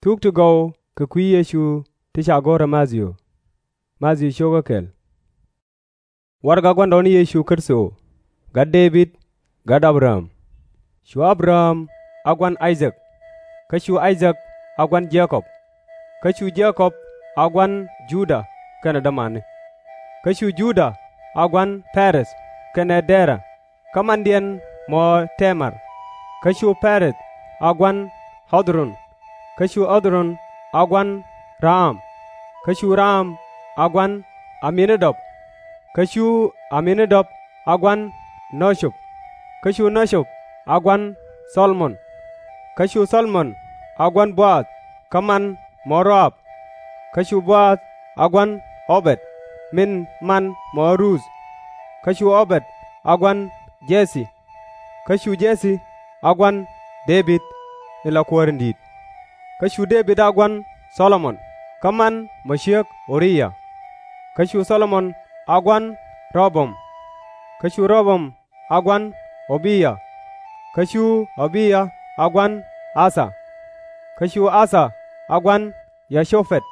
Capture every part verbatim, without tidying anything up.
Thuk ti gɔw kɛ kui̱ Yecu ti ca go̱r ɛ Mathiu. Mathiu cio̱kä kɛl. Warɛgak gua̱ndɔɔŋni Yecu Kritho, gat Dee-bid, gat Abraam. Cu Abraam a gua̱n I-thak, kä cu I-thak a gua̱n Je-kɔb, kä cu Je-kɔb a gua̱n Juda kɛnɛ dämani, kä cu Juda a gua̱n Pɛrɛth kɛnɛ Dɛra, kä mandiɛn mɔ Tɛmar. Kä cu Pɛrɛth a gua̱n Ɣɛ-dh-ron, kä cu Ɣɛ-dh-ron a gua̱n Ram, kä cu Ram a gua̱n Ɛ-mmi-na-dab, kä cu Ɛ-mmi-na-dab a gua̱n Nä-cub, kä cu Nä-cub a gua̱n Thɔ-lo-mon, kä cu Thɔ-lo-mon a gua̱n Bo-aath, kä man mɔ Ru-ab, kä cu Bo-aath a gua̱n Ɔ-bɛd, min man mɔ Ruth, kä cu Ɔ-bɛd a gua̱n Jɛ-thi, kä cu Jɛ-thi a gua̱n Dee-bid in la kuäär in di̱i̱t, kä cu Dee-bid a gua̱n Thɔ-lo-mon, kä man mɔ ciek Uriya, kä cu Thɔ-lo-mon a gua̱n Rɛ-ɣo-boam, kä cu Rɛ-ɣo-boam a gua̱n Ɔ-bi-ya, kä cu Ɔ-bi-ya a gua̱n Aa-tha, kä cu Aa-tha a gua̱n Yo-ca-pɛd,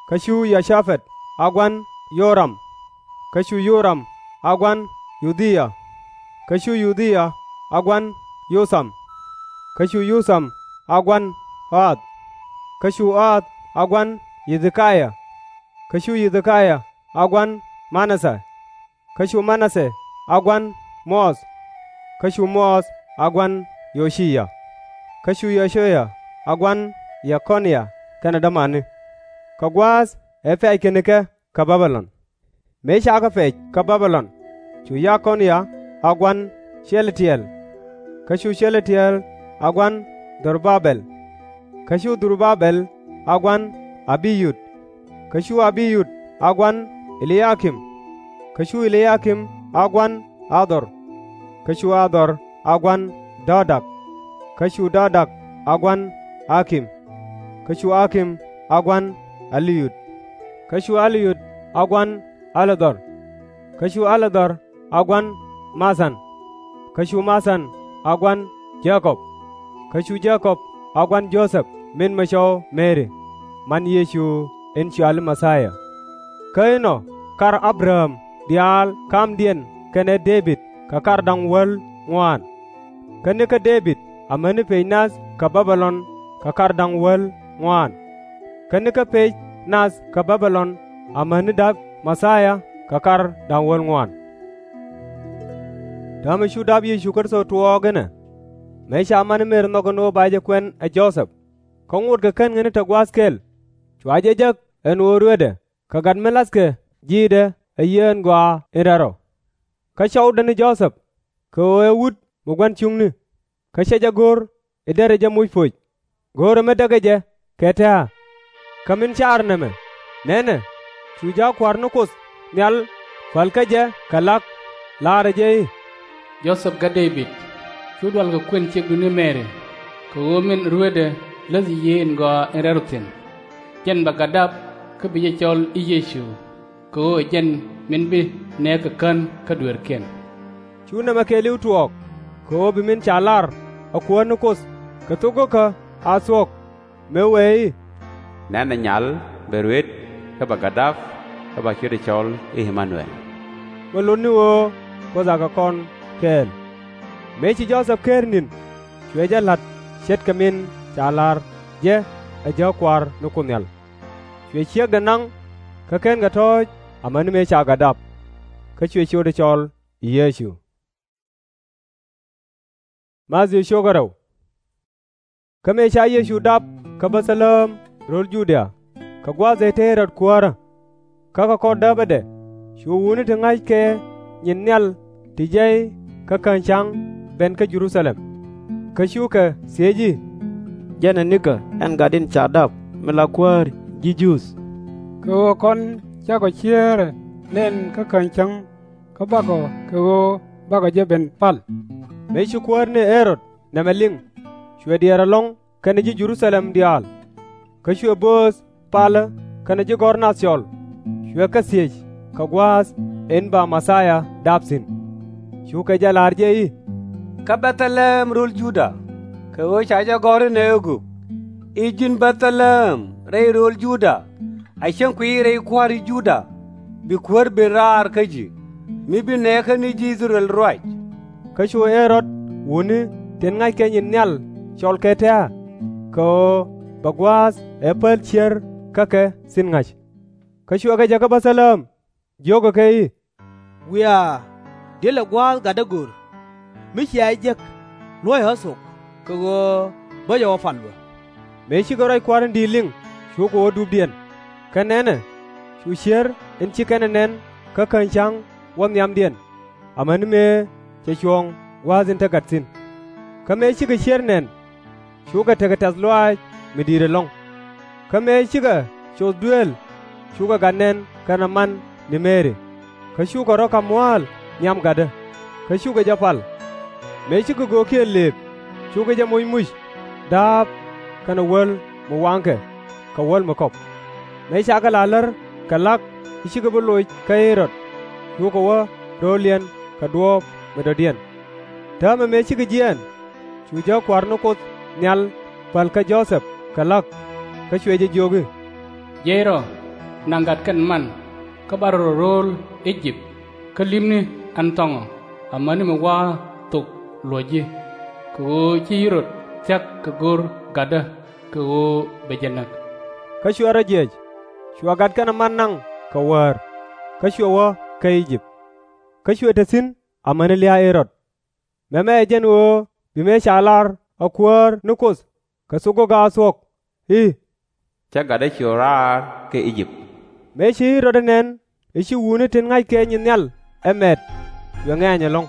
kä cu Yo-ca-pɛd a gua̱n Yo-ram, kä cu Yo-ram a gua̱n Yo-dhi-ya, kä cu Yo-dhi-ya a gua̱n Yo-tham, kä cu Yo-tham a gua̱n Ɣaath, kä cu Ɣaath a gua̱n Yɛ-dhi-ki-ya, kä cu Yɛ-dhi-ki-ya a gua̱n Ma-na-thɛ, kä cu Ma-na-thɛ a gua̱n Moth, kä cu Moth a gua̱n Yo-ci-ya, kä cu Yo-ci-ya a gua̱n Yɛ-kɔ-nya kɛnɛ dämani. Kɛ gua̱a̱th ɛ pɛ̈c kɛn kɛ kä Bä-bi-lɔn. Mëë ca kɛ pɛc kä Bä-bi-lɔn, cu Yɛ-kɔ-nya a gua̱n Cɛ-la-ti-ɛl, kä cu Cɛ-la-ti-ɛl a gua̱n Dhur-ba-bɛl, kä cu Dhur-ba-bɛl a gua̱n Ä-bi-yud, kä cu Ä-bi-yud a gua̱n Ɛ-li-ya-kim, kä cu Ɛ-li-ya-kim a gua̱n Ä-dhɔr, kä cu Ä-dhɔr a gua̱n Dɔ-dak, kä cu Dɔ-dak a gua̱n Ä-kim, kä cu Ä-kim a gua̱n Ɛ-li-yud, kä cu Ɛ-li-yud a gua̱n Ä-la-dhɔr, kä cu Ä-la-dhɔr a gua̱n Ma-than, kä cu Ma-than a gua̱n Jɛ-kɔb, kä cu Jɛ-kɔb a gua̱n Jo-thɛp min mɔ cɔw Mɛri, man Yecu in cɔali Mɛ-thia. Kä inɔ kar Abraham diaal ka̱mdiɛn kɛnɛ Dee-bid kɛ kar da̱ŋ wäl ŋuaan. Kä nikä Dee-bid amäni pec nath kä Bä-bi-lɔn kɛ kar da̱ŋ wäl ŋuaan, kä nikä pec nath kä Bä-bi-lɔn amäni da̱p Mɛ-thia kɛ kar da̱ŋ wäl ŋuaan. Täämɛ cu dap Yecu Kritho tuɔɔk inɛ, mëë ca mani Mɛri nhɔk ɛn ɣöö ba jɛ kuɛn ɛ Jo-thɛp, kä ŋotkɛ kän ŋäni te gua̱a̱th kɛl, cua jɛ jäk ɛn ɣöö ruetdɛ kɛ gat mi la̱thkɛ ji̱i̱dɛ ɛ Yiëë in Gɔaa in Rɛl Rɔ. Kä cɔwdɛ ni Jo-thɛp, kɛ ɣöö ɛ wut mi gua̱n cuŋni, kä cɛ jɛ go̱r i̱ derɛ jɛ moc poc, go̱o̱rɛ mi däkɛ jɛ kɛ tɛ̱̈ɛ̱̈. Kä min caarɛ nɛmɛ, nɛnɛ, cu jääk Kua̱r ni Kuoth Nhial päl kä jɛ kɛ la̱k, laarɛ jɛ i̱, Jo-thɛp gat Dee-bid, /cu dual kɛ kuën ciekdu ni Mɛri, kɛ ɣöö min ruetdɛ läthi Yiëë in Gɔaa in Rɛl Rɔ thi̱n. Jɛn bɛ gat dap kä bi jɛ cɔl i̱ Yecu, kɛ ɣöö ɛ jɛn min bi nɛɛkɛ kän kä dueerkiɛn. Cu nɛmɛ kɛɛliw tuɔɔk, kɛ ɣöö bi min ca lar ɛ Kuäär ni Kuoth kɛ thok go̱kä a thuɔ̱k, mëë wëë i̱, Nɛnɛ, Nyal bɛ ruet kä bɛ gat dap, kä ba ciötdɛ cɔl i̱ Ɛ-ma-nu-ɛl, mi lot ni ɣöö Kuoth akɛ kɔn kɛɛl. Mëë ci Jo-thɛp ker ni̱n, cuɛ jɛ la̱t ce̱tkɛ min ca lar jɛ ɛ jääk Kua̱r ni Kuoth Nhial. Cuɛ ciekdɛ naŋ kä /kenkɛ tɔ̱ɔ̱c amäni mëë ca gat dap, kä cuɛ ciötdɛ cɔl i̱ Yecu. Kä mëë ca Yecu dap kä Bɛ-thɛ-lɛm rööl Judia, kɛ gua̱a̱th ëë te Ɣɛ-rɔd kuäärä, kä kɛ kɔr dääpädɛ cu wutni ti ŋa̱ckɛ nyin nhial ti jiɛc kä käny cäŋ ben kä Jɛ-ru-tha-lɛm. Kä cukɛ thiec i̱, Jɛn ɛ nikä ɛn gat in ca dap mi la Kuäär ji̱ Juudh? Kɛ ɣöö kɔn cakɔ ciëërɛ nɛn kä käny cäŋ, kä bakɔ kɛ ɣöö bakɔ jɛ ben pal. Mëë ci Kuäär ni Ɣɛ-rɔd nɛmɛ liŋ, cuɛ diɛɛr ɛlɔ̱ŋ kɛnɛ ji̱ Jɛ-ru-tha-lɛm diaal. Kä cuɛ bööth palä kɛnɛ ji̱ gɔ̱r nath cɔl, cuɛ kɛ thiec kɛ gua̱a̱th in ba Mɛ-thia dap thi̱n. Cukɛ jɛ la̱r jɛ i̱, Kä Bɛ-thɛ-lɛm rööl Juda, kɛ ɣöö ca jɛ gɔ̱r inɛ ɣöö gök, I̱ ji̱n Bɛ-thɛ-lɛm rɛy rööl Juda, a cäŋ kuiy rɛy kua̱ri Juda, bi Kuäär ben raar kä ji̱, mi bi nɛɛkä ni ji̱ I-thɛ-rɛl ruac. Kä cu Ɣë-rɔd wutni tin ŋa̱ckɛ nyin nhial cɔl kɛ tɛ̱̈ɛ̱̈, kɛ ɣöö bɛ gua̱a̱th ɛ päl cier kä kɛ thi̱n ŋa̱c. Kä cuɛ kɛ jɛ kä Bɛ-thɛ-lɛm, jio̱kɛ kɛ i̱, Wiaa, di̱t lɛ gua̱a̱th gatdä go̱r, mi cia jek, luɔ̱c ɣä thok, kɛ ɣöö bä jɛ wä pal bä. Mëë cikɛ ruac Kua̱r in di̱i̱t liŋ, cukɛ wä dupdiɛn. Kä nɛnɛ, cu cier in ci kɛn ɛ nɛn kä käny ca̱ŋ wä nhiamdiɛn, amäni mëë cɛ cuɔ̱ɔ̱ŋ gua̱a̱th in te gat thi̱n. Kä mëë cikɛ cier nɛn, cukɛ tekɛ tɛ̈th lɔaac mi di̱i̱t ɛlɔ̱ŋ. Kä mëë cikɛ coth dueel, cukɛ gat nɛn kɛnɛ man ni Mɛri, kä cukɛ rɔ̱ ka̱m mua̱a̱l nhiam gatdä, kä cukɛ jɛ pal. Mëë cikɛ göökiɛn lëëp, cukɛ jɛ moc muc, dha̱a̱p, kɛnɛ wäl mi waŋkɛ, kɛ wäl mi kɔ̱p. Mëë cakɛ la̱r lär kɛ la̱k i̱ cikɛ bi loc kä Ɣë-rɔd, cukɛ wä rööliɛn kɛ duɔ̱ɔ̱p mi dɔ̱diɛn. Täämɛ mëë cikɛ jiɛɛn, cu jääk Kua̱r ni Kuoth Nhial päl kä Jo-thɛp kɛ la̱k, kä cuɛ jɛ jiök i̱, Jiɛc rɔ, naŋ gat kɛnɛ man, kä bar rɔ rööl I-jëp, kä li̱pni ɛn thɔŋɔ, amäni mi wa̱a̱ thok luɔ̱c ji̱, kɛ ɣöö ci Ɣë-rɔd thia̱k kɛ go̱r gatdä, kɛ ɣöö bɛ jɛ näk. Kä cuɛ rɔ jiɛc, cua gat kɛnɛ man naŋ kɛ wäär, kä cuɛ wä kä I-jëp. Kä cuɛ te thi̱n amäni lia̱a̱ Ɣë-rɔd. Mɛmɛ ɛ jɛn ɣöö bi mëë ca lar ɛ Kuäär ni Kuoth kɛ thok go̱o̱kä a thuɔ̱k i̱, Cä gatdä ciöt raar kä I-jëp. Mëë ci Ɣë-rɔd ɛ nɛn i̱ ci wutni tin ŋa̱ckɛ nyin nhial ɛ mɛt, cuɛ ŋɛ̈ny ɛlɔ̱ŋ.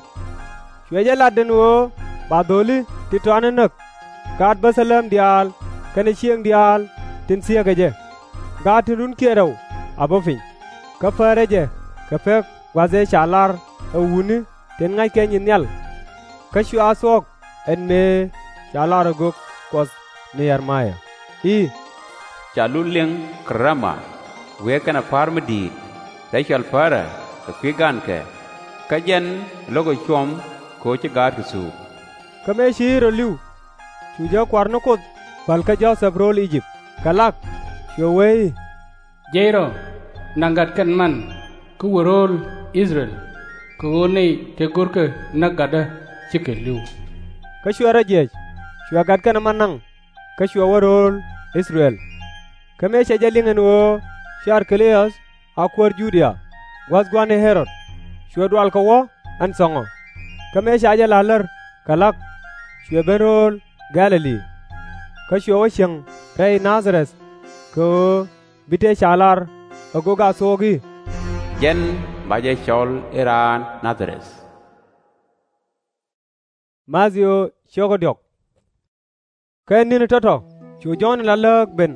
Cuɛ jɛ lat ɛn ɣöö ba dho̱li ti tɔatni näk, gaat Bɛ-thɛ-lɛm diaal kɛnɛ cieŋ diaal tin thieekɛ jɛ, gaat tin runkiɛn rɛw a bä piny. Kä pärɛ jɛ kɛ pek gua̱th ëë ca lar ɛ wutni tin ŋa̱ckɛ nyin nhial. Kä cua thuɔ̱k ɛn mëë ca lar ɛ gök Kuɔth ni Yɛr-maya i̱, Ca lut liŋ kä Rama, wëë kɛnɛ pa̱a̱r mi di̱i̱t, rɛy cɔal Pärä kɛ kui̱ gankɛ, kä jɛn lo̱kɛ cuɔm kɛ ɣöö ci gaatkɛ thuuk. Kä mëë ci Ɣë-rɔd li̱w, cu jääk Kua̱r ni Kuoth päl kä Jo-thɛp rööl I-jëp kɛ la̱k, cuɛ wee i̱, Jiɛc rɔ, naŋ gat kɛnɛ man, kä wër rööl I-thɛ-rɛl, kɛ ɣöö nɛy tëë görkɛ näk gatdä cikɛ li̱w. Kä cuɛ rɔ jiɛc, cuɛ gat kɛnɛ man naŋ, kä cuɛ wä rööl I-thɛ-rɛl. Kä mëë cɛ jɛ liŋ ɛn ɣöö ci Ar-kɛ-la-öth a kuäär Judia, gua̱th gua̱n ni Ɣë-rɔd, cuɛ dualkɛ wä ɛn thɔŋɔ. Kä mëë ca jɛ la̱r lär kɛ la̱k, cuɛ ben rööl Gɛ̈-lɛ-li. Kä cuɛ wä cieŋ rɛy Na-dha-rɛth, kɛ ɣöö bi tëë ca lar ɛ gök a thuɔ̱k i̱, Jɛn ba jɛ cɔl i̱ raan Na-dha-rɛth. Kä ni̱ni tɔ̱tɔ̱ cu Jɔ̱ɔ̱n in la lääk ben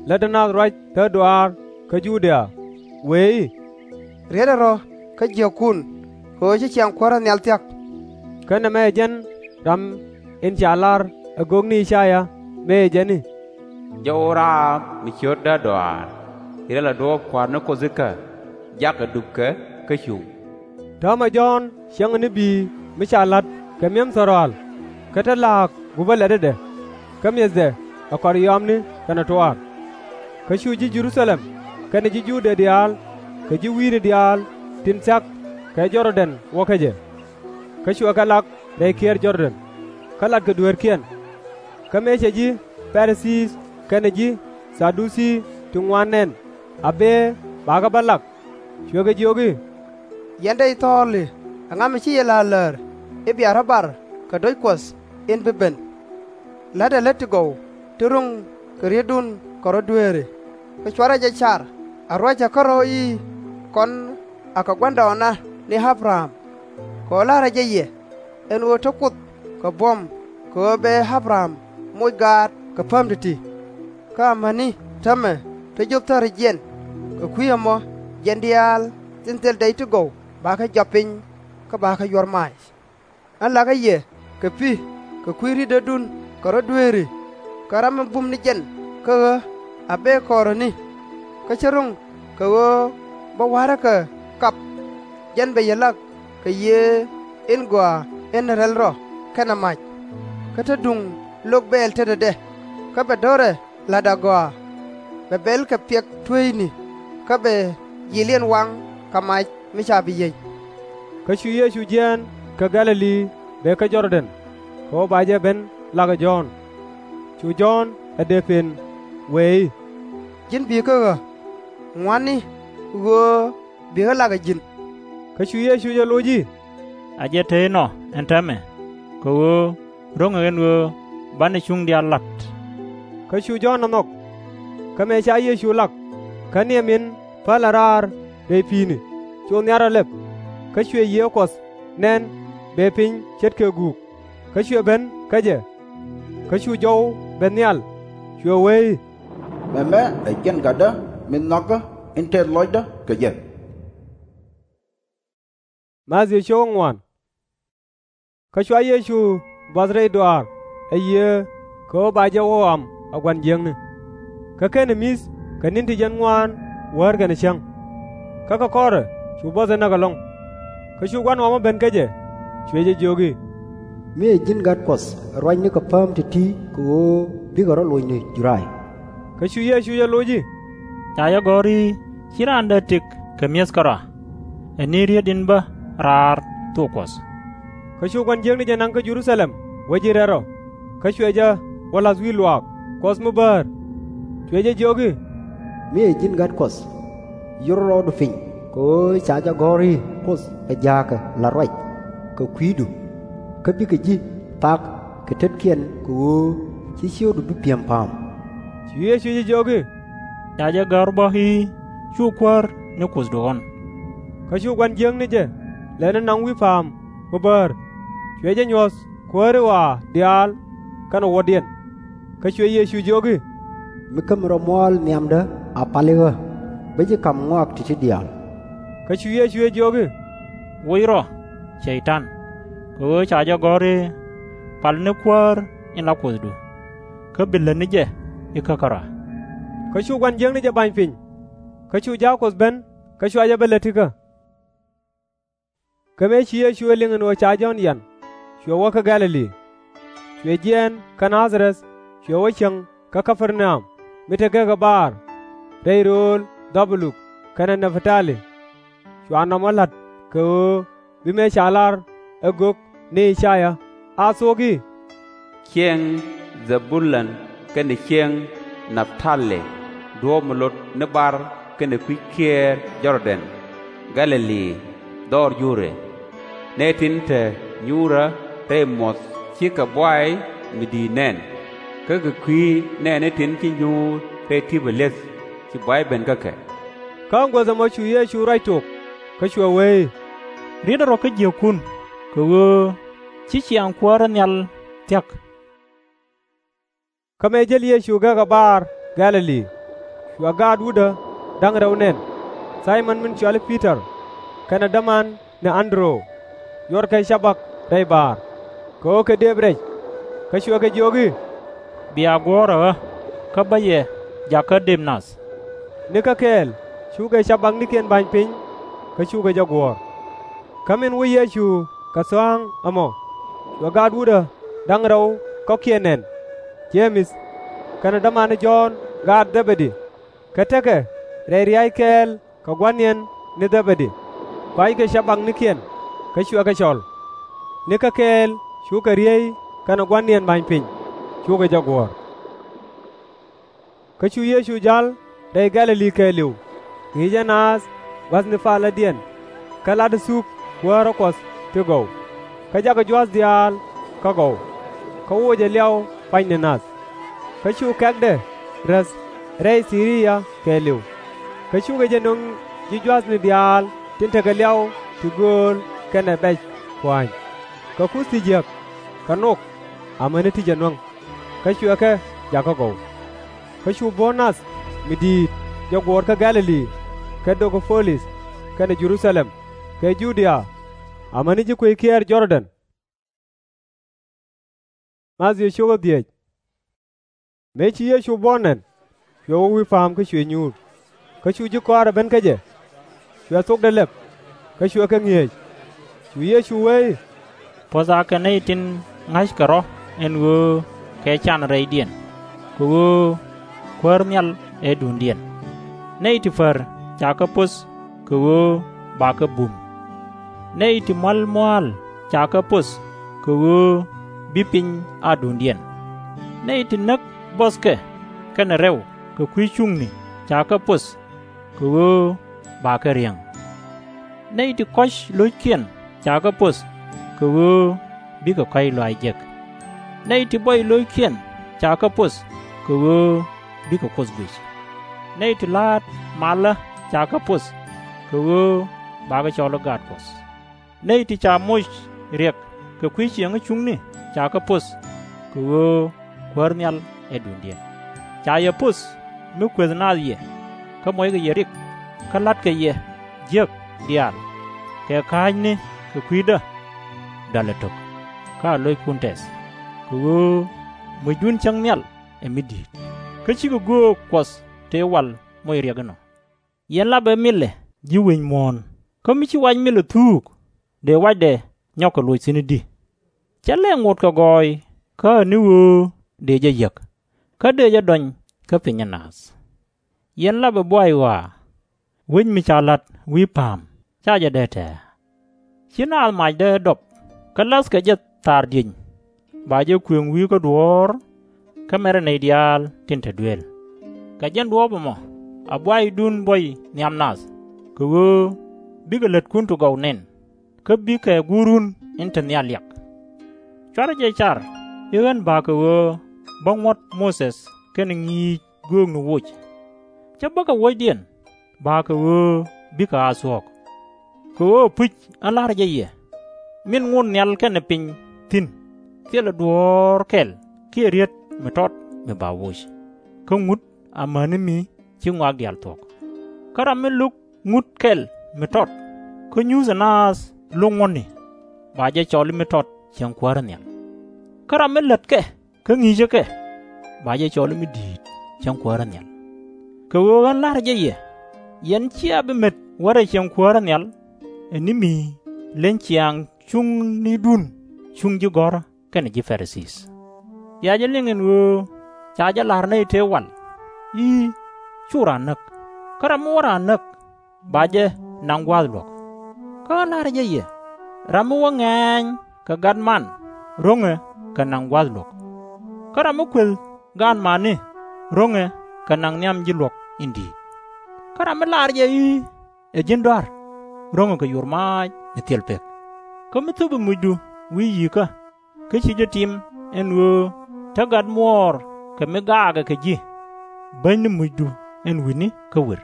lätdɛ nath ruac thätduaar kä Judia, wëë i̱, Rietdɛ rɔ kä jiäkun, kɛ ɣöö ci ciaŋ Kuäärä nhial thia̱k. Kä nɛmɛ ɛ jɛn ram in ca lar ɛ gök ni I-ca-yaa, mëë jɛn i̱, Jɛ ɣöö raar mi ciöt däär dɔaar, riɛl ɛ duɔ̱ɔ̱p Kua̱r ni Kuoth ikä, jakɛ dupkɛ kä cuŋ. Täämɛ Jɔ̱ɔ̱n cäŋɛ ni bi̱i̱ mi ca la̱t kɛ mi̱em thɔ̱rɔaal, kä te la̱a̱k gupä lɛ̈tädɛ, kä mi̱ethdɛ ɛ kɔr yɔaamni kɛnɛ tuaar. Kä cu ji̱ Jɛ-ru-tha-lɛm kɛnɛ ji̱ Juudɛ diaal kɛ ji̱ wi̱i̱ni diaal tin thia̱k kɛ Jɔr-dɛn wä kä jɛ. Kä cuɛ kɛ lak rɛy kiɛɛr Jɔr-dɛn, kä latkɛ dueerkiɛn. Kä mëë cɛ ji̱ Pa-ri-thii kɛnɛ ji̱ Tha-du-cii ti ŋuan nɛn a bëë bakɛ bä lak, cuɛ kɛ jiök i̱, Yɛn dee thɔɔli ɛŋa mi ci yɛ la̱r lär i̱ bia rɔ̱ bar kɛ do̱c Kuɔth in bi ben? La̱tdɛ lät ti gɔw ti ro̱ŋ kɛ rietdun kɛ rɔ̱ dueeri, kä /cuarɛ jɛ car a ruac ɛ kärɔ̱ i̱, Kɔn akɛ gua̱ndɔɔŋna ni Abraham. Kɛ ɣöö la̱rä jɛ yɛ ɛn ɣöö te Kuoth kɛ buɔ̱m kɛ ɣöö bɛ Abraham moc gaat kɛ pääm ti̱ti̱. Kä amäni täämɛ te jio̱p thärikiɛn, kɛ kui̱ ɛmɔ jiɛn diaal tin thil dɛy ti gɔw bakɛ jɔap piny kä bakɛ yuɔr mac. Ɣän la̱kɛ yɛ kɛ pi̱ kɛ kui̱ rietdädun kɛ rɔ̱ dueeri, kä ram mi bum ni jɛn kä ɣä a bëë kɔɔräni. Kä /cä ro̱ŋ kɛ ɣöö bä wa̱rä kɛ kap. Jɛn bɛ yɛ lak kɛ Yiëë in Gɔaa in Rɛl Rɔ kɛnɛ Mac. Kä te duŋ lok bɛɛl tetdɛ, kä bɛ do̱rɛ La̱t agɔaa, bɛ bɛl kɛ piɛk tueecni, kä bɛ jiɛcliɛn waŋ kɛ mac mi ca bi yiëny. Kä cu Yecu jiɛɛn kä Gɛ̈-lɛ-li bee kä Jɔr-dɛn, kɛ ɣöö ba jɛ ben lak ɛ Jɔ̱ɔ̱n. Cu Jɔ̱ɔ̱n ɛ dëë pen, wëë i̱, Ji̱n bi̱i̱ kä ɣä, ŋua̱tni ɣöö bikɛ lak ɛ ji̱n. Kä cu Yecu jɛ loc i̱, A jɛ te inɔ ɛn täämɛ, kɛ ɣöö ro̱ŋɛ ɛn ɣöö banɛ cuŋ diaal la̱t. Kä cu Jɔ̱ɔ̱n ɛ nhɔk. Kä mëë ca Yecu lak, kä niɛ min päl ɛ raar rɛy pi̱i̱ni, cu nhiat rɔ lɛp. Kä cuɛ Yiëë Kuɔth nɛn bëë piny ce̱tkɛ guuk, kä cuɛ ben kä jɛ. Kä cu jɔw ben nhial, cuɛ wee i̱, Mɛmɛ ɛ ji̱n Gatdä min nhɔakä in tɛth lɔcdä kɛ jɛ. Kä cua Yecu buɔth rɛy dɔaar ɛ Yiëë kɛ ɣöö ba jɛ wä ɣɔam ɛ gua̱n jiäkni. Kä /kenɛ mi̱th kɛ ni̱n ti jiɛn ŋuaan wäär kɛnɛ cäŋ. Kä kɛ kɔrɛ cu buɔthɛ näk ɛlɔ̱ŋ. Kä cu gua̱n ɣɔmɔ ben kä jɛ, cuɛ jɛ jiök i̱, Mi ɛ ji̱n Gat Kuɔth ɛ ruacni kɛ pääm ti̱ti̱ kɛ ɣöö bikɛ rɔ̱ locni Judaya. Kä cu Yecu jɛ loc i̱, Ca jɛ gɔ̱r i̱, Ci raan dee tëk kɛ mi̱eth kärɔa. Ɛ ni rieet in bä raar thok Kuɔth. Kä cu gua̱n jiäkni jɛ naŋ kä Jɛ-ru-tha-lɛm wä ji̱ rɛl rɔ, kä cuɛ jɛ wä la̱th wi̱i̱ luaak Kuɔth mi bäär. Cuɛ jɛ jiök i̱, Mi ɛ ji̱n Gat Kuɔth, yur rɔɔdu piny, kɛ ɣöö ca jɛ gɔ̱r i̱, Kuoth ɛ jaakɛ la̱t ruac kɛ kui̱du, kä bikɛ ji̱ thak kɛ tetkiɛn kɛ ɣöö ci ciökdu bi pi̱em pa̱a̱m. Cu Yecu jɛ jiök i̱, Ca jɛ gɔ̱r bä i̱, Cu kuäär ni Kuothdu ɣɔ̱n. Kä cu gua̱n jiäkni jɛ lɛni naŋ wi̱i̱ pa̱a̱m mi bäär, cuɛ jɛ nyuɔ̱th kuääri ɣɔaa diaal kɛnɛ wuɔ̱tdiɛn. Kä cuɛ Yecu jiök i̱, Mi kä mi rɔ muɔ̱ɔ̱l nhiamdä a pali ɣä, bä ji̱ ka̱m ŋɔak ti̱ti̱ diaal. Kä cu Yecu jɛ jiök i̱, Woc rɔ, Cɛy-tan, kɛ ɣöö ca jɛ gɔ̱r i̱, Pal ni kuäär in la Kuothdu, kä bi lätni jɛ ikä kärɔa. Kä cu gua̱n jiäkni jɛ ba̱ny piny, kä cu jaak Kuɔth ben kä cua jɛ ben lät ti̱kä. Kä mëë ci Yecu ɛ liŋ ɛn ɣöö ca Jɔ̱ɔ̱n yian, cuɛ wä kä Gɛ̈-lɛ-li. Cuɛ jiɛɛn kä Naa-dha-rɛth, cuɛ wä cieŋ kä Kä-per-na-um mi te gekä baar, rɛy rööl Dhɛ-bu-lun kɛnɛ Nɛ-pht-a-li. Cua nɔmɔ la̱t kɛ ɣöö bi mëë ca lar ɛ gök ni I-ca-yaa a thuɔ̱k i̱, Cieŋ Dhɛ-bu-lun kɛnɛ cieŋ Nɛ-pht-a-li, duɔ̱ɔ̱p mi lot ni bar kɛnɛ kui̱c kiɛɛr Jɔr-dɛn, Gɛ̈-lɛ-li, dhɔr Jur ɛ! Nɛy tin te nyuurä rɛy muɔ̱th cikɛ buay mi di̱i̱t nɛn, kä kɛ kui̱ nɛɛni tin ci nyuur rɛy ti̱pɛ li̱eth ci buay ben kä kɛ. Kä guäth ɛmɔ cu Yecu ruac tok, kä cuɛ wee i̱, Rietdɛ rɔ kä jiäkun, kɛ ɣöö ci ciaŋ kuäärä nhial thia̱k. Kä mëë jäl Yecu gekä baar Gɛ̈-lɛ-li, cua gaat wutdä da̱ŋ rɛw nɛn, Thay-mɔn min cɔal i̱ Pi-tɔr kɛnɛ däman ni An-dɛ-ru, yuɔrkɛ cabak rɛy baar, kɛ ɣöö kɛ dëëp rɛc. Kä cuɛ kɛ jiök i̱, Bia guɔ̱ɔ̱r ɛ ɣä, kä bä yɛ jakä dëëp nath. Nikä kɛɛl cukɛ cabaknikiɛn ba̱ny piny, kä cukɛ jɛ guɔ̱ɔ̱r. Kä min wä Yecu kɛ tha̱a̱ŋ ɛmɔ, cua gaat wutdä da̱ŋ rɛw kɔ̱kiɛn nɛn, Je-mɛth kɛnɛ dämani Jɔ̱ɔ̱n gaat Dhɛ-bɛ-di, kä tekɛ rɛy ria̱a̱c kɛɛl kɛ gua̱niɛn ni Dhɛ-bɛ-di, kuackɛ cabaknikiɛn, kä cuɛ kɛ cɔl. Nikä kɛɛl cukɛ riey kɛnɛ gua̱niɛn ba̱ny piny, cukɛ jɛ guɔ̱ɔ̱r. Kä cu Yecu ja̱l rɛy Gɛ̈-lɛ-li kɛɛliw, ŋi̱i̱cɛ naath gua̱thni palädiɛn, kä la̱tdɛ thuk kuäärä Kuɔth ti gɔw, kä jakɛ jua̱th diaal kä gɔw, kä wocɛ liaw pua̱nyni nath. Kä cu kɛ̈kdɛ räth rɛy Thi-ri-ya kɛɛliw, kä cukɛ jɛ nöŋ ji̱ jua̱thni diaal tin tekɛ liaw ti gööl kɛnɛ bɛc pua̱a̱ny, kɛ kuth ti jiäk, kɛ nok, amäni ti jɛ nuäŋ, kä cuɛ kɛ jakä gɔw. Kä cu buɔ̱n nath mi di̱i̱t jɛ guɔ̱ɔ̱r kä Gɛ̈-lɛ-li, kɛ Dɛ-ka-po-lith, kɛnɛ Jɛ-ru-tha-lɛm, kɛ Ju-dia, amäni ji̱ kuec kiɛɛr Jɔr-dɛn. Mëë ci Yecu buɔ̱n nɛn, cuɛ wä wi̱i̱ pa̱a̱m kä cuɛ nyuur. Kä cu ji̱ kɔaarɛ ben kä jɛ, cuɛ thokdɛ lɛp, kä cuɛ kɛ ŋi̱eec. Cu Yecu wee i̱, Puɔ̱th akɛ nɛy tin ŋa̱ckɛ rɔ̱ ɛn ɣöö kɛ can rɛydiɛn, kɛ ɣöö Kuäär nhial ɛ duŋdiɛn. Nɛy ti pär ca kɛ poth kɛ ɣöö bakɛ bum. Nɛy ti mual mua̱a̱l ca kɛ poth kɛ ɣöö bi piny a duŋdiɛn. Nɛy ti näk buɔthkɛ kɛnɛ rɛw kɛ kui̱ cuŋni ca kɛ poth kɛ ɣöö bakɛ riäŋ. Nɛy ti kɔ̱c lo̱ckiɛn ca kɛ poth kɛ ɣöö bikɛ kɔ̱c lɔaac jek. Nɛy ti buɔy lo̱ckiɛn ca kɛ poth kɛ ɣöö bikɛ Kuoth guic. Nɛy ti la̱a̱t malä ca kɛ poth kɛ ɣöö bakɛ cɔl i̱ Gaat Kuɔth. Nɛy ti ca moc riɛk kɛ kui̱ ciɛŋä cuŋni ca kɛ poth kɛ ɣöö Kuäär nhial ɛ duŋdiɛn. Ca yɛ poth mi kuëth naath yɛ, kä muɔckɛ yɛ rik, kä la̱tkɛ yɛ jiäk diaal, kɛ kääcni kɛ kui̱dä dɔalɛ tok, kä a lo̱ckun tɛth, kɛ ɣöö mucdun cäŋ nhial ɛ mi di̱i̱t, kä /cikɛ göök Kuɔth tëë wal moc riɛk inɔ. Yɛn lapɛ milɛ ji̱ wi̱c muɔ̱ɔ̱n, kä mi /ci wac milɛ thuuk, dëë wacdɛ nyɔk kɛ loc thi̱n i̱di? /Cɛ lɛ ŋot kɛ gɔɔy kä ɛ ni ɣöö dëë jɛ yäk, kä dëë jɛ dɔny kä pinyä naath. Yɛn lapɛ buay ɣɔaa, wec mi ca la̱t wi̱i̱ pa̱a̱m /ca jɛ dee tɛ̱̈ɛ̱̈. /Ci naath macdä ɛ dɔp, kä la̱thkɛ jɛ thaar dieny, ba jɛ kuëŋ wi̱i̱ kä duɔ̱ɔ̱r, kä mɛrɛ nɛy diaal tin te duel. Kɛ jɛn duɔ̱ɔ̱p ɛmɔ a buaydun buɔy nhiam nath, kɛ ɣöö bikɛ lätkun ti gɔw nɛn, kä bikɛ Guurun in te nhial liak. /Cuarɛ jɛ car i̱ ɣän ba̱a̱ kɛ ɣöö bä ŋuɔ̱t Moses kɛnɛ ŋi̱i̱c göökni woc. /Cä bä kɛ wuɔ̱cdiɛn, ba̱a̱ kɛ ɣöö bikɛ a thuɔ̱k. Kɛ ɣöö puc ɣän la̱rä jɛ yɛ, min ŋot nhial kɛnɛ piny thi̱n, thilɛ duɔ̱ɔ̱r kɛl kiɛ riet mi tɔt mi ba woc, kä ŋut amäni mi ci ŋɔak diaal thuɔ̱k. Kä ram mi lo̱k ŋut kɛl mi tɔt, kä nyuthɛ naath lo̱k ŋuɔ̱tni, ba jɛ cɔl i̱ mi tɔt cieŋ kuäärä nhial. Kä ram mi lätkɛ kä ŋi̱i̱cä kɛ, ba jɛ cɔl i̱ mi di̱i̱t cieŋ kuäärä nhial. Kɛ ɣöö ɣän la̱rä jɛ yɛ, yɛn /cia bi met wärɛ cieŋ kuäärä nhial, ɛ ni mi leny ciaaŋ cuŋnidun cuŋ ji̱ gɔ̱rä kɛnɛ ji̱ Pa-ri-thii. Bia jɛ liŋ ɛn ɣöö ca jɛ la̱r nɛy tëë wal i̱, /cu raan näk, kä ram mi wä raan näk ba jɛ naŋ gua̱a̱th luɔ̱k. Kä ɣän la̱rä jɛ yɛ, ram mi wä ŋɛ̈ɛ̈ny kɛ gat man ro̱ŋɛ kɛ naŋ gua̱a̱th luɔ̱k. Kä ram mi kuëth gaatmani ro̱ŋɛ kɛ naŋ nhiam ji̱ luɔ̱k in di̱i̱t. Kä ram mi laar jɛ i̱, ɛ ji̱n dɔ̱a̱r, ro̱ŋɛ kɛ yur maac mi thil pek. Kä mi thöpi mucdu wi̱i̱ yi̱i̱kä, kä /ci jɛ tim ɛn ɣöö te gat muɔɔr kɛ mi gaakɛ kɛ ji̱, bäny ni mucdu ɛn wi̱ni kä wër,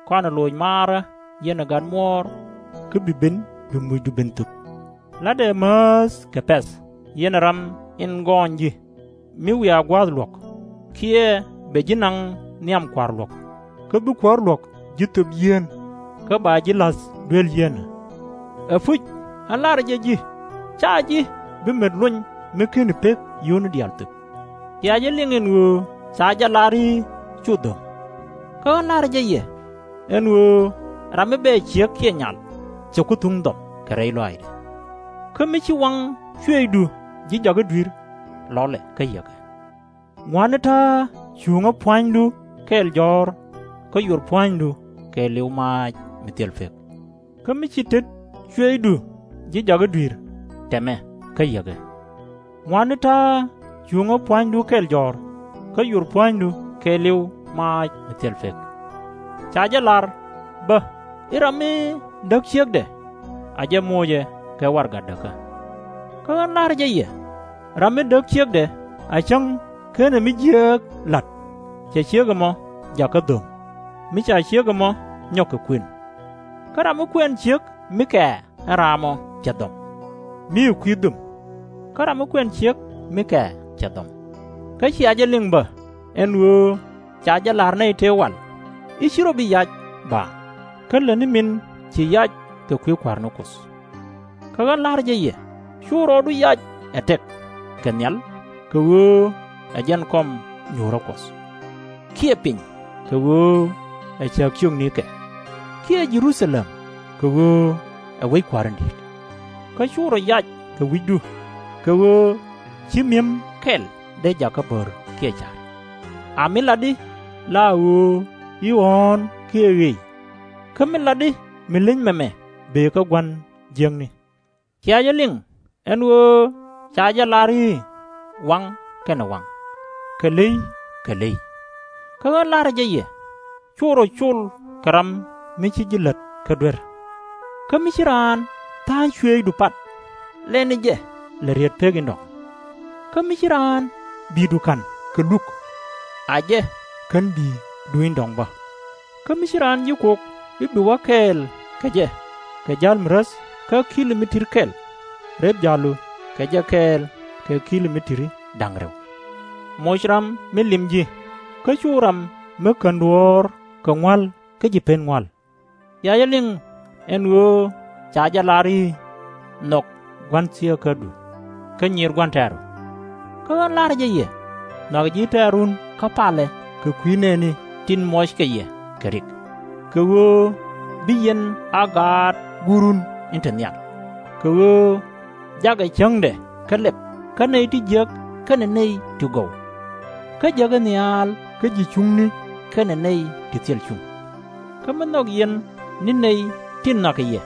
kɔnɛ loc maarä yɛnɛ gat muɔɔr, kä bi ben bi mucdu ben thöp. La̱tdɛ määth kɛ pɛ̈th yɛnɛ ram in gɔɔny ji̱, mi wiaa gua̱a̱th luɔ̱k, kiɛ bɛ ji̱ naŋ nhiam kua̱r luɔ̱k, kä bi kuäär luɔ̱k ji̱ thöp yieen, kä ba ji̱ la̱th duel yieenä. Ɛpuc, ɣän la̱rä jɛ ji̱, /ca ji̱ bi met lony mi /keni pek yio̱wni diaal thöp. Bia jɛ liŋ ɛn ɣöö ca jɛ lar i̱, /cu dho̱ŋ. Kä ɣän la̱rä jɛ yɛ, ɛn ɣöö ram mi bɛɛ ciek kiɛ nyal, cɛ ku thuŋ dhɔm kɛ rɛy lɔaacdɛ. Kä mi ci waŋ cuëëcdu ji̱ jakä dui̱r, lɔlɛ kä yäkɛ. Ŋua̱tni ta̱a̱ cuŋä pua̱nydu kɛɛl jɔ̱ɔ̱r, kä yur pua̱nydu kɛɛliw maac mi thil pek. Kä mi ci tet cuëëcdu ji̱ jakä dui̱r, tɛmɛ kä yäkɛ. Ŋua̱tni ta̱a̱ cuŋä pua̱nydu kɛl jɔ̱ɔ̱r, kä yur pua̱nydu kɛɛliw maac mi thil pek. Ca jɛ lar bä i̱ ram mi däk ciekdɛ, a jɛ moocɛ kɛ warɛgak däkä. Kä ɣän la̱rä jɛ yɛ, ram mi däk ciekdɛ a cäŋ /kenɛ mi jiääk la̱t, cɛ ciek ɛmɔ jakä dho̱ŋ, mi ca ciek ɛmɔ nyɔk kɛ kuën. Kä ram mi kuɛn ciek mi kɛɛ ɛ raamɔ cɛ dhɔm, mi ɛ kui̱ dhöm. Kä ram mi kuɛn ciek mi kɛɛ cɛ dhɔm. Kä cia jɛ liŋ bä, ɛn ɣöö ca jɛ la̱r nɛy tëë wal i̱, /ci rɔ bi yac baaŋ, kä lätni min ci yac kɛ kui̱ kua̱r ni Kuoth. Kä ɣän la̱rä jɛ yɛ, /cu rɔɔdu yac ɛ tɛk kɛ nhial, kɛ ɣöö ɛ jɛn kɔm nyuurä Kuɔth, kiɛ piny, kɛ ɣöö ɛ cääk ciöknikɛ, kiɛ Jɛ-ru-tha-lɛm, kɛ ɣöö ɛ wec kua̱r in di̱i̱t. Kä /cu rɔ yac kɛ wi̱cdu, kɛ ɣöö /ci mi̱em kɛl dee jakä bär kiɛ ca̱r. A mi lat i̱, la ɣöö i̱ ɣɔ̱ɔ̱n kiɛ ɣëëc. Kä mi lat i̱ mi leny mɛmɛ bëë kä gua̱n jiäkni. Cia jɛ liŋ ɛn ɣöö ca jɛ lar i̱, waŋ kɛnɛ waŋ, kɛ ley kɛ ley. Kä ɣän la̱rä jɛ yɛ, cu rɔ col kɛ ram mi ci ji̱ lät kä duer. Kä mi ci raan tha̱a̱ŋ cuëëcdu pat, lɛni jɛ lɛ riet pek in dɔ̱ŋ. Kä mi ci raan bi̱i̱du ka̱n kɛ luk, a jɛ kän bi̱i̱du in dɔ̱ŋ bä. Kä mi ci raan ji̱ kok i̱ bi wä kɛɛl kɛ jɛ kɛ ja̱l mi räth kä ki̱li mi ti̱t kɛl, rep ja̱lu kɛ jɛ kɛɛl kɛ ki̱li mi ti̱t da̱ŋ rɛw. Moc ram mi lim ji̱, kä cu ram mi kän duɔ̱ɔ̱r kɛ ŋua̱l kä ji̱ pen ŋua̱l. Cia jɛ liŋ ɛn ɣöö ca jɛ lar i̱, nhɔk gua̱n thieekädu, kä nyiir gua̱n tɛ̈ru. Kä ɣän la̱rä jɛ yɛ, nhɔakɛ ji̱ tɛ̈run kä palɛ kɛ kui̱ nɛɛni tin muɔckɛ yɛ kɛ rik, kɛ ɣöö bi yɛn a gaat Guurun in te nhial. Kɛ ɣöö jakɛ cäŋdɛ kä lɛp kä nɛy ti jiäk kɛnɛ nɛy ti gɔw, kä jäkä nhial kä ji̱ cuŋni kɛnɛ nɛy ti thil cuŋ. Kä mi nhɔk yɛn ni nɛy tin nhɔakɛ yɛ,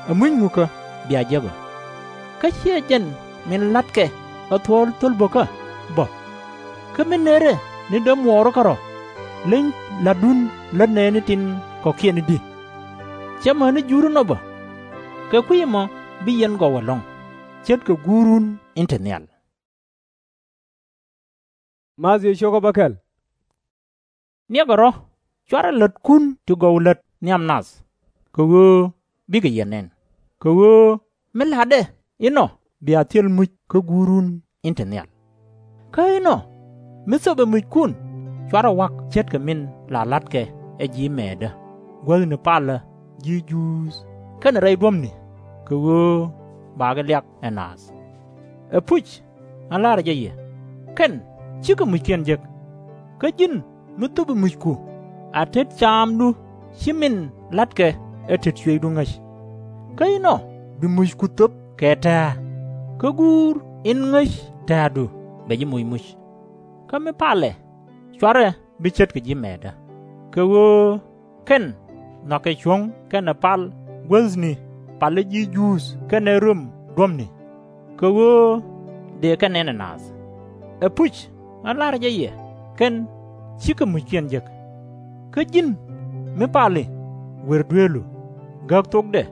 ɛ muc ŋukä bia jek ɔ? Kä /ciɛ jɛn min la̱tkɛ ɛ thuɔ̱ɔ̱l thöl bäkä bä? Kä mi nërɛ ni dämuɔɔri kärɔ̱, leny la̱tdun lät nɛɛni tin kɔ̱kiɛn i̱di? /Cɛ mäni Jur inɔ bä? Kɛ kui̱ ɛmɔ bi yɛn gɔw ɛlɔ̱ŋ, ce̱tkɛ Guurun in te nhial. Niɛkɛ rɔ̱, /cuarɛ lätkun ti gɔw lät nhiam nath, kɛ ɣöö bikɛ yɛ nɛn. Kɛ ɣöö mi la̱tdɛ inɔ bia thil muc kä Guurun in te nhial. Kä inɔ mi thöpɛ muckun, /cuarɛ wa̱k ce̱tkɛ min la la̱tkɛ ɛ ji̱ mɛɛtdä, guäthni palä ji̱ Juudh kɛnɛ rɛy duɔ̱pni, kɛ ɣöö bakɛ liak ɛ naath. Ɛpuc, ɣän la̱rä jɛ yɛ, kɛn /cikɛ muckiɛn jek. Kä ji̱n mi thöpɛ mucku, a tet caamdu /ci min la̱tkɛ ɛ tet cuëëcdu ŋäc. Kä inɔ bi mucku thöp kɛ tɛ̱̈ɛ̱̈, kä Guur in ŋäc tɛ̱̈ɛ̱̈du bɛ ji̱ moc muc. Kä mi palɛ, /cuarɛ bi ce̱tkɛ ji̱ mɛɛtdä, kɛ ɣöö kɛn nhɔakɛ cuɔ̱ŋ kɛnɛ pal guäthni palä ji̱ Juudh kɛnɛ röm duɔ̱pni, kɛ ɣöö dëë kɛ nɛn ɛ naath. Ɛpuc, ɣän la̱rä jɛ yɛ, kɛn /cikɛ muckiɛn jek. Kä ji̱n mi pali, wër dueelu, gäk thokdɛ,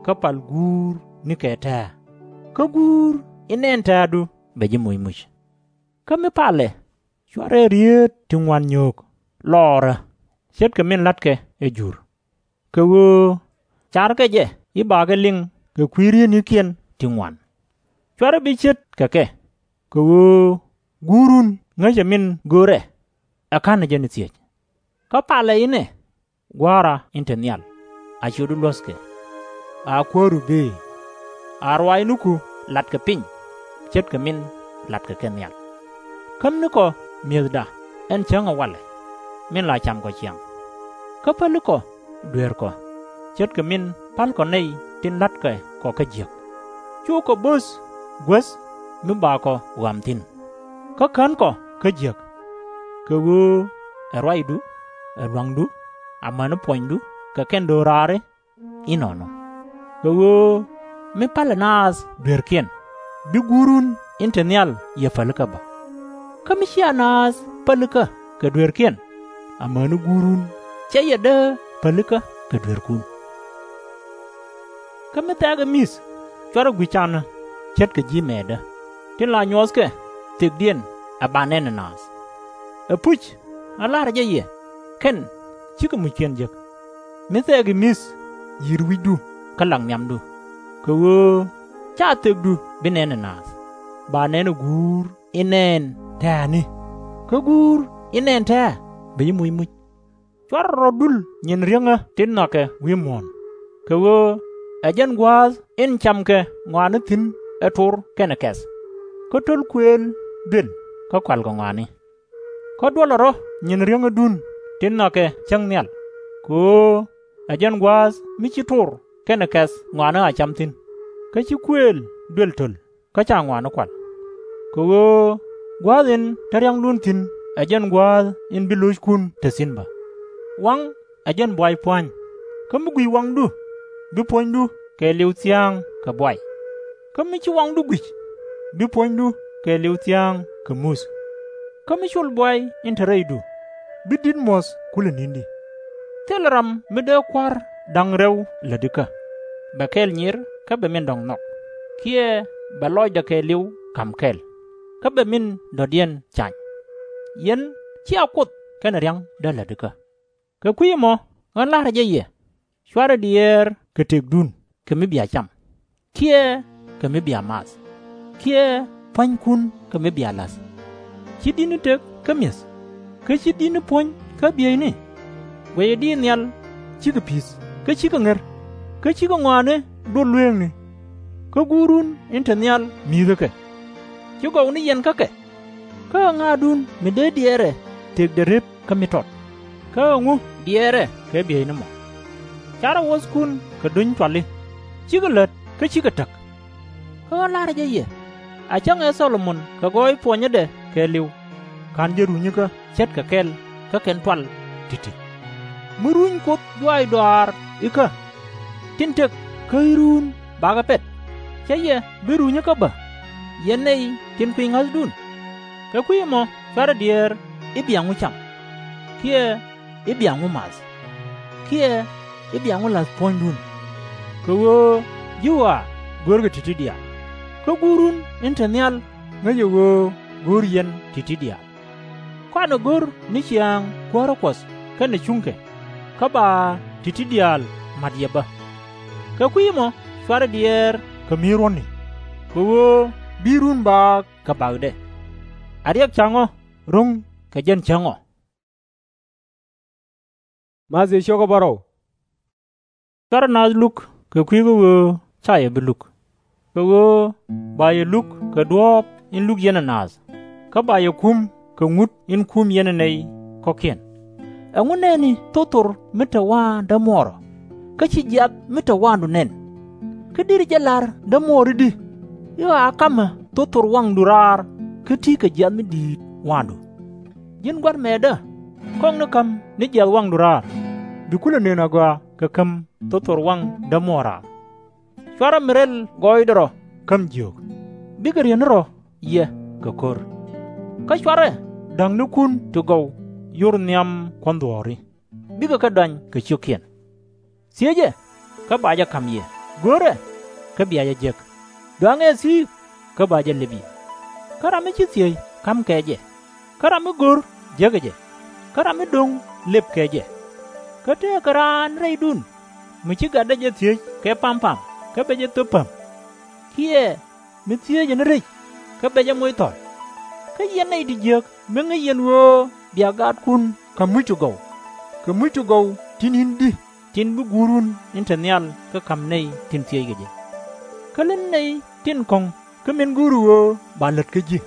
kä pal Guur nikɛ tɛ̱̈ɛ̱̈, kä Guur in nɛn tɛ̱̈ɛ̱̈du bɛ ji̱ moc muc. Kä mi palɛ, /cuarɛ rieet ti ŋuan nyöök lɔɔrä ce̱tkɛ min la̱tkɛ ɛ Jur, kɛ ɣöö carkɛ jɛ i̱ bakɛ liŋ kɛ kui̱ rieetnikiɛn ti ŋuan. /Cuarɛ bi ce̱tkɛ kɛ, kɛ ɣöö Guurun ŋäcɛ min görɛ, ɛ ka̱nɛ jɛ ni thiec. Kä palɛ inɛ, Gua̱a̱ra in te nhial, a ciötdu luɔ̱thkɛ, a kuääru bëë, a ruaacniku latkɛ piny ce̱tkɛ min latkɛ kɛ nhial. Kämnikɔ mi̱ethda ɛn cäŋ ɛ walɛ, min la camkɔ ciaŋ. Kä pälikɔ dueerkɔ ce̱tkɛ min pälkɔ nɛy tin la̱tkɛ kɔ kä jiäk. Cukɔ bo̱th guäth mi bakɔ ɣɔam thi̱n, kä känkɔ kä jiäk. Kɛ ɣöö ɛ ruacdu, ɛ lua̱ŋdu, amäni puɔnydu kɛ kɛn do̱raari inɔnɔ. Kɛ ɣöö mi palɛ naath dueerkiɛn, bi Guurun in te nhial yɛ pälikä bä. Kä mi /cia naath pälikä kɛ dueerkiɛn, amäni Guurun /cɛ yɛ dee pälikä kɛ dueerkun. Kä mi thɛɛkɛ mi̱th, /cuarɛ guic canä ce̱tkɛ ji̱ mɛɛtdä, tin la nyuɔthkɛ thekdiɛn ɛ ba nɛn ɛ naath. Ɛpuc, ɣän la̱rä jɛ yɛ, kɛn /cikɛ muckiɛn jek. Mi thɛɛkɛ mi̱th, yi̱r wi̱cdu kä lak nhiamdu, kɛ ɣöö /ca thekdu bi nɛn ɛ naath, ba nɛn ɛ Guur in nɛn tɛ̱̈ɛ̱̈ni. Kä Guur in nɛn tɛ̱̈ɛ̱̈ bɛ ji̱ moc muc. /Cuarɛ rɔ dul nyin riäŋä tin nhɔakɛ wi̱i̱ muɔ̱ɔ̱n, kɛ ɣöö ɛ jɛn gua̱a̱th in camkɛ ŋɔaani thi̱n ɛ tor kɛnɛ kɛ̈th, kä to̱l kuëël duël kä kualkɛ ŋɔaani. Kä duɔlɛ rɔ̱ nyin riäŋädun tin nhɔakɛ cäŋ nhial, kɛ ɣöö ɛ jɛn gua̱a̱th mi ci tor kɛnɛ kɛ̈th ŋɔaani a cam thi̱n, kä ci kuëël duël töl kä /ca ŋɔaani kual. Kɛ ɣöö gua̱a̱th in te ria̱ŋdun thi̱n ɛ jɛn gua̱a̱th in bi lo̱ckun te thi̱n bä. Waŋ ɛ jɛn buay pua̱ny. Kä mi gui̱c waŋdu, bi puɔ̱nydu kɛɛliw thia̱a̱ŋ kɛ buay. Kä mi ci waŋdu gui̱c, bi puɔ̱nydu kɛɛliw thia̱a̱ŋ kɛ muth. Kä mi col buay in te rɛydu, bi di̱t muɔ̱th kulɛ ni̱n di. Thilɛ ram mi dee kua̱r da̱ŋ rɛw lätikä, bɛ kɛl nyir kä bɛ min dɔ̱ŋ nhɔk, kiɛ bɛ lɔcdɛ kɛɛliw ka̱m kɛl, kä bɛ min dɔ̱diɛn cany. Yɛn /cia Kuoth kɛnɛ ria̱ŋ dee lätikä. Kɛ kui̱ ɛmɔ ɣän la̱rä jɛ yɛ, /cuarɛ diɛɛr kɛ tëkdun kɛ mi bia cam, kiɛ kɛ mi bia math, kiɛ pua̱nykun kɛ mi bia la̱th. /Ci di̱tni tëk kä mi̱eth, kä /ci di̱tni puɔ̱ny kä bieyni? Guɛcɛ diit nhial /cikɛ pi̱th kä /cikɛ ŋer, kä /cikɛ ŋɔaani duɔl lueekni. Kä Guurun in te nhial mi̱i̱thä kɛ. /Ci gɔw ni yɛn kä kɛ. Kä ɛ ŋa̱a̱dun mi dee diɛɛrɛ tëkdɛ rep kä mi tɔt, kä ɛŋu diɛɛrɛ kɛ bieyni mɔ? Carɛ wuɔ̱thkun kɛ duny cuali, /cikɛ lät kä /cikɛ täk. Kä ɣän la̱rä jɛ yɛ, a cäŋ ɛ Thɔ-lo-mon kɛ gɔɔy puɔnyädɛ kɛɛliw, /ka̱n jɛ runyikä ce̱tkɛ kɛl kä kɛn tual ti̱ti̱. Mi runy Kuoth juaac dɔaar ikä, tin tëk kä i̱ ruun bakɛ pɛt, /cä yɛ bi runyikä bä, yɛn nɛy tin kui̱ ŋa̱thdun? Kɛ kui̱ ɛmɔ /cuarɛ diɛɛr i̱ bia ŋu cam, kiɛ i̱ bia ŋu math, kiɛ i̱ bia ŋu la̱th puɔ̱nydun. Kɛ ɣöö ji̱ ɣɔaa görkɛ ti̱ti̱ diaal, kä Guurun in te nhial ŋäcɛ ɣöö go̱o̱r yɛn ti̱ti̱ diaal. Kɔaanɛ go̱r ni ciaaŋ kuäärä Kuɔth kɛnɛ cuŋkɛ, kä ba ti̱ti̱ diaal mat yɛ bä. Kɛ kui̱ ɛmɔ /cuarɛ diɛɛr kɛ mi̱i̱t ruɔ̱ni, kɛ ɣöö bi run baak kɛ bakdɛ. A riɛk ca̱ŋɔ ro̱ŋ kɛ jɛn cäŋ ɔ. Cuarɛ naath luk kɛ kui̱ kä ɣöö /ca yɛ bi luk, kɛ ɣöö ba yɛ luk kɛ duɔ̱ɔ̱p in luk yɛn ɛ naath, kä ba yɛ kum kɛ ŋut in kum yɛn ɛ nɛy kɔ̱kiɛn. Ɛŋu nɛɛni thothor mi te wa̱a̱ndä muɔɔrä, kä /ci jiath mi te wa̱a̱ndu nɛn? Kä deri jɛ la̱r dämuɔɔr i̱di, i̱ ɣɔaa ka̱mɛ thothor waŋdu raar kä ti̱i̱ kɛ jiath mi di̱i̱t wa̱a̱ndu? Ji̱n gua̱t mɛɛtdä, kɔŋni ka̱m ni jiath waŋdu raar, bi kulɛ nööŋ agɔaa kɛ käm thothor waŋ dämuɔɔr raar. /Cuarɛ mi rɛl gɔɔydɛ rɔ käm jiöök, bikɛ ri̱eŋni rɔ yɛ kɛ ko̱r. Kä /cuarɛ da̱ŋnikun ti gɔw yor nhiam kuɔ̱n dhuɔ̱ɔ̱ri, bikɛ kɛ dɔany kɛ ciökiɛn. Thiecɛ, kä ba jɛ ka̱m yɛ; go̱rɛ, kä bia jɛ jek; dɔaŋɛ thi̱i̱k, kä ba jɛ lëp yɛ. Kä ram mi /ci thiec ka̱mkɛ jɛ, kä ram mi go̱r jekɛ jɛ, kä ram mi do̱ŋ lëpkɛ jɛ. Kä tëëkɛ raan rɛydun mi ci gatdä jɛ thiec kɛ pam pam kä bɛ jɛ thöp päm, kiɛ mi thiecɛ ni rec kä bɛ jɛ moc thɔl. Kä yɛn nɛy ti jiääk, mi ŋäc yɛn ɣöö bia gaatkun ka̱m muc ti gɔw, kɛ muc ti gɔw ti ni̱n di tin bi Guurun in te nhial kɛ ka̱m nɛy tin thieckɛ jɛ? Kä lät nɛy tin kɔ̱ŋ kä min go̱o̱ri ɣöö ba lät kä ji̱,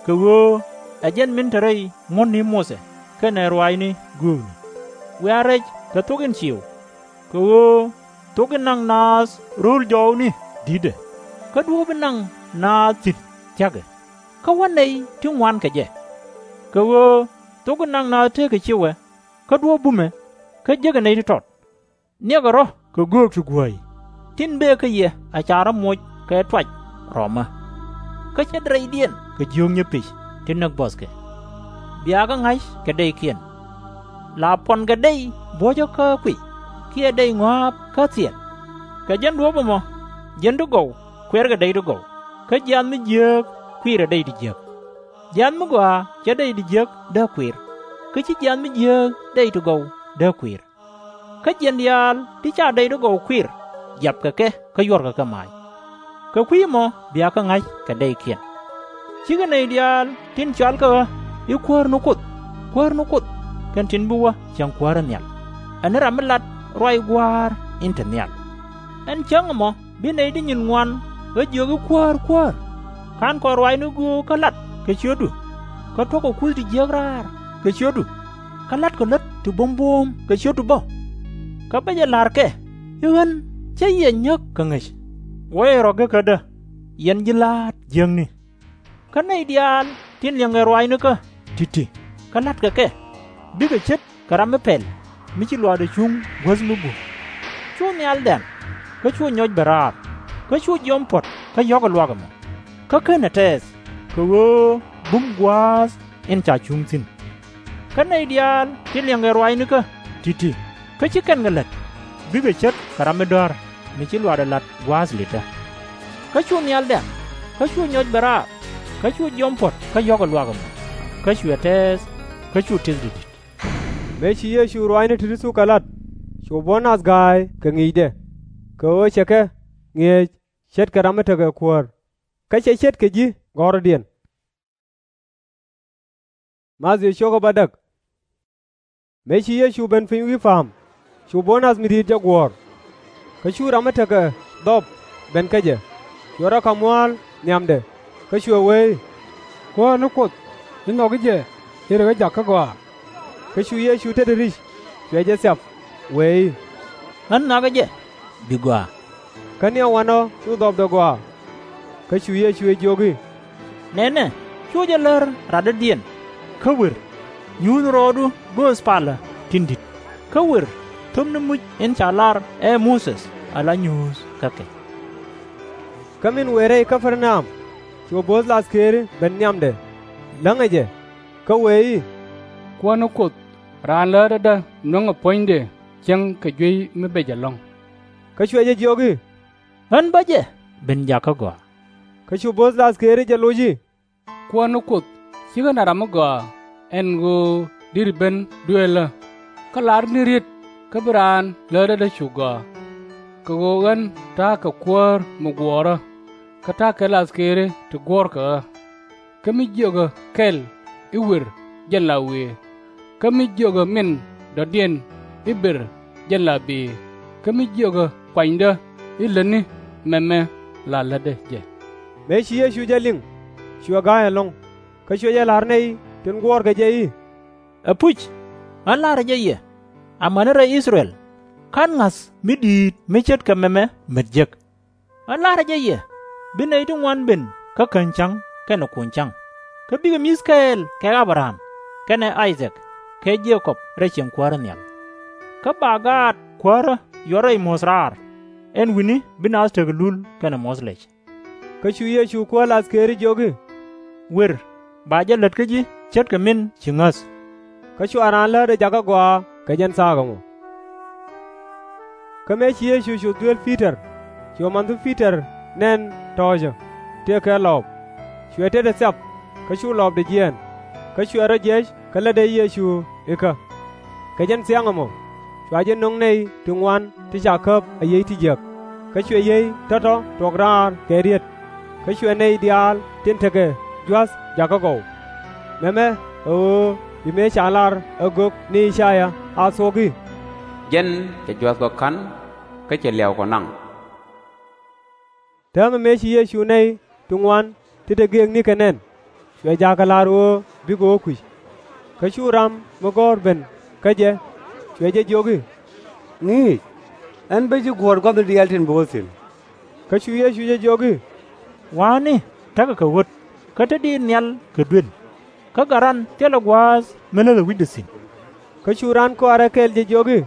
kɛ ɣöö ɛ jɛn min te rɛy ŋuɔ̱tni Muthɛ kɛnɛ ruaacni göökni. Wiaa rɛc kɛ thok in ciëw, kɛ ɣöö thok in naŋ naath ro̱o̱l jɔɔkni di̱tdɛ, kä duɔ̱ɔ̱p in naŋ naath thi̱n thia̱kɛ, kä wä nɛy ti ŋuan kɛ jɛ. Kɛ ɣöö thok in naŋ naath tëkɛ ciëwɛ, kä duɔ̱ɔ̱p bumɛ, kä jekɛ nɛy ti tɔt. Niɛkɛ rɔ̱ kɛ göök ti guäi, tin bëë kä yɛ a ca rɔ̱ moc kɛ tuac rɔmä. Kä ce̱t rɛydiɛn kɛ jiökni pec ti näk buɔthkɛ, bia kɛ ŋa̱c kɛ dɛykiɛn. La puɔnkɛ dɛy buɔ̱cä kä kuiy, kiɛ dɛy ŋɔ̱a̱p kä thil. Kɛ jɛn duɔ̱ɔ̱p ɛmɔ, jiɛn ti gɔw kuɛrkɛ dɛy ti gɔw, kä jiath mi jiääk kuiirɛ dɛy ti jiäk. Jiath mi gɔaa /cɛ dɛy ti jiäk dee kuiir, kä /ci jiath mi jiääk dɛy ti gɔw dee kuiir. Kä jiɛn diaal ti /ca dɛy ti gɔw kuiir, jiapkɛ kɛ kä yuɔrkɛ kɛ maac. Kɛ kui̱ ɛmɔ bia kɛ ŋa̱c kɛ dɛykiɛn. Cikɛ nɛy diaal tin cɔalkɛ ɣä i̱ Kuäär ni Kuoth, Kuäär ni Kuoth, kɛn tin bi wä cieŋ kuäärä nhial, ɛ ni ram mi lat ruac Gua̱a̱r in te nhial. Ɛn cäŋ ɛmɔ bi nɛy ti nyin ŋuan ɣä jiök i̱ Kuäär, Kuäär, /ka̱n kɔn ruaacni göök kä lat kɛ ciötdu, kä tuɔ̱kɛ kuth ti jiäk raar kɛ ciötdu, kä la̱tkɛ lät ti buɔ̱m buɔ̱ɔ̱m kɛ ciötdu bä? Kä bä jɛ la̱rkɛ i̱ ɣän /cä yɛ nyäk kɛ ŋäc. Wuɔcɛ rɔ gekädä, yɛn ji̱ la̱a̱t jiäkni. Kä nɛy diaal tin liɛŋkɛ ruaacnikä ti̱ti̱, kä la̱tkɛ kɛ, bikɛ ce̱tkɛ ram mi pɛl mi ci luaakdɛ cuŋ guäth mi bum. Cu nhial dɛ̈m, kä cu nyɔc ben raar, kä cu jiɔam puɔ̱t kä yɔ̱kɛ luaak ɛmɔ, kä /kenɛ tɛɛth, kɛ ɣöö bum gua̱a̱th in ca cuŋ thi̱n. Kä nɛy diaal ti liɛŋkɛ ruaacnikä ti̱ti̱ kä /ci kɛn kɛ la̱t, bikɛ ce̱tkɛ ram mi dɔ̱a̱r mi ci luaakdɛ la̱t gua̱a̱th li̱tdä. Kä cu nhial dɛ̈m, kä cu nyɔc ben raar, kä cu jiɔam puɔ̱t kä yɔ̱kɛ luaak ɛmɔ, kä cuɛ tɛɛth, kä cu tëth ti̱ti̱. Mëë ci Yecu ruaacni ti̱ti̱ thuk kɛ la̱t, cu buɔ̱n nath ga̱a̱c kɛ ŋi̱i̱cdɛ, kɛ ɣöö cɛ kɛ ŋi̱eec ce̱tkɛ ram mi tekɛ kuäär, kä cɛ ce̱tkɛ ji̱ gɔ̱rdiɛn. Mëë ci Yecu ben piny wi̱i̱ pa̱a̱m, cu buɔ̱n nath mi di̱i̱t jɛ guɔ̱ɔ̱r. Kä cu ram mi tekɛ dhɔp ben kä jɛ, cuɛ rɔ ka̱m mua̱a̱l nhiamdɛ, kä cuɛ wee i̱, Kuäär ni Kuoth, ji̱ nhɔki jɛ i̱ rikɛ jak kä gɔaa. Kä cu Yecu tetdɛ ri̱c, cuɛ jɛ thiap, wee i̱, Ɣän nhɔakä jɛ, bi gɔaa. Kä ni wanɔ cu dhɔpdɛ gɔaa. Kä cu Yecu jɛ jiök i̱, Nɛnɛ, cuɔ jɛ lär radɔ̱diɛn, kä wer, nyuuth rɔɔdu gööth palä tin di̱t, kä wer, thöpni muc in ca lar ɛ Muthɛ ala nyuuth kä kɛ. Kä min wëë rɛy Kä-per-na-am, cuɛ bo̱o̱th lathkëëri ben nhiamdɛ, läŋɛ jɛ, kä wëë i̱, Kuäär ni Kuoth, Raan Läärädä nöŋɛ puɔ̱nydɛ cieŋ kɛ juey mi bec ɛlɔ̱ŋ. Kä cuɛ jɛ jiök i̱, Ɣän bä jɛ ben jak kä gɔaa. Kä cu bo̱o̱th lathkëëri jɛ loc i̱, Kuäär ni Kuoth, /cikɛ naath ram mi gɔaa ɛn ɣöö deri ben duëëlä, kä lar ni riet kä bi Raan Läärädä cu gɔaa. Kɛ ɣöö ɣän ta̱a̱ kɛ kuäär mi guɔ̱ɔ̱rä, kä ta̱a̱ kɛ lathkëëri ti guɔ̱ɔ̱rkɛ ɣä. Kä mi jiökä kɛl i̱ wer jɛn la wëë, kä mi jiökä min dɔ̱diɛn i̱ ber jɛn la bëë, kä mi jiökä kuanydä i̱ lätni mɛmɛ la lätdä jɛ. Mëë ci Yecu jɛ liŋ, cuɛ ga̱a̱c ɛlɔ̱ŋ, kä cuɛ jɛ la̱r nɛy tin guɔ̱ɔ̱rkɛ jɛ i̱, Ɛpuc, ɣän la̱rä jɛ yɛ, amäni rɛy I-thɛ-rɛl, /ka̱n ŋa̱th mi di̱i̱t mi ce̱tkɛ mɛmɛ mät jek. Ɣän la̱rä jɛ yɛ, bi nɛy ti ŋuan ben kä käny ca̱ŋ kɛnɛ kuny ca̱ŋ, kä bikɛ mi̱th kɛɛl kɛ Abraham, kɛnɛ I-thak, kɛ Je-kɔb rɛy cieŋ kuäärä nhial. Kä ba gaat kuäärä yuɔr rɛy muɔ̱th raar, ɛn wi̱ni bi naath tekɛ lul kɛnɛ muɔ̱th lɛc. Kä cu Yecu kuäär lathkëëri jiök i̱, Wer, ba jɛ lät kä ji̱ ce̱tkɛ min ci ŋäth. Kä cua raan läät ɛ jakä gɔaa kɛ jɛn thaak ɛmɔ. Kä mëë ci Yecu cu dhuel Pi-tɔr, cuɛ manhdu Pi-tɔr nɛn tɔ̱ɔ̱cä, tëëkɛ lɔɔp. Cuɛ tetdɛ thiap, kä cu lɔɔpdɛ jiɛɛn. Kä cuɛ rɔ jiɛc kä lätdɛ Yecu ikä. Kɛ jɛn thiaŋ ɛmɔ, cua jɛ no̱ŋ nɛy ti ŋuan ti ca käp a yiey ti jiäk, kä cuɛ yiey tɔ̱tɔ̱ tuɔɔk raar kɛ riet. Kä cuɛ nɛy diaal tin tekɛ jua̱th jakä gɔw. Mɛmɛ ɛ ɣöö bi mëë ca lar ɛ gök ni I-ca-yaa a thuɔ̱k i̱, Jɛn cɛ jua̱th kɔ ka̱n, kä cɛ liaw kɔ naŋ. Täämɛ mëë ci Yecu nɛy ti ŋuan ti te gëëkni kɛ nɛn, cuɛ jaakɛ la̱r ɣöö bikɛ wä kui̱c. Kä cu ram mi gɔ̱r ben kä jɛ, cuɛ jɛ jiök i̱, Ŋi̱i̱c, ɣän bä ji̱ guɔ̱ɔ̱r gua̱thni diaal tin bi wä thi̱n. Kä cu Yecu jɛ jiök i̱, Wa̱a̱ni tekɛ kɛ ɣöt, kä te diit nhial kɛ duel, kä gat ran thilɛ gua̱a̱th mi läthɛ wi̱cdɛ thi̱n. Kä cu raan kɔaarɛ kɛl jɛ jiök i̱,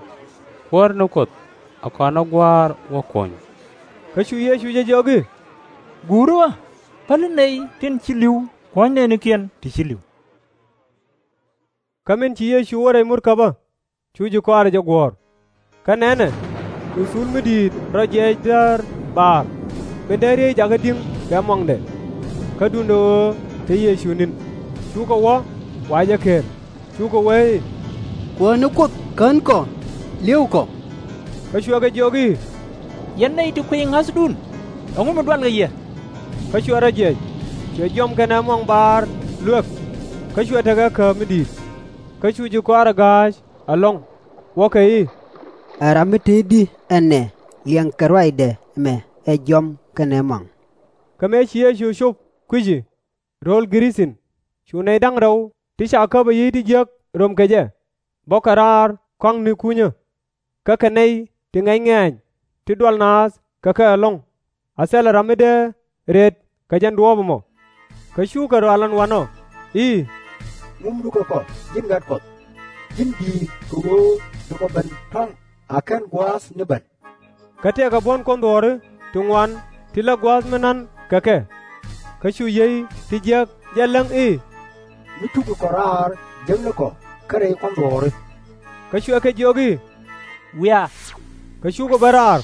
Kuäär ni Kuoth, ɛ kɔn ɛ Gua̱a̱r wä kuɔny. Kä cu Yecu jɛ jiök i̱, Guuri ɣä, päli nɛy tin ci li̱w kuɔ̱ny nɛɛnikiɛn ti ci li̱w. Kä min ci Yecu wä rɛy murkäbä, cu ji̱ kɔaarɛ jɛ guɔ̱ɔ̱r. Kä nɛnɛ, cu thul mi di̱i̱t rɔ jiɛc däär baar, min dee riey jakä di̱ŋ kɛ muaŋdɛ. Kä duundɛ ɣöö te Yecu ni̱n, cukɛ wä wa̱a̱ jɛ ker, cukɛ wee i̱, Kuäär ni Kuoth, kän kɔ, li̱w kɔ. Kä cuɛ kɛ jiök i̱, Yɛn nɛy ti kuiy ŋa̱thdun, ɛŋu mi dualkɛ yɛ? Kä cuɛ rɔ jiɛc, cuɛ jiɔam kɛnɛ muaŋ baar luek, kä cuɛ tekɛ kääp mi di̱i̱t. Kä cu ji̱ kɔaarɛ ga̱a̱c ɛlɔ̱ŋ, wuɔ̱kɛ i̱, Ɛ ram mi te i̱di ɛn nɛ liɛŋkɛ ruacdɛ ɛmɛ ɛ jiɔam kɛnɛ muaŋ? Kä mëë ci Yecu cop kui̱ci rööl Gɛ-ri-thin, cu nɛy da̱ŋ rɛw ti ca käp a yiey ti jiäk röm kɛ jɛ, bɔkɛ raar kɔaŋ ni kunyä. Kä kɛ nɛy ti ŋɛc ŋɛ̈ɛ̈ny ti dual naath kɛ kɛ ɛlɔ̱ŋ, a thilɛ ram mi dee rët kɛ jɛn duɔ̱ɔ̱p ɛmɔ. Kä cukɛ rɔ al ɛn wanɔ i̱, Ŋumdukɛ kɔ, ji̱n gat Kuɔth, ji̱n di̱i̱t, kɛ ɣöö bi kɔ ben tɔ̱ŋ a /ken gua̱a̱th ni ben. Kä tëëkɛ buɔ̱n kuɔnh dhuɔ̱ɔ̱ri ti ŋuan ti lät gua̱a̱th mi na̱n kɛ kɛ. Kä cu yiey ti jiäk jɛ läŋ i̱, Mi cukɛ kɔ raar, jäknikɔ kä rɛy kuɔnh dhuɔ̱ɔ̱ri. Kä cuɛ kɛ jiök i̱, Wiaa. Kä cukɛ ben raar,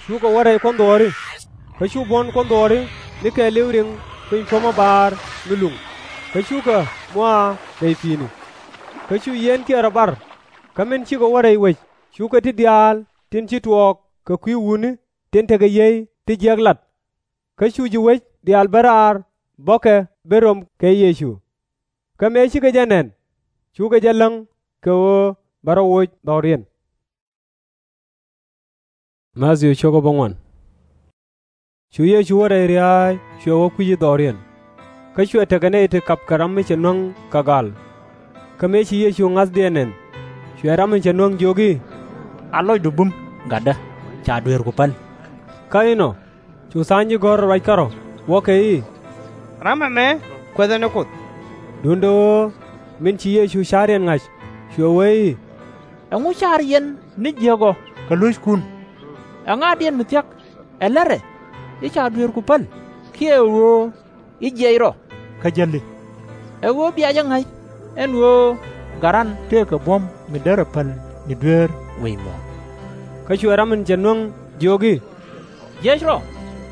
cukɛ wä rɛy kuɔnh dhuɔ̱ɔ̱ri. Kä cu buɔ̱n kuɔnh dhuɔ̱ɔ̱ri mi kɛɛliw riŋ piny puɔ̱mä baar mi luŋ, kä cukɛ mua̱a̱ rɛy pi̱i̱ni. Kä cu yieenkiɛn rɔ bar, kä min cikɛ wä rɛy wec cukɛ ti diaal tin ci tuɔɔk kɛ kui̱ wutni tin tekɛ yiey ti jiäk lat. Kä cu ji̱ wec diaal ben raar bäkɛ ben ro̱m kɛ Yecu. Kä mëë cikɛ jɛ nɛn, cukɛ jɛ läŋ kɛ ɣöö bɛ rɔ woc dhɔriɛn. Cu Yecu wä rɛy ria̱a̱y, cuɛ wä kui̱c i̱ dhɔriɛn. Kä cuɛ tekɛ nɛy ti kapkɛ ram mi cɛ nuäŋ kɛ gaal. Kä mëë ci Yecu ŋa̱thdiɛn nɛn, cuɛ ram in cɛ nuäŋ jiök i̱, A lɔcdu bum, gatdä, ca dueerku päl. Kä inɔ cu tha̱a̱ŋ ji̱ gɔ̱r ruac kärɔ̱, wuɔ̱kɛ i̱, Ram ɛmɛ Kuɛth ɛ ni Kuoth. Duundɛ ɣöö min ci Yecu ca̱riɛn ŋa̱c, cuɛ wee i̱, Ɛŋu car yɛn ni jiäk ɔ kɛ lo̱ckun? Ɛŋaadiɛn mi thia̱k, ɛ la̱tdɛ i̱, Ca dueerku päl, kiɛ ɛ ɣöö i̱ jiɛc rɔ kä jäli? Ɛ ɣöö bia jɛ ŋa̱c ɛn ɣöö gat ran tëëkɛ buɔ̱m mi derɛ päl ni dueer wi̱i̱ muɔ̱ɔ̱n. Kä cuɛ ram in cɛ nuäŋ jiök i̱, Jiɛc rɔ,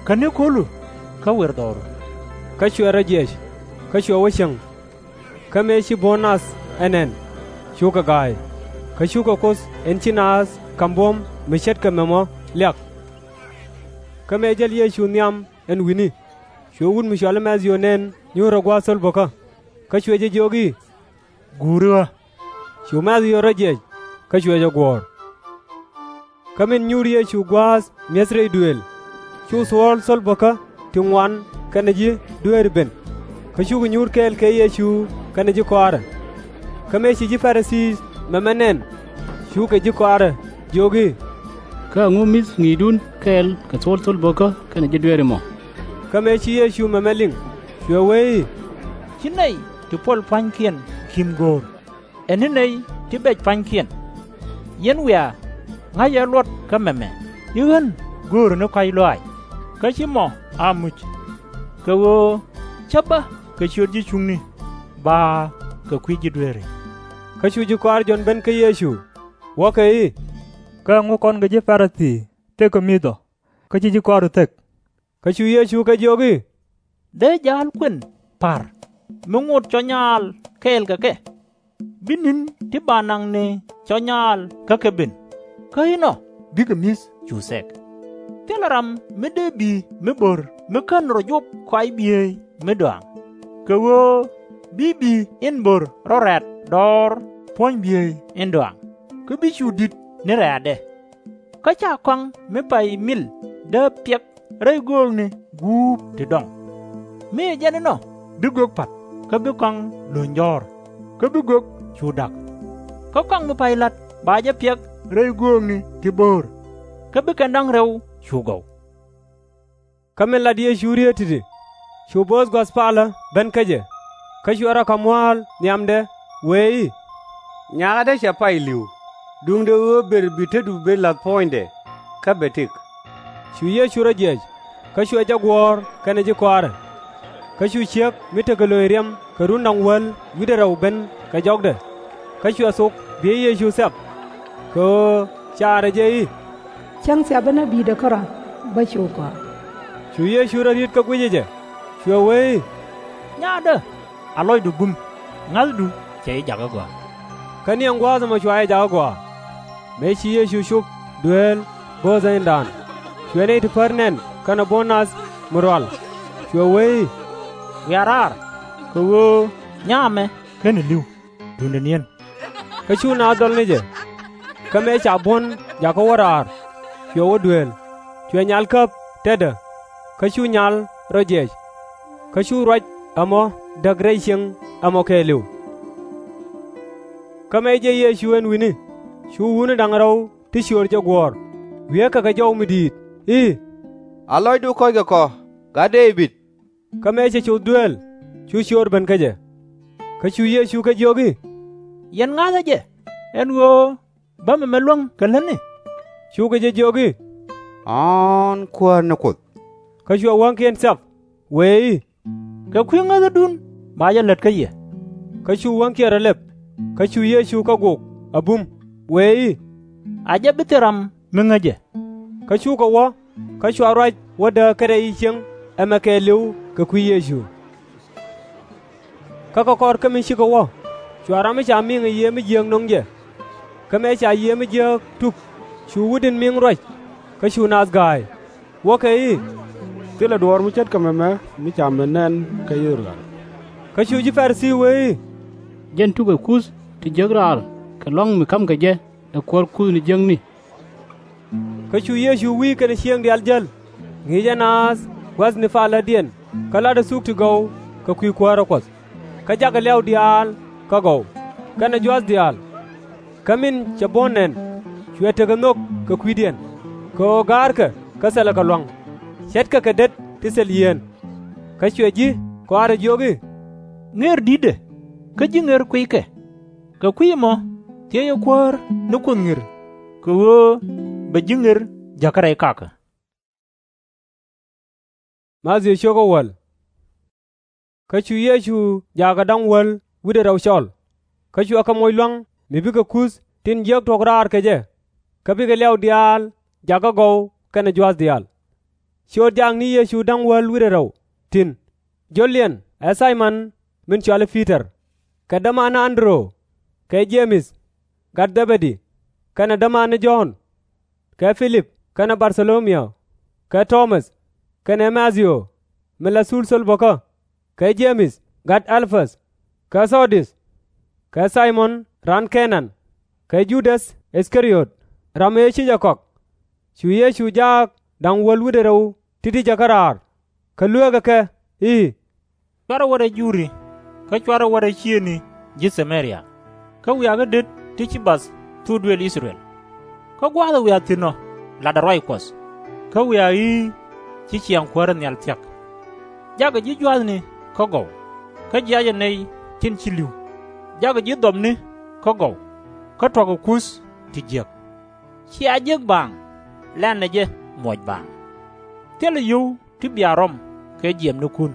kä ni ko̱lu kä wer dhɔru. Kä cuɛ rɔ jiɛc, kä cuɛ wä cieŋ. Kä mëë ci buɔ̱n nath ɛ nɛn, cukɛ ga̱a̱y, kä cukɛ Kuoth in ci naath ka̱m buɔ̱m mi ce̱tkɛ mɛmɔ liak. Kä mëë jäl Yecu nhiam ɛn wi̱ni, cu wut mi cɔal i̱ Mɛ̈thiw nɛn nyuur rɔ gua̱a̱th thol bo̱kä. Kä cuɛ jɛ jiök i̱, Guuri ɣä. Cu Mɛ̈thiw rɔ jiɛc, kä cuɛ jɛ guɔ̱ɔ̱r. Kä min nyuur Yecu gua̱a̱th mi̱eth rɛy duëël, cu thuɔ̱ɔ̱l thol bo̱kä ti ŋuan kɛnɛ ji̱ dueeri ben, kä cukɛ nyuur kɛɛl kɛ Yecu kɛnɛ ji̱ kɔaarɛ. Kä mëë ci ji̱ Pa-ri-thii mɛmɛ nɛn, cukɛ ji̱ kɔaarɛ jiök i̱, Kä ɛŋu mi̱th ŋi̱i̱cdun kɛɛl kɛ thuɔ̱ɔ̱l thol bo̱kä kɛnɛ ji̱ dueeri mɔ? Kä mëë ci Yecu mɛmɛ liŋ, cuɛ wee i̱, Ci nɛy ti puɔl pua̱nykiɛn ki̱m go̱o̱r ɛ ni nɛy ti bɛc pua̱nykiɛn. Yɛn wiaa, ŋa̱cɛ luɔt kä mɛmɛ i̱ ɣän göörä ni kɔ̱a̱c lɔaac, kä /ci mɔ a muc. Kɛ ɣöö cä bä kɛ ciöt ji̱ cuŋni, ba kɛ kui̱ ji̱ dueeri. Kä cu ji̱ kɔaar Jɔ̱ɔ̱n ben kä Yecu, wuɔ̱kɛ i̱, Kä ɛŋu kɔn kɛ ji̱ Pa-ri-thii thekä mi̱th ɔ, kä /ci ji̱ kɔaaru thek? Kä cu Yecu kɛ jiök i̱, Dee ja̱a̱l kuën pa̱r mi ŋot cɔ nyaal kɛɛl kɛ kɛ, bi ni̱n ti ba naŋni cɔ nyaal kä kɛ ben, kä inɔ bikɛ mi̱th cu thɛk. Thilɛ ram mi dee bi̱i̱ mi bo̱r mi /kän rɔ jop kɔaac biey mi dɔaaŋ, kɛ ɣöö bi bi̱i̱ in bo̱r rɔ rɛ̈t dɔɔr puɔ̱ny biey in dɔaaŋ, kä bi cu di̱t ni rɛ̈ɛ̈tdɛ. Kä /ca kɔaŋ mi pay mil dee piɛk rɛy göökni guup ti dɔŋ. Mi ɛ jɛn inɔ bi gök pa̱t, kä bi kɔaŋ lo̱ny jɔ̱ɔ̱r, kä bi gök cu da̱k. Kä kɔaŋ mi pay la̱t ba jɛ piɛk rɛy göökni ti bo̱o̱r, kä bi kɛn da̱ŋ rɛw cu gɔw. Kä min lat Yecu rieet ti̱ti̱, cu bo̱o̱th gua̱th palä ben kä jɛ, kä cuɛ rɔ ka̱m mua̱a̱l nhiamdɛ, wëë i̱, Nyakdä cɛ pay li̱w, duundɛ ɣöö ber bi tetdu ben la̱th puɔ̱nydɛ, kä bɛ tëk. Cu Yecu rɔ jiɛc, kä cuɛ jɛ guɔ̱ɔ̱r kɛnɛ ji̱ kɔaarɛ. Kä cu ciek mi tekɛ lo̱ny riɛm kɛ run da̱ŋ wäl wi̱cdɛ rɛw ben kɛ jɔkdɛ, kä cuɛ thok biey Yecu thiap, kɛ ɣöö caarɛ jɛ i̱, Cäŋ thiapä ni bi̱i̱dɛ kärɔ̱, bä cu gɔaa. Cu Yecu rɔ ri̱t kä guicɛ jɛ, cuɛ wee i̱, Nyaatdä, a lɔcdu bum, ŋa̱thdu cɛ ji̱ jakä gɔaa. Kä niɛŋ gua̱a̱th ɛmɔ cua jɛ jakä gɔaa. Mëë ci Yecu cop dueel bo̱o̱thɛ indan, cuɛ nɛy ti pär nɛn kɛnɛ buɔ̱n nath mi rual, cuɛ wee i̱, Wiaa raar, kɛ ɣöö nyaa ɛmɛ /keni li̱w. Duundɛ ni̱en. Kä cu naath dhɔl ni jɛ. Kä mëë ca buɔ̱n jakä wä raar, cuɛ wä dueel, cuɛ nyal käp tetdä, kä cu nyal rɔ jiɛc. Kä cu ruac ɛmɔ däk rɛy cieŋ ɛmɔ kɛɛliw. Kä mëë jiɛc Yecu ɛn wi̱ni, cu wutni da̱ŋ rɛw ti ciöör jɛ guɔ̱ɔ̱r, wiee kɛ kɛ jɔw mi di̱i̱t i̱, A lɔcdu kɔ̱ckɛ kɔ, gat Dee-bid! Kä mëë cɛ coth dueel, cu ciöör ben kä jɛ. Kä cu Yecu kɛ jiök i̱, Yɛn ŋa̱thä jɛ, ɛn ɣöö bä mɛmɛ luäŋ kɛ lätni? Cukɛ jɛ jiök i̱, Ɣɔ̱ɔ̱n, Kuäär ni Kuoth. Kä cuɛ wäŋkiɛn cak, wëë i̱, Kɛ kui̱ ŋäthädun ba jɛ lät kä yɛ. Kä cu wäŋkiɛn rɔ lɛp, kä cu Yecu kɛ gok a bum, wëë i̱, A jɛ bi thil ram mi ŋäc jɛ. Kä cukɛ wä, kä cua ruac wä dääk kä rɛy i̱ cieŋ ɛmɛ kɛɛliw kɛ kui̱ Yecu. Kä kɛ kɔr kä mi cikɛ wä, cua ram mi ca miŋ ɛ Yiëë mi Jiääk no̱ŋ jɛ. Kä mëë ca Yiëë mi Jiääk tuk, cu wutdin miŋ ruac, kä cu naath ga̱a̱c, wäkɛ i̱, Thilɛ duɔ̱ɔ̱r mi ce̱tkɛ mɛmɛ mi ca met nɛn kä I-thɛ-rɛl. Kä cu ji̱ Pa-ri-thii wëë i̱, Jɛn tukɛ kuth ti jiäk raar kɛ lua̱ŋ mi ka̱mkɛ jɛ ɛ kuäär kuthni jiäkni. Kä cu Yecu wi̱i̱ kɛnɛ ciëëŋ diaal jäl, ŋi̱i̱cɛ naath gua̱thni palädiɛn, kä la̱tdɛ thuk ti gɔw kɛ kui̱ kuäärä Kuɔth. Kä jakɛ liaw diaal kä gɔw, kɛnɛ jua̱th diaal. Kä min cɛ buɔ̱n nɛn, cuɛ tekɛ nhök kɛ kui̱diɛn, kɛ ɣöö ga̱a̱rkɛ kä thilɛ kɛ lua̱ŋ, ce̱tkɛ kɛ det ti thil yieen. Kä cuɛ ji̱ kɔaarɛ jiök i̱, Ŋër di̱tdɛ, kä ji̱ ŋër kuiykɛ. Kɛ kui̱ ɛmɔ thiecɛ Kuäär ni Kuoth ŋir, kɛ ɣöö bɛ ji̱ ŋër jäkä rɛy kakä. Kä cu Yecu jaakɛ da̱ŋ wäl wi̱cdɛ rɛw cɔl, kä cuɛ kɛ moc lua̱ŋ mi bikɛ kuth tin jiäk tuɔ̱k raar kɛ jɛ, kä bikɛ liaw diaal jakä gɔw kɛnɛ jua̱th diaal. Ciöt jaakni Yecu da̱ŋ wäl wi̱cdɛ rɛw, tin jɔ̱ldiɛn ɛ Thay-mɔn min cɔal i̱ Pi-tɔr, kɛ dämaanni An-dɛ-röö, kɛ Jee-mɛth gat Dhɛ-bɛ-di, kɛnɛ dämaanni Jɔ̱ɔ̱n, kɛ Pi-lip kɛnɛ Bar-thɔ-lo-mi-ä, kɛ Tɔ-mäth, kɛnɛ Ma-thiw min la thul thöl bäkä, kɛ Jee-mɛth gat Ɛl-päth, kɛ Thɔ-diöth, kɛ Thay-mɔn raan Kɛ-naan, kɛ Judäth Ith-ka-ri-öt ram ëë ci jɛ kɔak. Cu Yecu jaak da̱ŋ wäl wi̱cdɛ rɛw ti̱ti̱ jäkä raar, kä lueekɛ kɛ i̱, Cuarɛ wä rɛy Juri, kä cuarɛ wä rɛy ciëëŋni ji̱ Tha-mɛ-ria, kä wiaa kä det ti ci bath thok duëël I-thɛ-rɛl. Kä gua̱a̱thɛ wiaa thi̱n ɔ latdɛ ruac Kuɔth, kä wiaa i̱ ci ciaŋ kuäärä nhial thia̱k. Jakɛ ji̱ jua̱thni kä gɔw, kä jiackɛ nɛy tin ci li̱w. Jakɛ ji̱ dhɔpni kä gɔw, kä tuɔ̱kɛ kuth ti jiäk. Cia jek baaŋ, lɛnɛ jɛ muɔc baaŋ. Thilɛ yio̱w ti bia rɔm kɛ jiɛɛmnikun,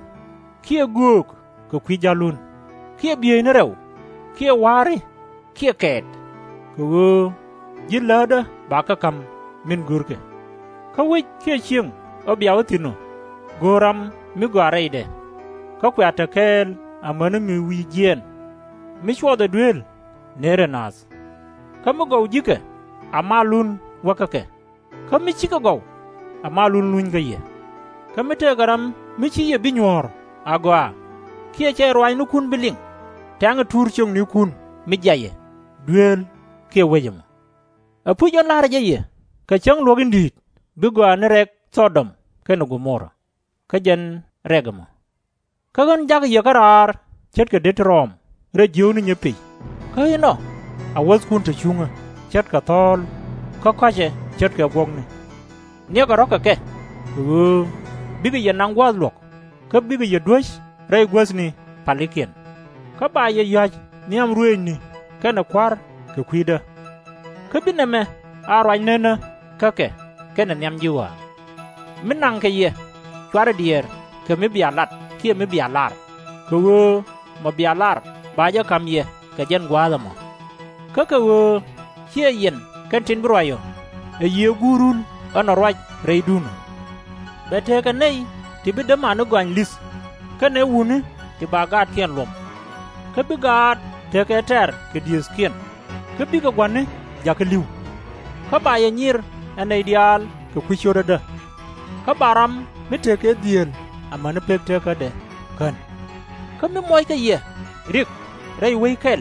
kiɛ göök kɛ kui̱ ja̱lun, kiɛ bieyni rɛw, kiɛ wa̱a̱ri, kiɛ kɛɛt, kɛ ɣöö ji̱ läätdä ba kä ka̱m min görkɛ. Kä wec kiɛ ciëŋ ɔ bia wä thi̱n ɔ, go̱o̱r ram mi gɔaa rɛydɛ, kä kua te kɛɛl amäni mi wi̱i̱ jiɛɛn. Mi cuɔthɛ dueel, nëërɛ naath. Kä mi gɔw ji̱kɛ, a malun wäkä kɛ, kä mi /cikɛ gɔw, a malun luny kä yɛ. Kä mi tekɛ ram mi /ci yɛ bi nyuɔ̱ɔ̱r agɔaa, kiɛ /cɛ ruaacnikun bi liŋ, tɛŋɛ tuur ciöknikun mi jiayɛ, dueel kiɛ wec ɛmɔ. Ɛpuc ɣän la̱rä jɛ yɛ, kɛ cäŋ luɔ̱k in di̱i̱t bi gɔaa ni rɛk Thɔ-dɔm kɛnɛ Go-mo-ra, kä jɛn rɛk ɛmɔ. Kä ɣän ja̱kɛ yɛ kä raar ce̱tkɛ det ti rɔɔm rɛy jiökni nyepith, kä inɔ a wäthkun te cuŋä ce̱tkɛ thɔ̱ɔ̱l, kä kɔ̱cɛ ce̱tkɛ guɔ̱kni. Niɛkɛ rɔ̱ kɛ kɛ, kɛ ɣöö bikɛ yɛ naŋ gua̱a̱th luɔ̱k, kä bikɛ yɛ duäc rɛy guäthni palikiɛn. Kä ba yɛ ya̱c nhiam ruëëcni kɛnɛ kua̱r kɛ kui̱dä. Kä bi nɛmɛ a ruac nenä kä kɛ kɛnɛ nhiam ji̱ ɣɔaa. Mi naŋkɛ yɛ, cuarɛ diɛɛr kɛ mi bia lat kiɛ mi bia lar, kɛ ɣöö mɔ bia lar ba jɛ ka̱m yɛ kɛ jɛn gua̱a̱th ɛmɔ. Kä kɛ ɣöö /ciɛ yɛn kɛn tin bi ruac ɔ, ɛ Yiëë Guurun ɣän ɔ ruac rɛydun ɔ. Bɛ tekɛ nɛy ti bi dämaani gɔany li̱th, kɛnɛ wutni ti ba gaatkiɛn luɔ̱m. Kä bi gaat tekɛ tɛ̈r kɛ diëëthkiɛn, kä bikɛ gua̱ni jakä li̱w. Kä ba yɛ nyir ɛ nɛy diaal kɛ kui̱ cio̱tädä. Kä ba ram mi tekɛ dhieel amäni pek tekädɛ kän. Kä mi muɔckɛ yɛ rik rɛy wec kɛl,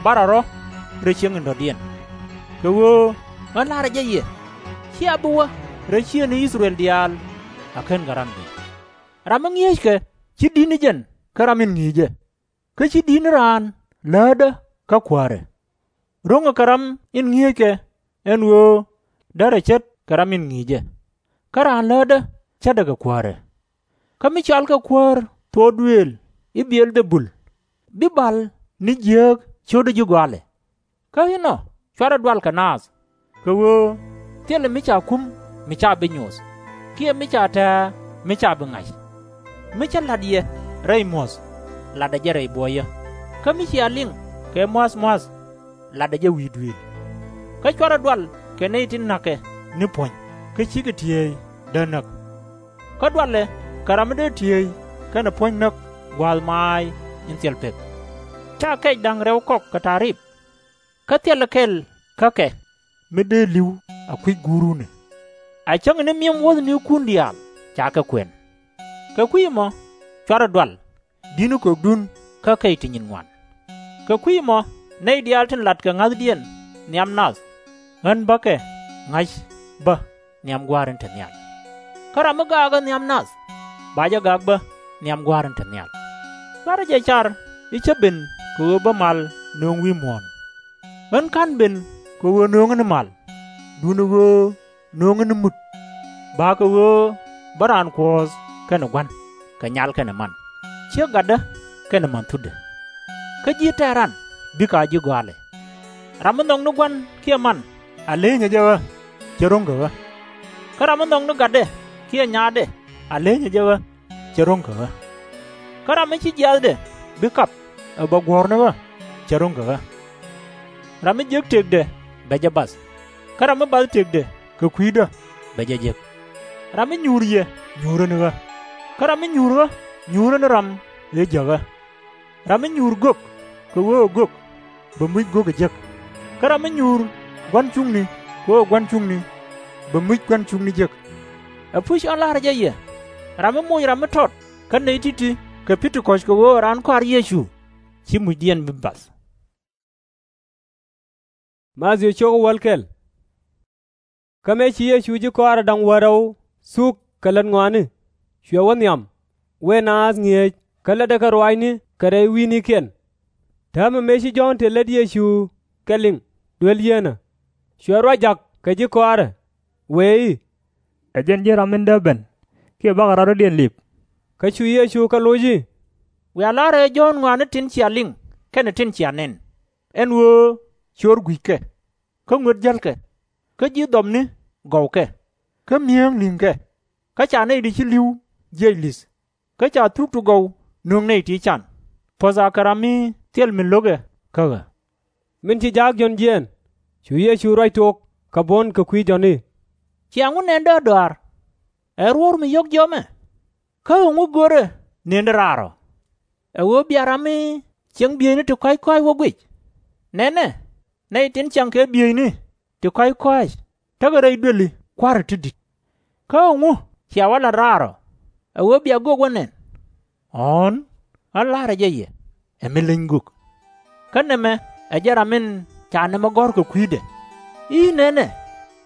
barɛ rɔ̱ rɛy cieŋ in dɔ̱diɛn. Kɛ ɣöö ɣän la̱rä jɛ yɛ, /cia bi wä rɛy ciëëŋni I-thɛ-rɛl diaal a /ken kɛ ran guic. Ram mi ŋi̱eeckɛ /ci di̱t ni jɛn kä ram in ŋi̱i̱cɛ, kä /ci di̱t ni raan läätdä kä kuäärɛ. Ro̱ŋɛ kɛ ram in ŋi̱eeckɛ, ɛn ɣöö derɛ ce̱tkɛ ram in ŋi̱i̱cɛ, kä raan läätdä ce̱tdɛ kɛ kuäärɛ. Kä mi cɔalkɛ kuäär thok duëël i̱ Bi-ɛl-dhɛ-bul, Bi bal ni jiääk ciötdä ji̱ gɔaalɛ. Kä inɔ /cuarɛ dual kɛ naath, kɛ ɣöö thilɛ mi ca kum mi /ca bi nyoth, kiɛ mi ca tɛ̱̈ɛ̱̈ mi /ca bi ŋa̱c. Mi cä la̱t yɛ rɛy muɔ̱th, latdɛ jɛ rɛy buɔyä, kä mi cia liŋ kɛ mua̱th mua̱th, latdɛ jɛ wi̱i̱ duëël. Kä /cuarɛ dual kɛ nɛy tin na̱kɛ ni puɔ̱ny kä /cikɛ tiëëcdä näk. Kä dualɛ kɛ ram mi dee tiëëc kɛnɛ puɔ̱ny näk gua̱a̱th maac in thil pek. /Ca kɛc da̱ŋ rɛw kɔk kɛ ta̱riip, kä thilɛ kɛl kä kɛ mi dee li̱w a kui̱c Guurun. A cäŋ ni mi̱em wuɔ̱thnikun diaal ca kɛ kuɛn. Kɛ kui̱ ɛmɔ /cuarɛ dual di̱t ni kökdun kä kɛy ti nyin ŋuan. Kɛ kui̱ ɛmɔ nɛy diaal tin latkɛ ŋa̱thdiɛn nhiam nath, ɣän bä kɛ ŋa̱c bä nhiam Gua̱a̱r in te nhial. Kä ram mi gaakä nhiam nath, ba jɛ gaak bä nhiam Gua̱a̱r in te nhial. /Cuarɛ jɛ car i̱ cä ben kɛ ɣöö bä mal nöŋ wi̱i̱ muɔ̱ɔ̱n. Ɣän /ka̱n ben kɛ ɣöö nöŋä ni mal, duundɛ ɣöö nöŋä ni mut, ba kɛ ɣöö bä raan kuɔ̱ɔ̱th kɛnɛ gua̱n kɛ nyal kɛnɛ man, ciek gatdä kɛnɛ man thutdɛ. Kä ji̱ tɛ̈ran bikɛ a ji̱ gɔaalɛ. Ram mi nhɔk ni gua̱n kiɛ man, a lenyɛ jɛ ɣä, cɛ ro̱ŋ kɛ ɣä. Kä ram mi nhɔk ni gatdɛ kiɛ nyaatdɛ, a lenyɛ jɛ ɣä, cɛ ro̱ŋ kɛ ɣä. Kä ram mi ci jiaath bi kap ɛ bɛ guɔ̱ɔ̱r ni ɣä, cɛ ro̱ŋ kɛ ɣä. Ram mi jek tëkdɛ, bɛ jɛ bath, kä ram mi bath tëkdɛ kɛ kui̱dä, bɛ jɛ jek. Ram mi nyuur yɛ, nyuurä ni ɣä, kä ram mi nyuur ɣä, nyuurä ni ram ëë jäk ɣä. Ram mi nyuur gök kɛ ɣöö ɛ gök, bɛ muc gök ɛ jek, kä ram mi nyuur gua̱n cuŋni kɛ ɣöö ɛ gua̱n cuŋni, bɛ muc gua̱n cuŋni jek. Ɛpuc, ɣän la̱rä jɛ yɛ, ram mi moc ram mi tɔt kä nɛy ti̱ti̱ kɛ Pɛntikɔc kɛ ɣöö ɛ raan kɔaar Yecu, /ci mucdiɛn bi bath. Kä mëë ci Yecu ji̱ kɔaarɛ da̱ŋ wäl rɛw thuk kɛ lät ŋɔaani, cuɛ wä nhiam, wëë naath ŋi̱eec kä lätdɛ kɛ ruaacni kɛ rɛy wi̱i̱nikiɛn. Täämɛ mëë ci Jɔ̱ɔ̱n tëë lät Yecu kɛ liŋ duel yieenä, cuɛ ruac ja̱k kɛ ji̱ kɔaarɛ, wëë i̱, Ɛ jɛn ji̱n ram min dee ben, kiɛ bakɛ ram dɔ̱diɛn lip? Kä cu Yecu kɛ loc i̱, Wiaa la̱rä ɛ Jɔ̱ɔ̱n ŋɔaani tin cia liŋ kɛnɛ tin cia nɛn, ɛn ɣöö ciöör gui̱ckɛ, kä ŋuet jälkɛ, kä ji̱ dhɔpni gɔwkɛ, kä mi̱eeŋ li̱ŋkɛ, kä ca nɛy ti ci li̱w jiɛc li̱th, kä ca thuk ti gɔw nöŋ nɛy ti can, puɔ̱tha kɛ ram mi thil min lo̱kɛ kä ɣä. Min ci jaak Jɔ̱ɔ̱n jiɛɛn, cu Yecu ruac tok kɛ buɔ̱n kɛ kui̱ Jɔ̱ɔ̱n i̱, Cia ŋu nɛn däärdɔaar? Ɛ ruɔ̱ɔ̱r mi yɔ̱k jiɔamɛ? Kä ɛŋu görɛ nëndɛ raar ɔ? Ɛ ɣöö bia ram mi ciɛŋ bieyni ti kɔ̱a̱c kɔ̱a̱c wä guic? Nɛnɛ, nɛy tin ciaŋ kɛ bieyni ti kɔ̱a̱c kɔ̱a̱c tekɛ rɛy duëli Kua̱r ti di̱t. Kä ɛŋu cia wä lat raar ɔ? Ɛ ɣöö bia gök wä nɛn? Ɣɔ̱ɔ̱n, ɣän la̱rä jɛ yɛ, ɛ mi leny gök. Kä nɛmɛ ɛ jɛn ram in ca nɛmɛ gɔ̱r kɛ kui̱dɛ, i̱, Nɛnɛ,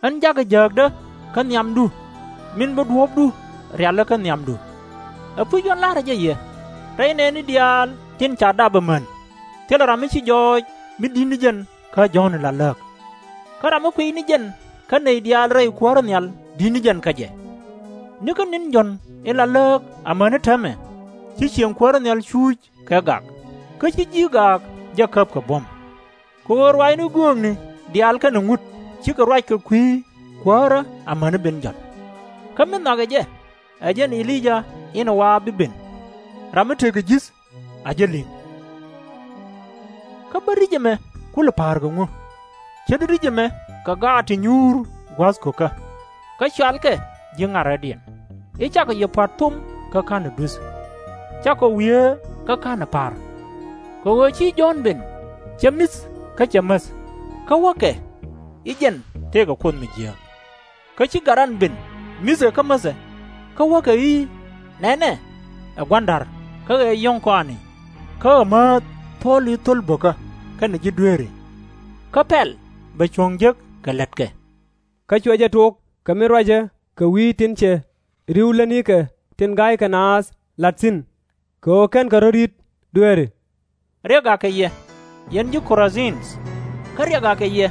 ɣän jakä jääkdä kä nhiamdu, min bi duɔ̱ɔ̱pdu rialä kä nhiamdu. Ɛpuc, ɣän la̱rä jɛ yɛ, rɛy nɛɛni diaal tin ca dap ɛmän, thilɛ ram mi ci jɔɔc mi di̱t ni jɛn kä Jɔ̱ɔ̱n in la lääk. Kä ram mi kuiy ni jɛn kä nɛy diaal rɛy kuäärä nhial di̱t ni jɛn kä jɛ. Nikä ni̱n Jɔ̱ɔ̱n in la lääk amäni täämɛ, ci cieŋ kuäärä nhial cuuc kɛ gak, kä ci ji̱ gaak jɛ käp kɛ buɔ̱m. Kɛ ɣöö ruaacni göökni diaal kɛnɛ ŋut cikɛ ruac kɛ kui̱ kuäärä amäni ben Jɔ̱ɔ̱n. Kä mi nhɔakɛ jɛ, ɛ jɛn E-li-yaa in ɛ wa̱a̱ bi ben. Ram mi tekɛ ji̱th a jɛ li̱ŋ. Kä bä ri̱c ɛmɛ kulɛ pa̱a̱r kɛ ŋu? Ce̱t ri̱c ɛmɛ kɛ gaat ti nyuur gua̱a̱th ko̱kä, kä cɔalkɛ ji̱ ŋa̱rädiɛn, i̱, Cakɔ yɛ pua̱t thom kä ka̱n ɛ duth, cakɔ wieer kä ka̱n ɛ pa̱r. Kɛ ɣöö ci Jɔ̱ɔ̱n ben, cɛ mi̱th kä cɛ mäth, kä wäkɛ i̱, Jɛn tëëkɛ Kuoth mi jiääk. Kä ci gat ran ben, mi̱thɛ kä mäthɛ, kä wäkɛ i̱, Nɛnɛ, ɛ gua̱n da̱r kä ɛ yɔ̱ŋ kɔaani, kä ɛ määth thuɔ̱ɔ̱l i̱ thöl bo̱kä kɛnɛ ji̱ dueeri. Kä pɛl bɛ cuɔ̱ŋ jek kɛ lätkɛ. Kä cuɛ jɛ tok kɛ min ruacɛ kɛ wi̱i̱ tin cɛ ri̱w lätnikɛ tin ga̱ykɛ naath la̱t thi̱n, kɛ ɣöö /kenkɛ rɔ̱ ri̱t dueeri. Riɛk akɛ yɛ, yɛn ji̱ Ko-ra-dhin! Kä riɛk akɛ yɛ,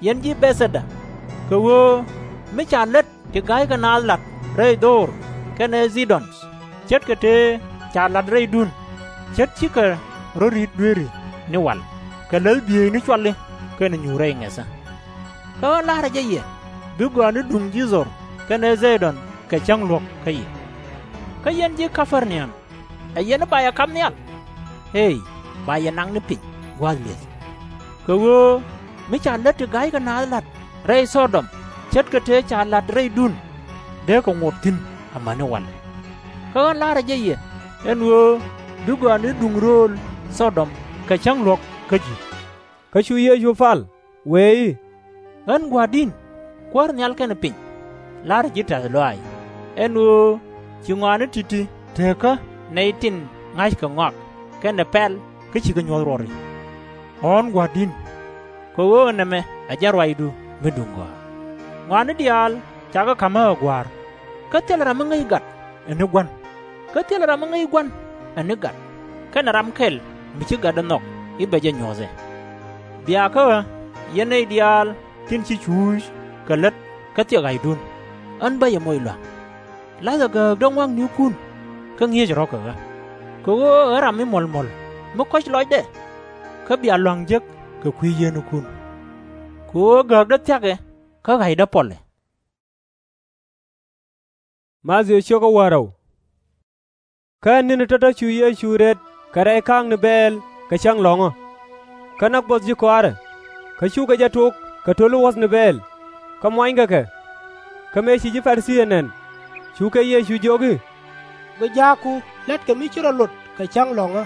yɛn ji̱ Bɛth-dhɛ-da! Kɛ ɣöö mi ca lät ti ga̱ykɛ naath la̱t rɛy Dho-or kɛnɛ Thi-dɔn, ce̱tkɛ tëë ca la̱t rɛydun, ce̱t cikɛ rɔ̱ ri̱t dueeri ni wal, kɛ läth bieyni cuali kɛnɛ nyuur rɛy ŋɛthä. Kä ɣän la̱rä jɛ yɛ, bi gɔaani duŋ ji̱ Dhor kɛnɛ Dhi-tɔn kɛ cäŋ luɔ̱k kä yɛ. Kä yɛn ji̱ Ka-per-na-um, ɛ yɛn i̱ ba yɛ kap nhial? Ëë, ba yɛ naŋ ni piny gua̱a̱th li̱eth. Kɛ ɣöö mi ca lät ti ga̱ykɛ naath la̱t rɛy Thɔ-dɔm ce̱tkɛ tëë ca la̱t rɛydun, dee kɛ ŋot thi̱n amäni walɛ. Kä ɣän la̱rä jɛ yɛ ɛn ɣöö bi gɔaani duŋ rööl Thɔ-dɔm kɛ cäŋ luɔ̱k kä ji̱. Kä cu Yecu pal, wëë i̱, Ɣän Gua̱a̱r di̱n, Kuäär nhial kɛnɛ piny, la̱rä ji̱ tɛ̈th lɔaac, ɛn ɣöö ci ŋɔaani ti̱ti̱ teekä nɛy tin ŋa̱ckɛ ŋɔak kɛnɛ pɛl kä cikɛ nyuɔ̱th ruɔri. Ɣɔ̱ɔ̱n Gua̱a̱r di̱n, kɛ ɣöö nɛmɛ ɛ jɛn ruacdu mi duŋ gɔaa. Ŋɔaani diaal cakɛ ka̱m ɣä ɛ Gua̱a̱r, kä thilɛ ram mi ŋäc gat ɛ ni Gua̱n, kä thilɛ ram mi ŋäc Gua̱n ɛ ni gat, kɛnɛ ram kɛl mi ci gatdɛ nhɔk i̱ bɛ jɛ nyuɔ̱th ɛ. Bia kä ɣä, yɛn nɛy diaal tin ci cuuc kɛ lät kä thiɛk ɣa̱cdun, ɣän bä yɛ moc lua̱ŋ. La̱thɛ gääkdä ŋɔa̱knikun, kä ŋi̱eecɛ rɔ̱ kɛ ɣä. Kɛ ɣöö ɛ ɣä ram mi muɔ̱l muɔ̱l mi kɔ̱c lɔcdɛ, kä bia lua̱ŋ jek kɛ kui̱ yienikun. Kɛ ɣöö gääkdä thia̱kɛ, kä ɣa̱cdä pɔlɛ. Kä ni̱ni tɔ̱tɔ̱ cu Yecu rët kɛ rɛy ka̱a̱kni bɛɛl kɛ cäŋ lɔ̱ŋä. Kä näk buɔth ji̱ kɔaarɛ, kä cukɛ jɛ tok kɛ to̱l i̱ wuɔ̱thni bɛɛl, kä muanykɛ kɛ. Kä mëë ci ji̱ Pa-ri-thii ɛ nɛn, cukɛ Yecu jiök i̱, Bi jaakku la̱tkɛ mi ci rɔ lot kɛ cäŋ lɔ̱ŋä.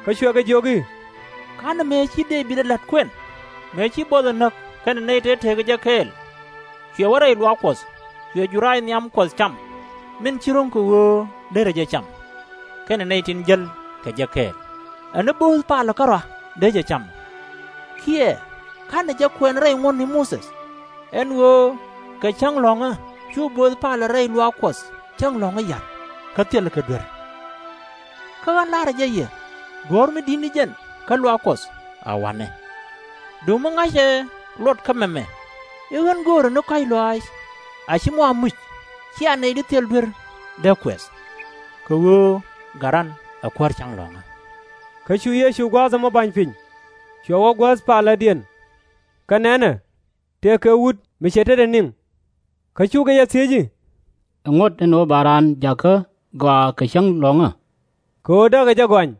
Kä cuɛ kɛ jiök i̱, /Ka̱nɛ mëë ci Dee-bid ɛ la̱t kuɛn, mëë ci buɔth ɛ näk kɛnɛ nɛy tëë tekɛ jɛ kɛɛl? Cuɛ wä rɛy luaak Kuɔth, cuɛ jurac nhiam Kuɔth cam, min /ci ro̱ŋ kɛ ɣöö derɛ jɛ cam, kɛnɛ nɛy tin jäl kɛ jɛ kɛɛl, ɛ ni bööth palä kärɔa dee jɛ cam. Kiɛ /ka̱nɛ jɛ kuɛn rɛy ŋuɔ̱tni Muthɛ? Ɛn ɣöö kɛ cäŋ lɔ̱ŋä cu bööth palä rɛy luaak Kuɔth cäŋ lɔ̱ŋä ya̱r, kä thilɛ kɛ duer. Kä ɣän la̱rä jɛ yɛ, duɔ̱ɔ̱r mi di̱t ni jɛn kä luaak Kuɔth a wanɛ. Duŋ mi ŋa̱cɛ luɔt kä mɛmɛ, i̱ ɣän göörä ni kɔ̱a̱c lɔaac, a /ci mɔ a muc cia nɛy di thil duer dee kuɛth. Kɛ ɣöö Gat ran ɛ Kuäär cäŋ lɔ̱ŋä. Kä cu Yecu gua̱a̱th ɛmɔ ba̱ny piny, cuɛ wä guäth palädiɛn. Kä nɛnɛ, tëëkɛ wut mi cɛ tetdɛ niŋ. Kä cukɛ jɛ thiec i̱, Ɛŋu ɛn ɣöö ba raan jakä gɔaa kɛ cäŋ lɔ̱ŋä? Kɛ ɣöö däkɛ jɛ gɔany.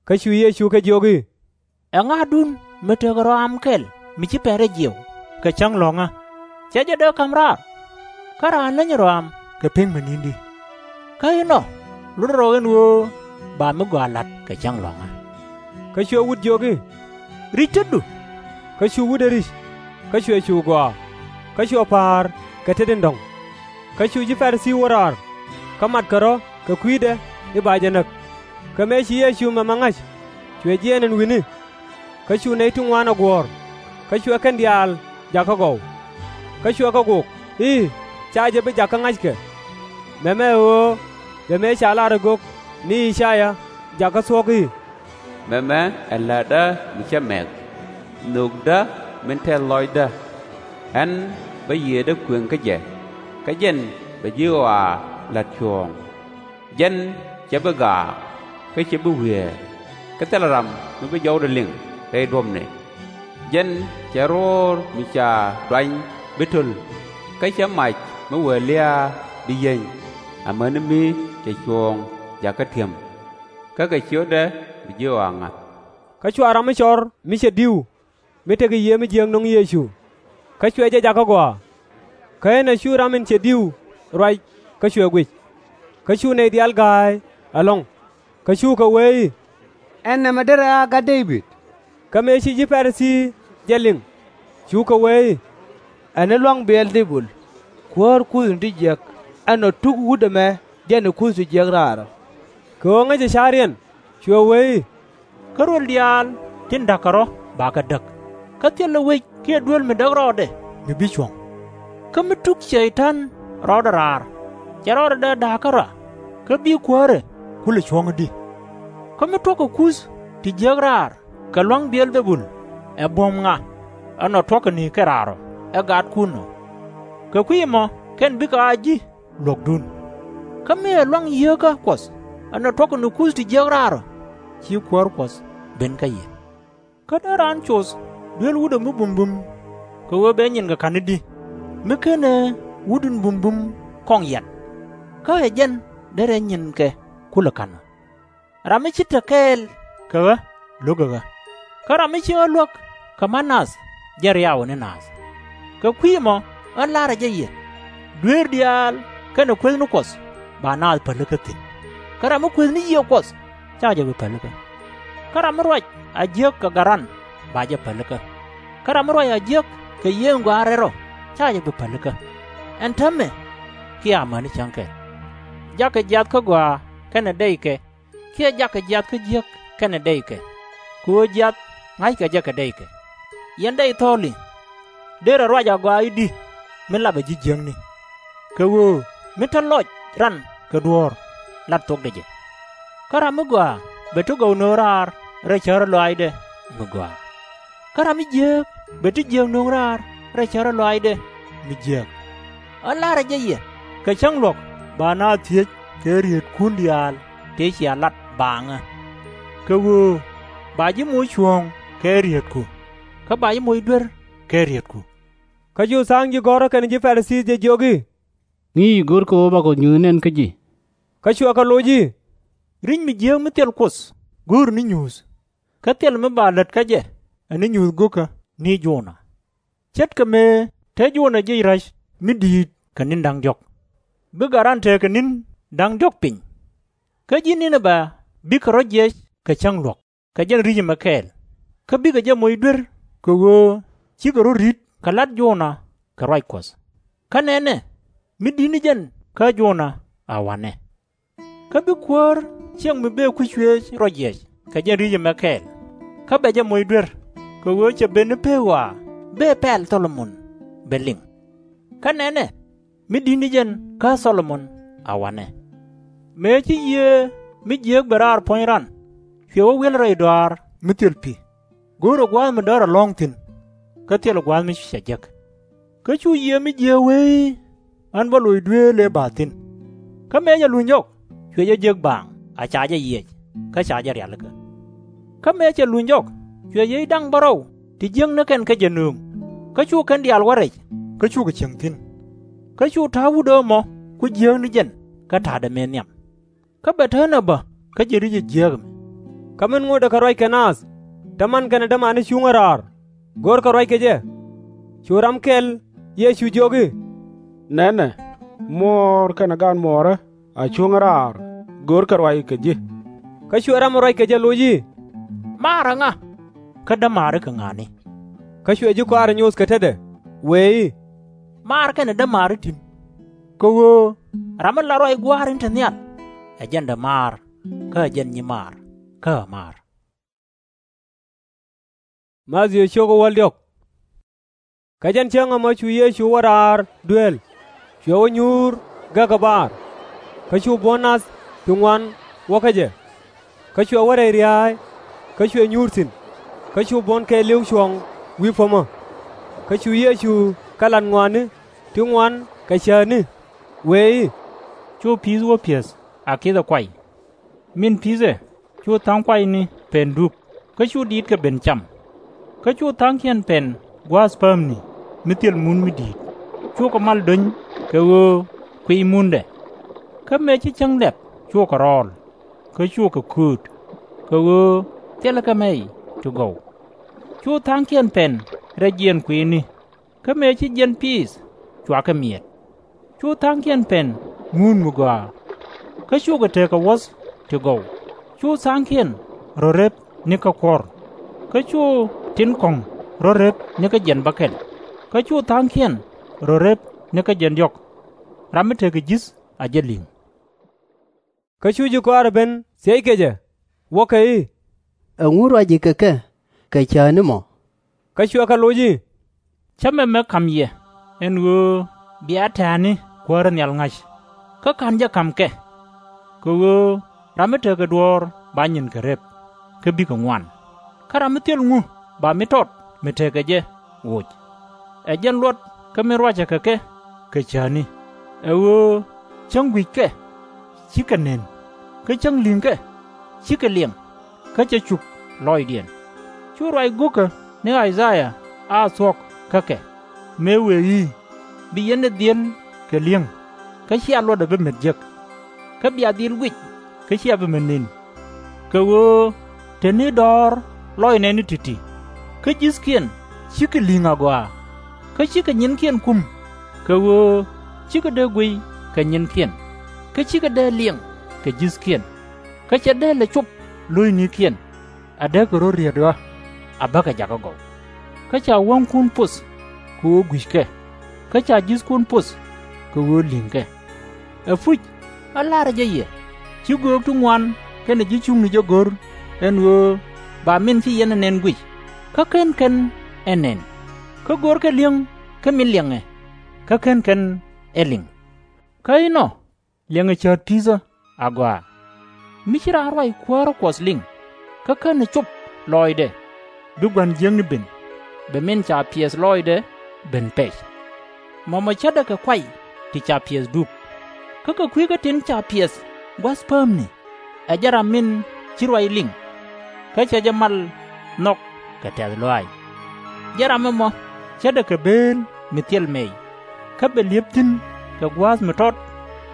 Kä cu Yecu kɛ jiök i̱, Ɛŋadun mi tekɛ rɔaam kɛl mi ci pɛn rɛy jiɛw kɛ cäŋ lɔ̱ŋä, /cɛ jɛ dee ka̱m raar? Kä raan länyɛ rɔaam kɛ pek mi ni̱n di. Kä inɔ, lotdɛ rɔ ɛn ɣöö ba mi gɔaa la̱t kɛ cäŋ lɔ̱ŋä. Kä cuɛ wut jiök i̱, Ri̱c tetdu. Kä cu wut ɛ ri̱c, kä cuɛ cu gɔaa, kä cuɛ pa̱a̱r kɛ tet in dɔ̱ŋ. Kä cu ji̱ Pa-ri-thii wä raar, kä matkɛ rɔ̱ kɛ kui̱dɛ i̱ ba jɛ näk. Kä mëë ci Yecu mɛmɛ ŋa̱c, cuɛ jiɛɛn ɛn wi̱ni. Kä cu nɛy ti ŋuan ɛ guɔ̱ɔ̱r, kä cuɛ kɛn diaal jakä gɔw. Kä cuɛ kɛ gok i̱, Ca jɛ bi jakä ŋa̱ckɛ. Mɛmɛ ɛ ɣöö bɛ mëë ca lar ɛ gök ni I-ca-yaa jakä thuɔ̱k i̱, Mɛmɛ ɛ la̱tdä mi cä mɛk, nhökdä min tɛth lɔcdä. Ɣän bä yiëëdä kuëŋ kä jɛ, kä jɛn bɛ ji̱ ɣɔaa la̱t cuɔ̱ɔ̱ŋ. Jɛn /cɛ bi gaak, kä /cɛ bi wiee, kä thilɛ ram mi bi jɔwdɛ liŋ rɛy duɔ̱pni. Jɛn cɛ ro̱o̱r mi ca duany bi töl, kä cɛ mac mi wee lia̱a̱ bi yieny, amäni mi cɛ cuɔ̱ɔ̱ŋ jakä ti̱em. Kä kɛ ciötdɛ bi ji̱ ɣɔaa ŋa̱th. Kä cua ram mi cɔr mi cɛ di̱w, mi tekɛ yiëë mi jiääk nɔŋ Yecu, kä cuɛ jɛ jakä gɔaa. Kä ënɔ cu ram in cɛ di̱w ruac kä cuɛ guic. Kä cu nɛy diaal ga̱a̱c ɛlɔ̱ŋ, kä cukɛ wee i̱, Ɛn nɛmɛ derɛ a gat Dee-bid? Kä mëë ci ji̱ Pa-ri-thii jɛ liŋ, cukɛ wee i̱, Ɛ ni lua̱ŋ Bi-ɛl-dhɛ-bul, kuäär kuthni ti jiäk, ɛnɔ tuk wut ɛmɛ jɛn ɛ kuth ti jiäk raarä. Kɛ ɣöö ŋäcɛ ca̱riɛn, cuɛ wee i̱, Kä ruël diaal tin da̱kkɛ rɔ̱ bakɛ däk, kä thilɛ wec kiɛ duel mi däk rɔɔdɛ mi bi cuɔ̱ŋ. Kä mi tuk Cɛy-tan rɔɔdɛ raar, /cɛ rɔɔdɛ dee da̱a̱k kärɔa, kä bi kuäärɛ kulɛ cuɔ̱ŋ i̱di? Kä mi tuɔ̱kɛ kuth ti jiäk raar kɛ lua̱ŋ Bi-ɛl-dhɛ-bul, ɛ buɔ̱m ŋa ɛnɔ tuɔ̱kɛ ni kɛ raar ɔ ɛ gatkun ɔ? Kɛ kui̱ ɛmɔ kɛn bikɛ a ji̱ luɔ̱kdun. Kä mi ɛ lua̱ŋ yieekä Kuɔth ɛnɔ tuɔ̱kɛ ni kuth ti jiäk raar ɔ, /ci Kuäär Kuɔth ben kä yɛ. Kä dee raan coth duel wutdɛ mi bumbum, kɛ ɣöö bɛ nyinkɛ ka̱n i̱di, mi /kenɛ wut in bumbum kɔŋ yian? Kä ɛ jɛn derɛ nyinkɛ kulɛ ka̱n ɣä. Ram mi ci te kɛɛl kɛ ɣä, lo̱kɛ ɣä. Kä ram mi ci ɣä luäk kɛ ma̱t naath, jɛn riaw ɛ ni naath. Kɛ kui̱ ɛmɔ ɣän la̱rä jɛ yɛ, dueer diaal kɛnɛ kueth ni Kuɔth ba naath pälikä thi̱n. Kä ram mi kueth ni Yiëë Kuɔth, /ca jɛ bi pälikä. Kä ram mi ruac a jiäk kɛ Gat Ran, ba jɛ pälikä. Kä ram mi ruac a jiäk kɛ Yiëë in Gɔaa in Rɛl Rɔ, /ca jɛ bi pälikä. Ɛn täämɛ kiɛ amäni cäŋ kɛl. Jakɛ jiath kä gɔaa kɛnɛ dɛykɛ, kiɛ jakɛ jiath kä jiäk kɛnɛ dɛykɛ, kɛ ɣöö jiath ŋa̱ckɛ jɛ kɛ dɛykɛ. Yɛn dɛy thɔɔli, derɛ ruac agɔaa i̱di, mi lapɛ ji̱ jiäkni? Kɛ ɣöö mi te lɔc ran kɛ duɔ̱ɔ̱r, lat thokdɛ jɛ. Kä ram mi gɔaa bɛ ti gɔw nöŋ raar rɛy cärä lɔaacdɛ mi gɔaa. Kä ram mi jiääk bɛ ti jiääk nöŋ raar rɛy cärä lɔaacdɛ mi jiääk. Ɣän la̱rä jɛ yɛ, kɛ cäŋ luɔ̱k ba naath thiec kɛ rietkun diaal tëë cia lat baaŋä. Kɛ ɣöö ba ji̱ moc cuɔ̱ɔ̱ŋ kɛ rietku, kä ba ji̱ moc duer kɛ rietku. Kä cu tha̱a̱ŋ ji̱ gɔ̱rä kɛnɛ ji̱ Pa-ri-thii jɛ jiök i̱, Ŋi̱i̱c go̱rkɛ ɣöö bakɔ nyuuth nɛn kä ji̱? Kä cuɛ kɛ loc i̱, Ri̱c mi jiääk mi thil Kuoth go̱o̱ri ni nyuuth, kä thil mi ba lät kä jɛ ɛ ni nyuuth go̱kä ni Jona. Ce̱tkɛ mëë te Jona jiɛc ra̱c mi di̱i̱t kɛ ni̱n da̱ŋ diɔ̱k, bi Gat Ran tekɛ ni̱n da̱ŋ diɔ̱k piny. Kä ji̱ Ninibɛ bikɛ rɔ̱ jiɛc kɛ cäŋ luɔ̱k kɛ jɛn ri̱c ɛmɛ kɛɛl, kä bikɛ jɛ moc duer, kɛ ɣöö cikɛ rɔ̱ ri̱t kɛ la̱t Jona kɛ ruac Kuɔth. Kä nɛnɛ, mi di̱t ni jɛn kä Jona a wa̱nɛ. Kä bi Kuäär ciɛŋ mi bëë kui̱c cuëëc rɔ jiɛc kɛ jɛn ri̱c ɛmɛ kɛɛl, kä bɛ jɛ moc duer, kɛ ɣöö cɛ ben ni pëë ɣɔaa bëë pɛl Thɔ-lo-mon bɛ liŋ. Kä nɛnɛ, mi di̱t ni jɛn kä Thɔ-lo-mon a wa̱nɛ. Mëë ci yiëë mi jiääk ben raar puɔ̱ny ran, cuɛ wä wi̱el rɛy dɔaar mi thil pi̱, go̱o̱rɛ gua̱a̱th mi däär ɛlɔ̱ŋ thi̱n, kä thilɛ gua̱a̱th mi cɛ jek. Kä cu yiëë mi jiääk wee i̱, Ɣän bä loc dueel ëë bath thi̱n. Kä mëë cɛ luny jɔk, cuɛ jɛ jek baaŋ a ca jɛ yiɛc, kä ca jɛ rialikä. Kä mëë cɛ luny jɔk, cuɛ yiëë da̱ŋ bärɔw ti jiäkni kɛn kä jɛ nöŋ, kä cu kɛn diaal wä rɛc, kä cukɛ cieŋ thi̱n. Kä cu ta̱a̱ wut ɣä ɛmɔ ku jiääk ni jɛn kä ta̱a̱dɛ mëë nhiam. Kä bɛ te ɣän ɛ bä kä ji̱ ri̱c ɛ jiääk ɛmɛ. Kä min ŋotdɛ kɛ ruac kɛ naath, täämɛ man kɛnɛ dämaari cuŋä raar, görkɛ ruac kɛ jɛ. Cu ram kɛl Yecu jiök i̱, Nɛnɛ, muɔɔr kɛnɛ gaan muɔɔrä a cuŋä raar, görkɛ ruac kɛ ji̱. Kä cuɛ ram ɛ ruac kɛ jɛ loc i̱, Maar ɛ ŋa, kä dämaari kɛ ŋa̱a̱ni? Kä cuɛ ji̱ kɔaarɛ nyoth kɛ tetdɛ, wëë i̱, Maar kɛnɛ dämaari ti̱n. Kɛ ɣöö ram mi la ruac Gua̱a̱r in te nhial, ɛ jɛn dämaar, kä ɛ jɛn nyimaar, kä ɛ maar. Mathiu cio̱k wäl diɔ̱k. Kä jɛn cäŋ ɛmɔ cu Yecu wä raar dueel, cuɛ wä nyuur gäk ɛ baar. Kä cu buɔ̱n nath ti ŋuan wä kä jɛ. Kä cuɛ wä rɛy ria̱a̱y, kä cuɛ nyuur thi̱n. Kä cu buɔ̱n kɛɛliw cuɔ̱ŋ wi̱i̱ puɔ̱mä. Kä cu Yecu kɛ lat ŋɔaani ti ŋuan kɛ cäätni, wëë i̱, Cu pi̱i̱th wä piɛth a kithɛ kuay. Min pi̱thɛ, cu tha̱a̱ŋ kuayni pɛn dup, kä cu diitkɛ ben cam. Kä cu tha̱a̱ŋkiɛn pɛn gua̱a̱th päämni mi thil mun mi di̱i̱t, cukɛ mal do̱ny kɛ ɣöö kuiy mundɛ. Kä mëë ci cäŋ lɛp cukɛ rɔɔl, kä cukɛ kööt, kɛ ɣöö thilɛ kɛ mɛy ti gɔw. Cu tha̱a̱ŋkiɛn pɛn rɛc jiɛɛn kui̱ni, kä mëë ci jiɛn piith, cuakɛ miɛt. Cu tha̱a̱ŋkiɛn pɛn ŋuut mi gɔaa, kä cukɛ tekɛ wuɔ̱th ti gɔw. Cu tha̱a̱ŋkiɛn rɔ rep ni kä kuɔ̱r, kä cu tin kɔ̱ŋ rɔ rep ni kä jiɛn bäkɛl, kä cu tha̱a̱ŋkiɛn rɔ rep ni kä jiɛn diɔ̱k. Ram mi tekɛ ji̱th a jɛ li̱ŋ. Kä cu ji̱ kɔaarɛ ben thiec kɛ jɛ, wäkɛ i̱, Ɛŋu ruac ji̱ kɛ kɛ kɛ cäätni mɔ? Kä cuɛ kɛ loc i̱, Cämɛ mi ka̱m yɛ, ɛn ɣöö bia tɛ̈ɛ̈ni Kuäär in nhial ŋa̱c. Kä /ka̱n jɛ ka̱m kɛ. Kɛ ɣöö ram mi tekɛ duɔ̱ɔ̱r ba nyinkɛ rep, kä bikɛ ŋuan. Kä ram mi thil ŋu ba mi tɔt mi tekɛ jɛ woc? Ɛ jɛn luɔt kä min ruacɛ kɛ kɛ kɛ cäätni, ɛ ɣöö cäŋ gui̱ckɛ, cikɛ nën, kä cäŋ li̱ŋkɛ, cikɛ liɛŋ, kä cɛ cup lɔcdiɛn. Cu ruac go̱kä ni I-ca-yaa a thuɔ̱k kä kɛ, mëë wëë i̱, Bi yɛn ɛ dhiel kɛ li̱eŋ, kä /cia luɔtdɛ bi met jek, kä bia dhil guic, kä /cia bi met ni̱n. Kɛ ɣöö te ni dɔ̱ɔ̱r lɔcnɛ ni ti̱ti̱, kä ji̱thkiɛn /cikɛ li̱ŋ agɔaa, kä /cikɛ nyinkiɛn kum, kɛ ɣöö /cikɛ dee guiy kɛ nyinkiɛn, kä /cikɛ dee liɛŋ kɛ ji̱thkiɛn, kä /cɛ dee lɛ cop lo̱cnikiɛn. A dee kɛ rɔ̱ riet ɣä, a bäkɛ jakä gɔw. Kä ca wäŋkun poth kɛ ɣöö gui̱ckɛ, kä ca ji̱thkun poth kɛ ɣöö li̱ŋkɛ. Ɛpuc, ɣä la̱rä jɛ yɛ, /ci göök ti ŋuan kɛnɛ ji̱ cuŋni jɛ go̱r, ɛn ɣöö ba min ci yɛn ɛ nɛn guic, kä /ken kɛn ɛ nɛn, kä görkɛ li̱eŋ kä min liɛŋɛ, kä /ken kɛn ɛ liŋ. Kä inɔ, liɛŋɛ cäät pi̱i̱thä agɔaa. Mi /ci raan ruac kuäärä Kuɔth liŋ, kä /kenɛ cop lɔcdɛ, bi gua̱n jiäkni ben, bɛ min ca piɛth lɔcdɛ ben pɛc. Mɔmɔ ce̱tdɛ kɛ kuay ti ca piɛth dup. Kä kɛ kui̱ kä tin ca piɛth gua̱th päämni, ɛ jɛn ram min ci ruac liŋ, kä cɛ jɛ mal nhɔk kɛ tɛ̈th lɔaac. Jɛn ram ɛmɔ ce̱tdɛ kɛ bëël mi thil mɛy, kä bɛ li̱ep thi̱n kɛ gua̱a̱th mi tɔt,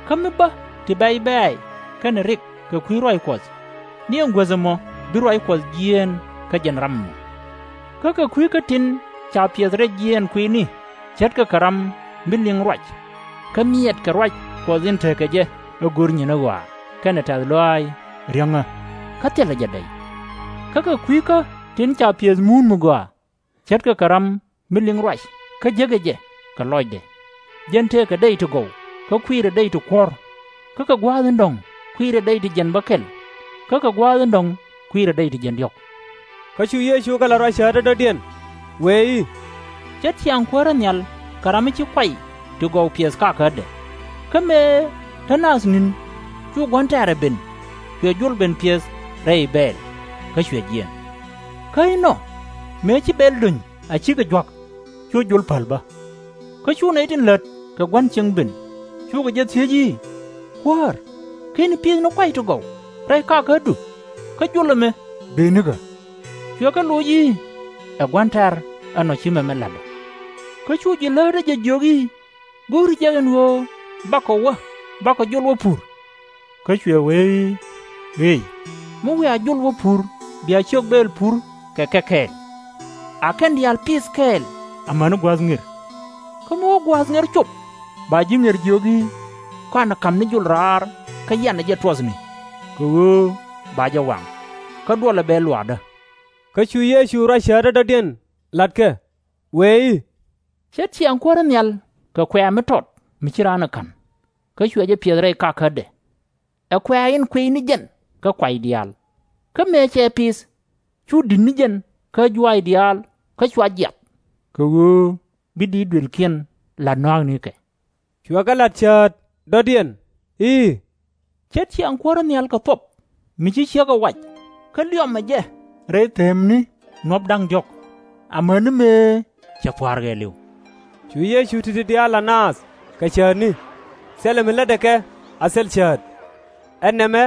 kä mi bä ti bɛ̈c bɛ̈ɛ̈c kɛnɛ rik kɛ kui̱ ruac Kuɔth, ni ɛn guäth ɛmɔ bi ruac Kuɔth jiɛɛn kä jɛn ram ɛmɔ. Kä kɛ kui̱ kä tin ca piɛth rɛy jiɛɛn kui̱ni, ce̱tkɛ kɛ ram mi liŋ ruac, kä miɛɛtkɛ ruac Kuɔth in tekɛ jɛ ɛ go̱r nyin ɣɔaa kɛnɛ tɛ̈th lɔaac riäŋä, kä thilɛ jɛ dɛy. Kä kɛ kui̱ kä tin ca piɛth muun mi gɔaa, ce̱tkɛ kɛ ram mi liŋ ruac kä jekɛ jɛ kɛ lɔcdɛ. Jɛn tëëkɛ dɛy ti gɔw, kä kuiirɛ dɛy ti kuɔ̱r, kä kɛ gua̱a̱th in dɔ̱ŋ kuiirɛ dɛy ti jiɛn bäkɛl, kä kɛ gua̱a̱th in dɔ̱ŋ kuiirɛ dɛy ti jiɛn diɔ̱k. Kä cu Yecu kɛ lat ruac cäätdä dɔ̱diɛn, wëë i̱, Ce̱t ciaŋ Kuäärä nhial kɛ ram mi ci kuay ti gɔw piɛth kakädɛ. Kä mëë te naath ni̱n, cu gua̱n tɛ̈rɛ ben, cuɛ jol ben piɛth rɛy bɛɛl, kä cuɛ jiɛɛn. Kä inɔ, mëë ci bɛl do̱ny a cikɛ jua̱k, cu jol päl bä. Kä cu nɛy tin lät kɛ gua̱n cieŋ ben, cukɛ jɛ thiec i̱, Kuäär, /keni pi̱i̱th ni kuay ti gɔw rɛy kakädu, kä jol ɛmɛ bëë nikä? Cuɛ kɛ loc i̱, Ɛ gua̱n tɛ̈r ɛnɔ ci mɛmɛ la̱t ɔ. Kä cu ji̱ läätdä jɛ jiök i̱, Go̱o̱ri jɛ ɛn ɣöö bakɔ wä, bakɔ jol wä pur? Kä cuɛ wee i̱, Ɣëëc, mi wiaa jol wä pur bia ciök bɛɛl pur kɛ kɛ kɛɛl. A kɛn diaal pi̱th kɛɛl amäni gua̱a̱th ŋer. Kä mi wä gua̱a̱th ŋer cop, ba ji̱ ŋer jiök i̱, Kɔaŋ ka̱m ni jol raar kä yanɛ jɛ tuɔthni, kɛ ɣöö ba jɛ waŋ, kä duɔlɛ bɛɛl luaakdä. Kä cu Yecu ruac cäätdä dɔ̱diɛn la̱t kɛ, wëë i̱, Ce̱t ciaŋ Kuäärä nhial kɛ kuɛ̈ɛ̈ mi tɔt mi /ci raan ɛ ka̱n, kä cuɛ jɛ piɛth rɛy kakädɛ. Ɛ kuɛ̈ɛ̈ in kuiy ni jɛn kä kuay diaal, kä mëë cɛ pi̱th, cu di̱t ni jɛn kä juaac diaal kä cua jiath, kɛ ɣöö bi diit duëlkiɛn la̱t nɔ̱a̱knikɛ. Cuɛ kɛ la̱t cäät dɔ̱diɛn i̱, Ce̱t ciaŋ Kuäärä nhial kɛ thuɔ̱p mi ci ciek ɛ wac, kä liɔmɛ jɛ rɛy themni nuɔ̱p da̱ŋ diɔ̱k, amäni mëë cɛ pua̱a̱r ɣɛɛliw. Cu Yecu ti̱ti̱ diaal la̱t naath kɛ cäätni, thilɛ mi lätdɛ kɛ a thil cäät. Ɛ nɛmɛ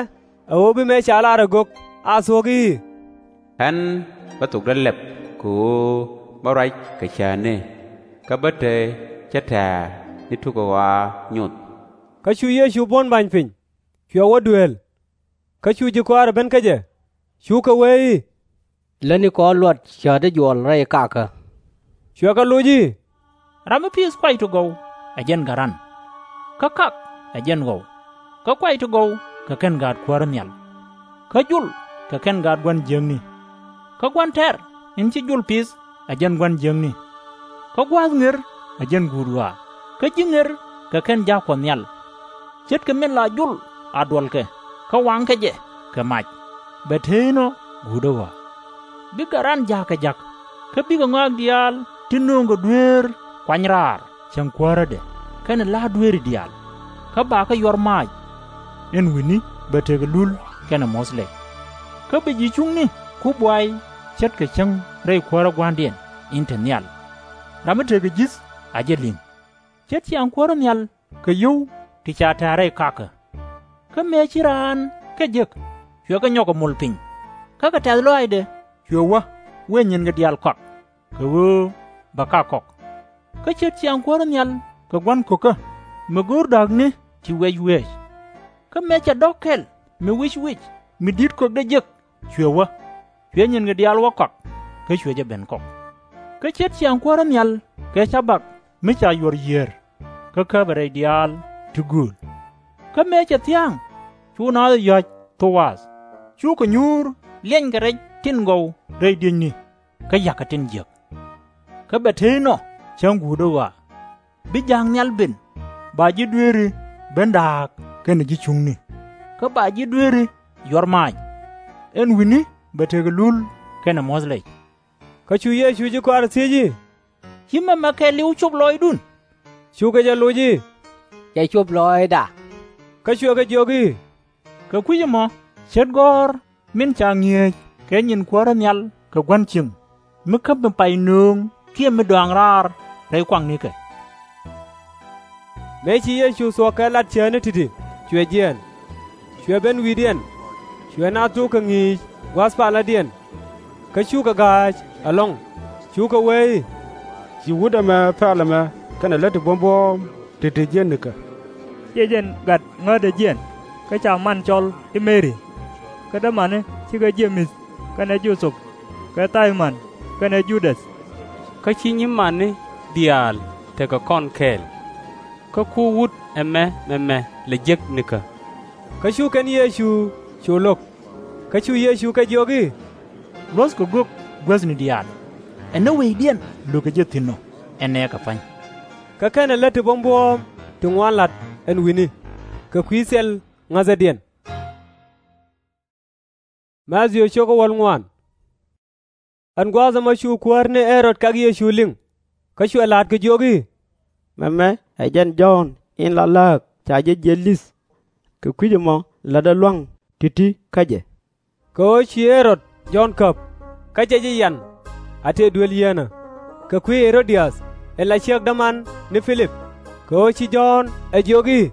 ɛ ɣöö bi mëë ca lar ɛ gök a thuɔ̱k i̱, Ɣän bä thokdä lɛp kɛ ɣöö bä ruac kɛ cäätni, kä bä te cä tɛ̱̈ɛ̱̈ ni tuk ɣɔaa nyoth. Kä cu Yecu buɔ̱n ba̱ny piny, cuɛ wä duëël. Kä cu ji̱ kɔaarɛ ben kä jɛ, cukɛ wee i̱, Lätnikɔ luɔt cäätdä juɔl rɛy kakä. Cuɛ kɛ loc i̱, Ram mi pi̱i̱th kuay ti gɔw ɛ jɛn gat ran, kä kak ɛ jɛn ɣɔw. Kä kuay ti gɔw kɛ kɛn gaat Kuäärä nhial, kä jol kɛ kɛn gaat gua̱n jiäkni. Kä gua̱n tɛ̈r in ci jol pi̱th ɛ jɛn gua̱n jiäkni. Kä gua̱a̱th ŋer ɛ jɛn guut ɣɔaa, kä ji̱ ŋer kɛ kɛn jaak Kuɔth Nhial. Ce̱tkɛ min la jol a duɔlkɛ kä waŋkɛ jɛ kɛ mac, bɛ te inɔ guutdä ɣɔaa. Bi gat ran jaak kɛ ja̱k, kä bikɛ ŋɔak diaal ti nööŋkɛ dueer kuany raar cäŋ kuäärädɛ kɛnɛ la̱a̱t dueeri diaal, kä bakɛ yuɔr maac, ɛn wi̱ni bɛ tekɛ lul kɛnɛ muɔ̱th lɛy. Kä bi ji̱ cuŋni ku buay ce̱tkɛ cäŋ rɛy Kuäärä Gua̱a̱ŋdiɛn in te nhial, ram mi tekɛ ji̱th a jɛ li̱ŋ. Ce̱t ciaŋ Kuäärä nhial kɛ yio̱w ti ca tɛ̱̈ɛ̱̈ rɛy kakä. Kä mëë ci raan kɛ jek, cuɛ kɛ nyɔk ɛ mul piny, Kä kɛ tɛ̈th lɔaacdɛ cuɛ wä wëë nyinkɛ diaal kɔak, kɛ ɣöö bɛ kak kɔk. Kä ce̱t ciaŋ Kuäär in nhial kɛ gua̱n ko̱kä, mi go̱o̱r da̱kni ti wiɛc wiɛɛc. Kä mëë cɛ dɔ̱k kɛl mi wic wic mi di̱t kökdɛ jek cuɛ wä, cuɛ nyinkɛ diaal wä kɔak, kä cuɛ jɛ ben kɔk. Kä ce̱t ciaŋ Kuäär in nhial kɛ cabak mi ca yuɔr yiër, kä käpɛ rɛy diaal ti gööl. Kä mëë cɛ thia̱a̱ŋ, cu naath ɛ ya̱c Thowaath, cukɛ nyuur liɛnykɛ rɛc tin gɔw rɛy diëcni, kä ya̱kɛ tin jiäk. Kä bɛ te inɔ cäŋ guutdä ɣɔaa, bi ja̱a̱k nhial ben, ba ji̱ dueeri ben da̱a̱k kɛnɛ ji̱ cuŋni, kä ba ji̱ dueeri yuɔr maac. Ɛn wi̱ni bɛ tekɛ lul kɛnɛ muɔ̱th lɛy. Kä cu Yecu ji̱ kɔaarɛ thiec i̱, Ci mɛmɛ kɛɛliw cop lɔɔcdun? Cukɛ jɛ loc i̱, Cɛ cop lɔɔcda. Kä cuɛ kɛ jiök i̱, Kɛ kui̱c ɛmɔ ce̱t gɔ̱r min ca ŋi̱eec kɛ nyin Kuäär in nhial kɛ gua̱n cieŋ, mi käp mi pay nööŋ kiɛ mi dɔaaŋ raar rɛy kuaknikɛ. Mëë ci Yecu thuɔ̱k kɛ lat cäätni ti̱ti̱, cuɛ jiɛɛn. Cuɛ ben wi̱i̱diɛn, cuɛ naath tok kɛ ŋi̱i̱c gua̱a̱th paladiɛn. Kä cukɛ ga̱a̱c ɛlɔ̱ŋ, cukɛ wee i̱, Ci wut ɛmɛ pɛl ɛmɛ kɛnɛ lät ti buɔ̱m buɔ̱ɔ̱m ti̱ti̱ jiɛn nikä? Ciɛ jɛn gat ŋäthdɛ jiɛn, kä ca man cɔl i̱ Mɛri, kä dämani cikɛ Jemith kɛnɛ Jo-thɛp kɛ Thay-mɔn kɛnɛ Ju-däth? Kä ci nyima̱ni diaal tekɛ kɔn kɛɛl. Kä ku wut ɛmɛ mɛmɛ lɛ jek nikä? Kä cu kɛn Yecu cu lo̱k. Kä cu Yecu kɛ jiök i̱, Luɔ̱thkɛ gök guäthni diaal, ɛ ni wecdiɛn lökɛ jɛ thi̱n ɔ, ɛ nɛɛkɛ pa̱ny. Kä kɛnɛ lät ti buɔ̱m buɔ̱ɔ̱m ti ŋuan la̱t ɛn wi̱ni, kɛ kui̱ thil ŋäthädiɛn. Ɛn gua̱a̱th ɛmɔ cu kuäär ni Ɣɛ-rod kak Yecu liŋ, kä cuɛ la̱a̱t kɛ jiök i̱, Mɛmɛ ɛ jɛn Jɔ̱ɔ̱n in la lääk ca jɛ jiɛc li̱th. Kɛ kui̱c ɛmɔ lätdɛ lua̱ŋ ti̱ti̱ kä jɛ. Kɛ ɣöö ci Ɣɛ-rod Jɔ̱ɔ̱n käp, kä cɛ jɛ yan a tëë duel yieenä, kɛ kui̱ Ɣɛ-ro-diath in la ciek däman ni Pi-lip, kɛ ɣöö ci Jɔ̱ɔ̱n ɛ jiök i̱,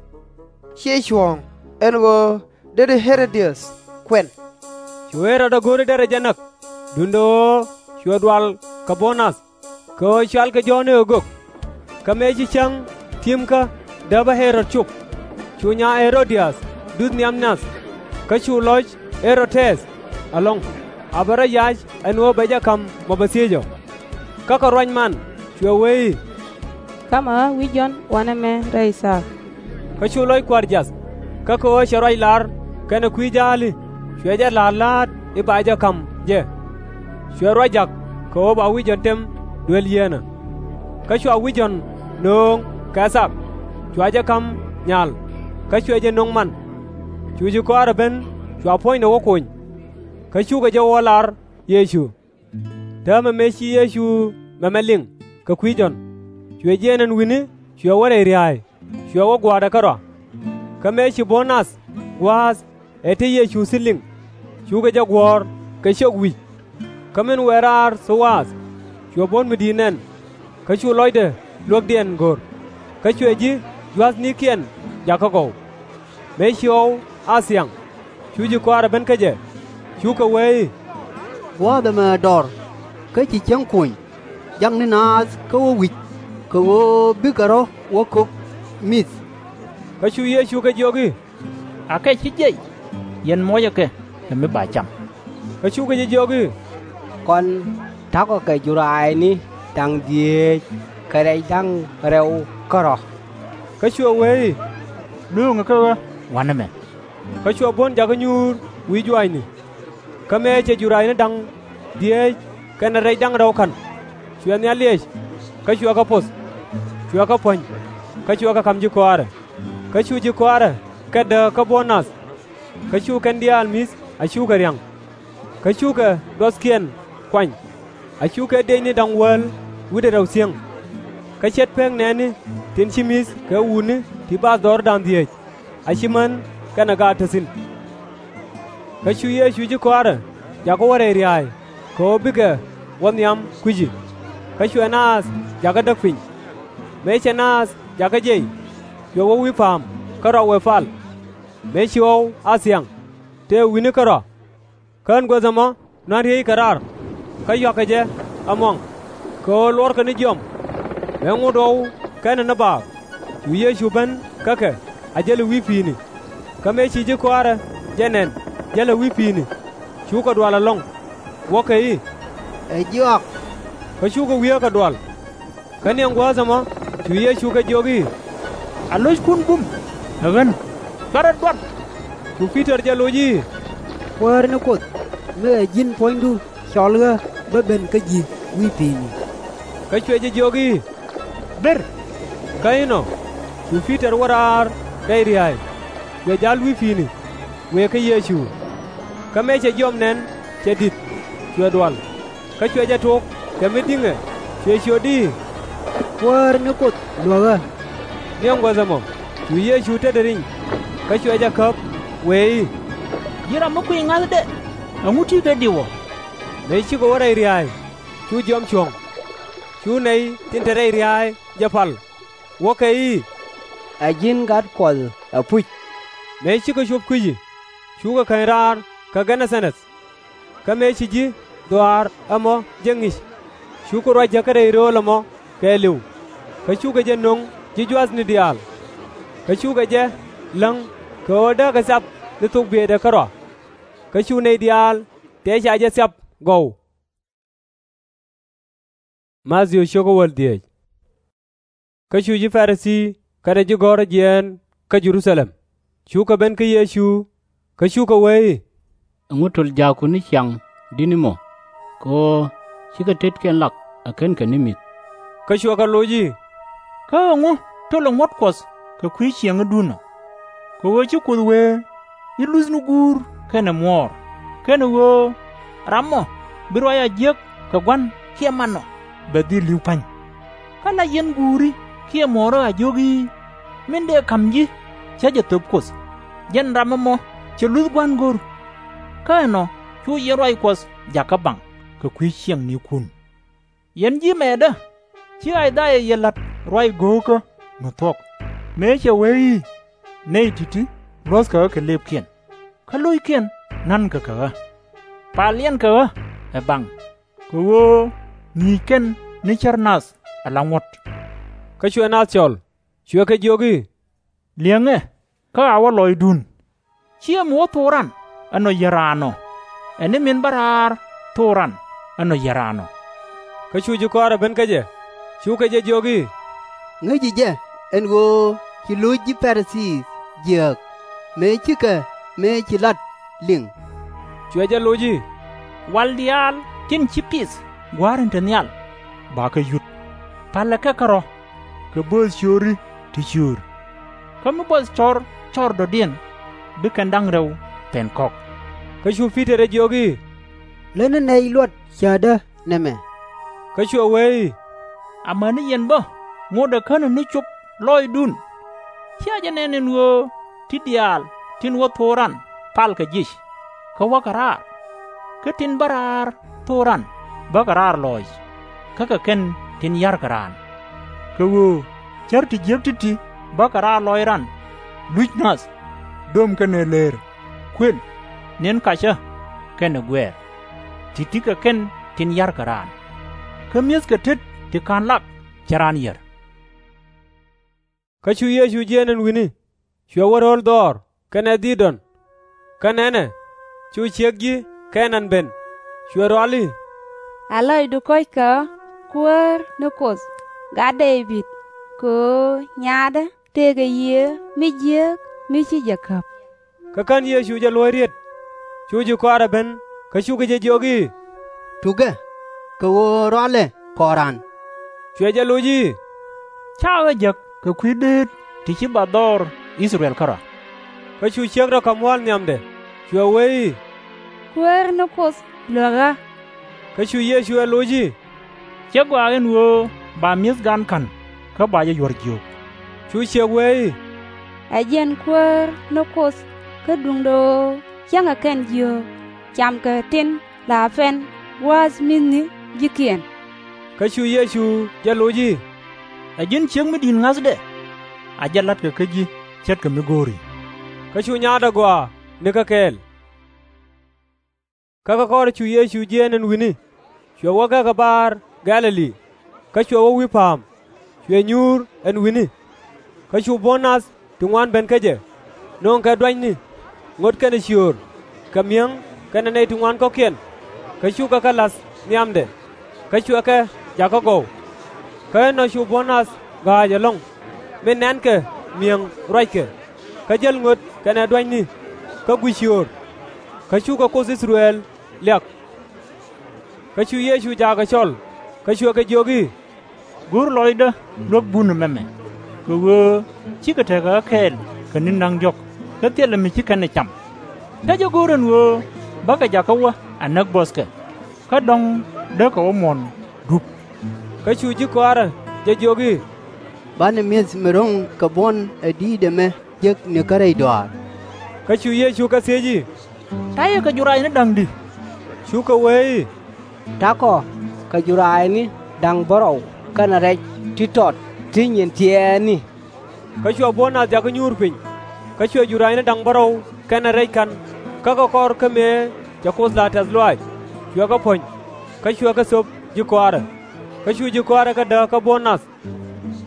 Ciɛ cuɔ̱ɔ̱ŋ, ɛn ɣöö deri Ɣɛ-ro-diath kuɛn. Cu Ɣɛ-rod ɛ go̱r i̱ derɛ jɛ näk, duundɛ ɣöö cuɛ dual kɛ buɔ̱n nath, kɛ ɣöö cualkɛ Jɔ̱ɔ̱n i̱ ɛ gök. Kä mëë ci cäŋ ti̱emkä däpä Ɣɛ-rod cop, cu nyaa Ɣɛ-ro-diath duth nhiam nath, kä cu lɔc Ɣɛ-rod-tɛth ɛlɔ̱ŋ, a bɛ rɔ yac ɛn ɣöö bɛ jɛ ka̱m mɔ bɛ thiec ɔ. Kä kɛ ruac man cuɛ wee i̱, Ka̱mä wi̱c Jɔ̱ɔ̱n wanɛ mɛ rɛy thaak. Kä cu lɔc kua̱r jiath, kä kɛ ɣöö cɛ ruac lar kɛnɛ kui̱ ja̱a̱li, cuɛ jɛ la̱r la̱a̱t i̱ ba jɛ ka̱m jɛ. Cuɛ ruac ja̱k kɛ ɣöö ba wi̱c Jɔ̱ɔ̱n tɛm duel yieenä. Kä cua wi̱c Jɔ̱ɔ̱n nööŋ kɛ thak, cua jɛ ka̱m nyal, kä cuɛ jɛ no̱ŋ man. Cu ji̱ kɔaarɛ ben cua puɔ̱nydɛ wä kony, kä cukɛ jɛ wä lar Yecu. Täämɛ mëë ci Yecu mɛmɛ liŋ kɛ kui̱ Jɔ̱ɔ̱n, cuɛ jiɛɛn ɛn wi̱ni cuɛ wä rɛy ria̱a̱y, cuɛ wä gua̱a̱r ɛ kärɔa. Kä mëë ci buɔ̱n nath gua̱a̱th ɛ te Yecu thi̱n liŋ, cukɛ jɛ guɔ̱ɔ̱r kɛ ciök wi̱c. Kä min wëë raar Thowaath, cuɛ buɔ̱n mi di̱i̱t nɛn, kä cu lɔcdɛ luäkdiɛn go̱r, kä cuɛ ji̱ gua̱thnikiɛn jakä gɔw. Mëë ci ɣɔw a thiaŋ, cu ji̱ kɔaarɛ ben kä jɛ, cukɛ wee i̱, Gua̱a̱th ɛmɛ dɔr, kä ci cäŋ kony, jakni naath kä wä wi̱c, kɛ ɣöö bikɛ rɔ̱ wä ko̱k mi̱th. Kä cu Yecu kɛ jiök i̱, Akɛ /ci jiɛc, yɛn muɔcɛ kɛ kɛ mi ba cam. Kä cukɛ jɛ jiök i̱, Kɔn ta̱kɔ kɛ juraayni da̱ŋ dhieec kɛ rɛc da̱ŋ rɛw kärɔ̱. Kä cuɛ wee i̱, Lööŋɛ kä ɣä wanɛ mɛ. Kä cuɛ buɔ̱n jakä nyuur wi̱i̱ juaacni. Kä mëë cɛ juraayni da̱ŋ dhieec kɛnɛ rɛc da̱ŋ rɛw ka̱n, cuɛ nhial liɛc, kä cuɛ kɛ poth, cuɛ kɛ puɔ̱ny, kä cuɛ kɛ ka̱m ji̱ kɔaarɛ. Kä cu ji̱ kɔaarɛ kɛt dääk kä buɔ̱n nath. Kä cu kɛn diaal mi̱th a cukɛ ria̱ŋ. Kä cukɛ duɔthkiɛn kuany, a cukɛ diecni da̱ŋ wäl wi̱cdɛ rɛw thieŋ. Kä ce̱t pek nɛɛni tin ci mi̱th kɛ wutni ti bathdɔɔri da̱ŋ dhieec, a ci män kɛnɛ gaat te thi̱n. Kä cu Yecu ji̱ kɔaarɛ jakä wä rɛy ria̱a̱y kɛ ɣöö bikɛ wä nhiam kui̱ci. Kä cuɛ naath jakä däk piny. Mëë cɛ naath jakä jiɛc, cuɛ wä wi̱i̱ pa̱a̱m kärɔa wëë pal. Mëë ci ɣɔw a thiaŋ, tëë wi̱ni kärɔa, Kä ɛn guäth ɛmɔ nuan riey kɛ raar, kä yuakɛ jɛ ɛmuɔŋ, kɛ ɣöö luɔrkɛ ni jiɔam. Mëë ŋot ɣɔw kɛnɛ ni baak, cu Yecu ben kä kɛ a jäl ɛ wi̱i̱ pi̱i̱ni. Kä mëë ci ji̱ kɔaarɛ jɛ nɛn jäl ɛ wi̱i̱ pi̱i̱ni, cukɛ dual ɛlɔ̱ŋ, wäkɛ i̱, Ɛ jɔak. Kä cukɛ wiee kɛ dual. Kä ni ɛn guäth ɛmɔ cu Yecu kɛ jiök i̱, A lo̱ckun bum ɛ ɣän, cuarɛ duat. Cu Pi-tɔr jɛ loc i̱, Kuäär ni Kuoth, mi ɛ ji̱n puɔ̱nydu cɔl ɣä bä ben kä ji̱ wi̱i̱ pi̱i̱ni. Kä cuɛ jɛ jiök i̱, Ber. Kä inɔ cu Pi-tɔr wä raar rɛy ria̱a̱y, cuɛ ja̱l wi̱i̱ pi̱i̱ni wëë kä Yecu. Kä mëë cɛ jiɔam nɛn cɛ di̱t, cuɛ dual, kä cuɛ jɛ tok kɛ mi di̱ŋɛ, cuɛ ciöt i̱, Kuäär ni Kuoth luäk ɣä. Ni ɛn guäth ɛmɔ cu Yecu tetdɛ riny, kä cuɛ jɛ käp, wëë i̱, Ji̱n ram mi kuiy ŋa̱thdɛ, ɛŋu ti̱i̱ kɛ diw ɔ? Mëë cikɛ wä rɛy ria̱a̱y, cu jiɔam cuɔ̱ŋ. Cu nɛy tin te rɛy ria̱a̱y jɛ pal, wäkɛ i̱, Ɛ ji̱n Gat Kuɔth ɛpuc. Mëë cikɛ cuɔp kui̱ci, cukɛ käny raar kä Gɛ-nɛ-tha-rɛth. Kä mëë ci ji̱ dhɔaar ɛmɔ jɛ ŋi̱c, cukɛ ruac jäkä rɛy rööl ɛmɔ kɛɛliw, kä cukɛ jɛ no̱ŋ ji̱ jua̱thni diaal. Kä cukɛ jɛ läŋ kɛ ɣöö dääkɛ thiap ni thok bieytdɛ kärɔa. Kä cu nɛy diaal tëë ca jɛ thiap gɔw. Kä cu ji̱ Pa-ri-thii kɛnɛ ji̱ gɔ̱rä jiɛɛn kä Jɛ-ru-tha-lɛm, cukɛ ben kä Yecu, kä cukɛ wee i̱, Ɛŋu töl jaakku ni ciaŋ di̱t ni mɔ? Kɛ ɣöö /cikɛ tetkiɛn lak ɛ /kenkɛ ni mi̱th. Kä cuɛ kɛ loc i̱, Kä ɛŋu tölɛ ŋuɔ̱t Kuɔth kɛ kui̱ ciɛŋädun ɔ? Kɛ ɣöö ci Kuoth wee i̱, Luthni guur kɛnɛ muɔɔr, kɛnɛ ɣöö, Ram ɔ bi ruac a jiäk kɛ gua̱n kiɛ man ɔ, bɛ dhil li̱w pa̱ny. Kä la yɛn guuri kiɛ muɔɔri a jiök i̱, Min dëë ka̱m ji̱, cä jɛ thöp Kuoth, jɛn ram ɛmɔ cɛ luth gua̱n go̱r. Kä ɛnɔ cu yɛn ruac Kuɔth jakä baŋ kɛ kui̱ ciɛŋnikun. Yɛn ji̱ mɛɛtdä, ci I-ca-yaa yɛ la̱t ruac go̱o̱kä mi thuɔ̱k, mëë cɛ wee i̱, Nɛy ti̱ti̱ luɔ̱thkɛ ɣä kɛ lëëpkiɛn, kä lo̱ckiɛn na̱nkɛ kɛ ɣä. Paliɛnkɛ ɣä ɛ baŋ, kɛ ɣöö ŋi̱i̱c kɛn ni cär nath ala ŋuɔ̱t. Kä cuɛ naath cɔl, cuɛ kɛ jiök i̱, Liɛŋɛ, kä a wä lɔcdun. /Ciɛ mi wä thok ran ɛ nɔ yier raan ɔ, ɛ ni min bä raar thok ran ɛ nɔ yier raan ɔ. Kä cu ji̱ kɔaarɛ ben kä jɛ, cukɛ jɛ jiök i̱, Ŋäci jɛ ɛn ɣöö ci lo̱c ji̱ Pa-ri-thii jiääk, mëë cikɛ mëë ci la̱t liŋ. Cuɛ jɛ loc i̱, Wal diaal tin ci pith gua̱a̱r in te nhial, bakɛ yut. Palɛ kɛ kärɔ̱, kɛ bööth ciööri ti ciöör. Kä mi buɔth cɔr cɔr dɔ̱diɛn, bi kɛn da̱ŋ rɛw pɛn kɔ̱k. Kä cu Pi-tɔr ɛ jiök i̱, Lätni nɛy luɔt cäätdä nɛmɛ. Kä cuɛ wee i̱, Amäni yɛn bä ŋotdɛ känɛ ni cop lɔcdun. /Cia jɛ nɛn ɛn ɣöö ti diaal tin wä thok ran palkɛ jiëc, kä wäkɛ raar? Kä tin bä raar thok ran bäkɛ raar lɔc, kä kɛ kɛn tin ya̱rkɛ raan. Kɛ ɣöö cär ti jiäk ti̱ti̱ bäkɛ raar lɔc ran, luc nath, döm kɛnɛ leer, kuël, ni̱n kacä, kɛnɛ guɛɛr, ti̱ti̱ kɛ kɛn tin ya̱rkɛ raan. Kä mi̱ethkɛ tet ti /ka̱n lak cɛ raan yier. Kä cu Yecu jiɛɛn ɛn wi̱ni, cuɛ wä ro̱l dhɔr kɛnɛ Dhi-dɔn. Kä nɛnɛ, cu ciek ji̱ Kɛ-naan ben, cuɛ rual i̱, A lɔcdu kɔ̱ckɛ ɣä, Kuäär ni Kuoth, Gat Dee-bid, kɛ ɣöö nyaatdä tëëkɛ yiëë mi jiääk mi ci jɛ käp. Kä kän Yecu jɛ luɔ̱c riet, cu ji̱ kɔaarɛ ben, kä cukɛ jɛ jiök i̱, Tukɛ, kɛ ɣöö rualɛ kɔɔran. Cuɛ jɛ loc i̱, Ca ɣä jäk kɛ kui̱ deet ti /ci ba dhɔr I-thɛ-rɛl kärɔ̱. Kä cu ciek rɔ ka̱m wa̱l nhiamdɛ, cuɛ wee i̱, Kuäär ni Kuoth luäk ɣä. Kä cu Yecu ɛ loc i̱, Cä gɔaa ɛn ɣöö ba mi̱eth gan ka̱n, kä ba jɛ yuɔr jiök. Cu ciek wee i̱, Ɛ jɛn Kuäär ni Kuoth, kä duundɛ ɣöö cäŋɛ kɛn jiök, Camkɛ tin la pɛn gua̱a̱th mi̱thni ji̱kiɛn. Kä cu Yecu jɛ loc i̱, Ɛ ji̱n ciek mi di̱i̱t ŋa̱thdɛ? A jɛ la̱tkɛ kä ji̱ ce̱tkɛ mi go̱o̱ri. Kä cu nyaatdɛ gɔaa nikä kɛɛl. Kä kɛ kɔrɛ cu Yecu jiɛɛn ɛn wi̱ni, cuɛ wä gäk ɛ bar Gɛ̈-lɛ-li, kä cuɛ wä wi̱i̱ pa̱a̱m, cuɛ nyuur ɛn wi̱ni. Kä cu buɔ̱n nath ti ŋuan ben kä jɛ, nööŋkɛ duanyni, ŋot kɛnɛ ciöör, kɛ mi̱eŋ kɛnɛ nɛy ti ŋuan kɔ̱kiɛn, kä cukɛ kɛ la̱th nhiamdɛ, kä cuɛ kɛ jakä gɔw. Kä inɔ cu buɔ̱n nath ga̱a̱c ɛlɔ̱ŋ, min nɛ̈nkɛ mi̱eŋ ruackɛ, kä jäl ŋot kɛnɛ duanyni, kä guic ciöör. Kä cukɛ Kuoth I-thɛ-rɛl liak. Kä cu Yecu jaakɛ cɔl, kä cuɛ kɛ jiök i̱, Go̱r lɔcdä luäk bun ɛmɛ mɛmɛ, kɛ ɣöö /cikɛ tekɛ ɣä kɛɛl kɛ ni̱n da̱ŋ diɔ̱k, kä thilɛ mi ci kɛn ɛ cam. Kä jɛ go̱r ɛn ɣöö bäkɛ jakä wä a näk buɔ̱thkɛ, kä dɔ̱ŋ däkɛ wä muɔ̱ɔ̱n dup. Kä cu ji̱ kɔaarä jɛ jiök i̱, Banɛ mi̱eth mi ro̱ŋ kɛ buɔ̱n ɛ di̱i̱t ɛmɛ jek nikä rɛy dɔaar. Kä cu Yecu kɛ thiec i̱, Ta̱yɛ kɛ jurac ni da̱ŋ di̱? Cukɛ wee i̱, Ta̱kɔ kɛ jurac ni da̱ŋ bärɔw kɛnɛ rɛc ti tɔt ti nyin tiɛɛni. Kä cuɛ buɔ̱n nath jakä nyuur piny, kä cuɛ jurac ni da̱ŋ bärɔw kɛnɛ rɛc ka̱n, kä kɛ kɔr kä mëë cɛ Kuoth la tɛ̈th lɔaac, cuɛ kɛ puɔ̱ny, kä cuɛ kɛ thöp ji̱ kɔaarä. Kä cu ji̱ kɔaarä kɛ dääk kä buɔ̱n nath,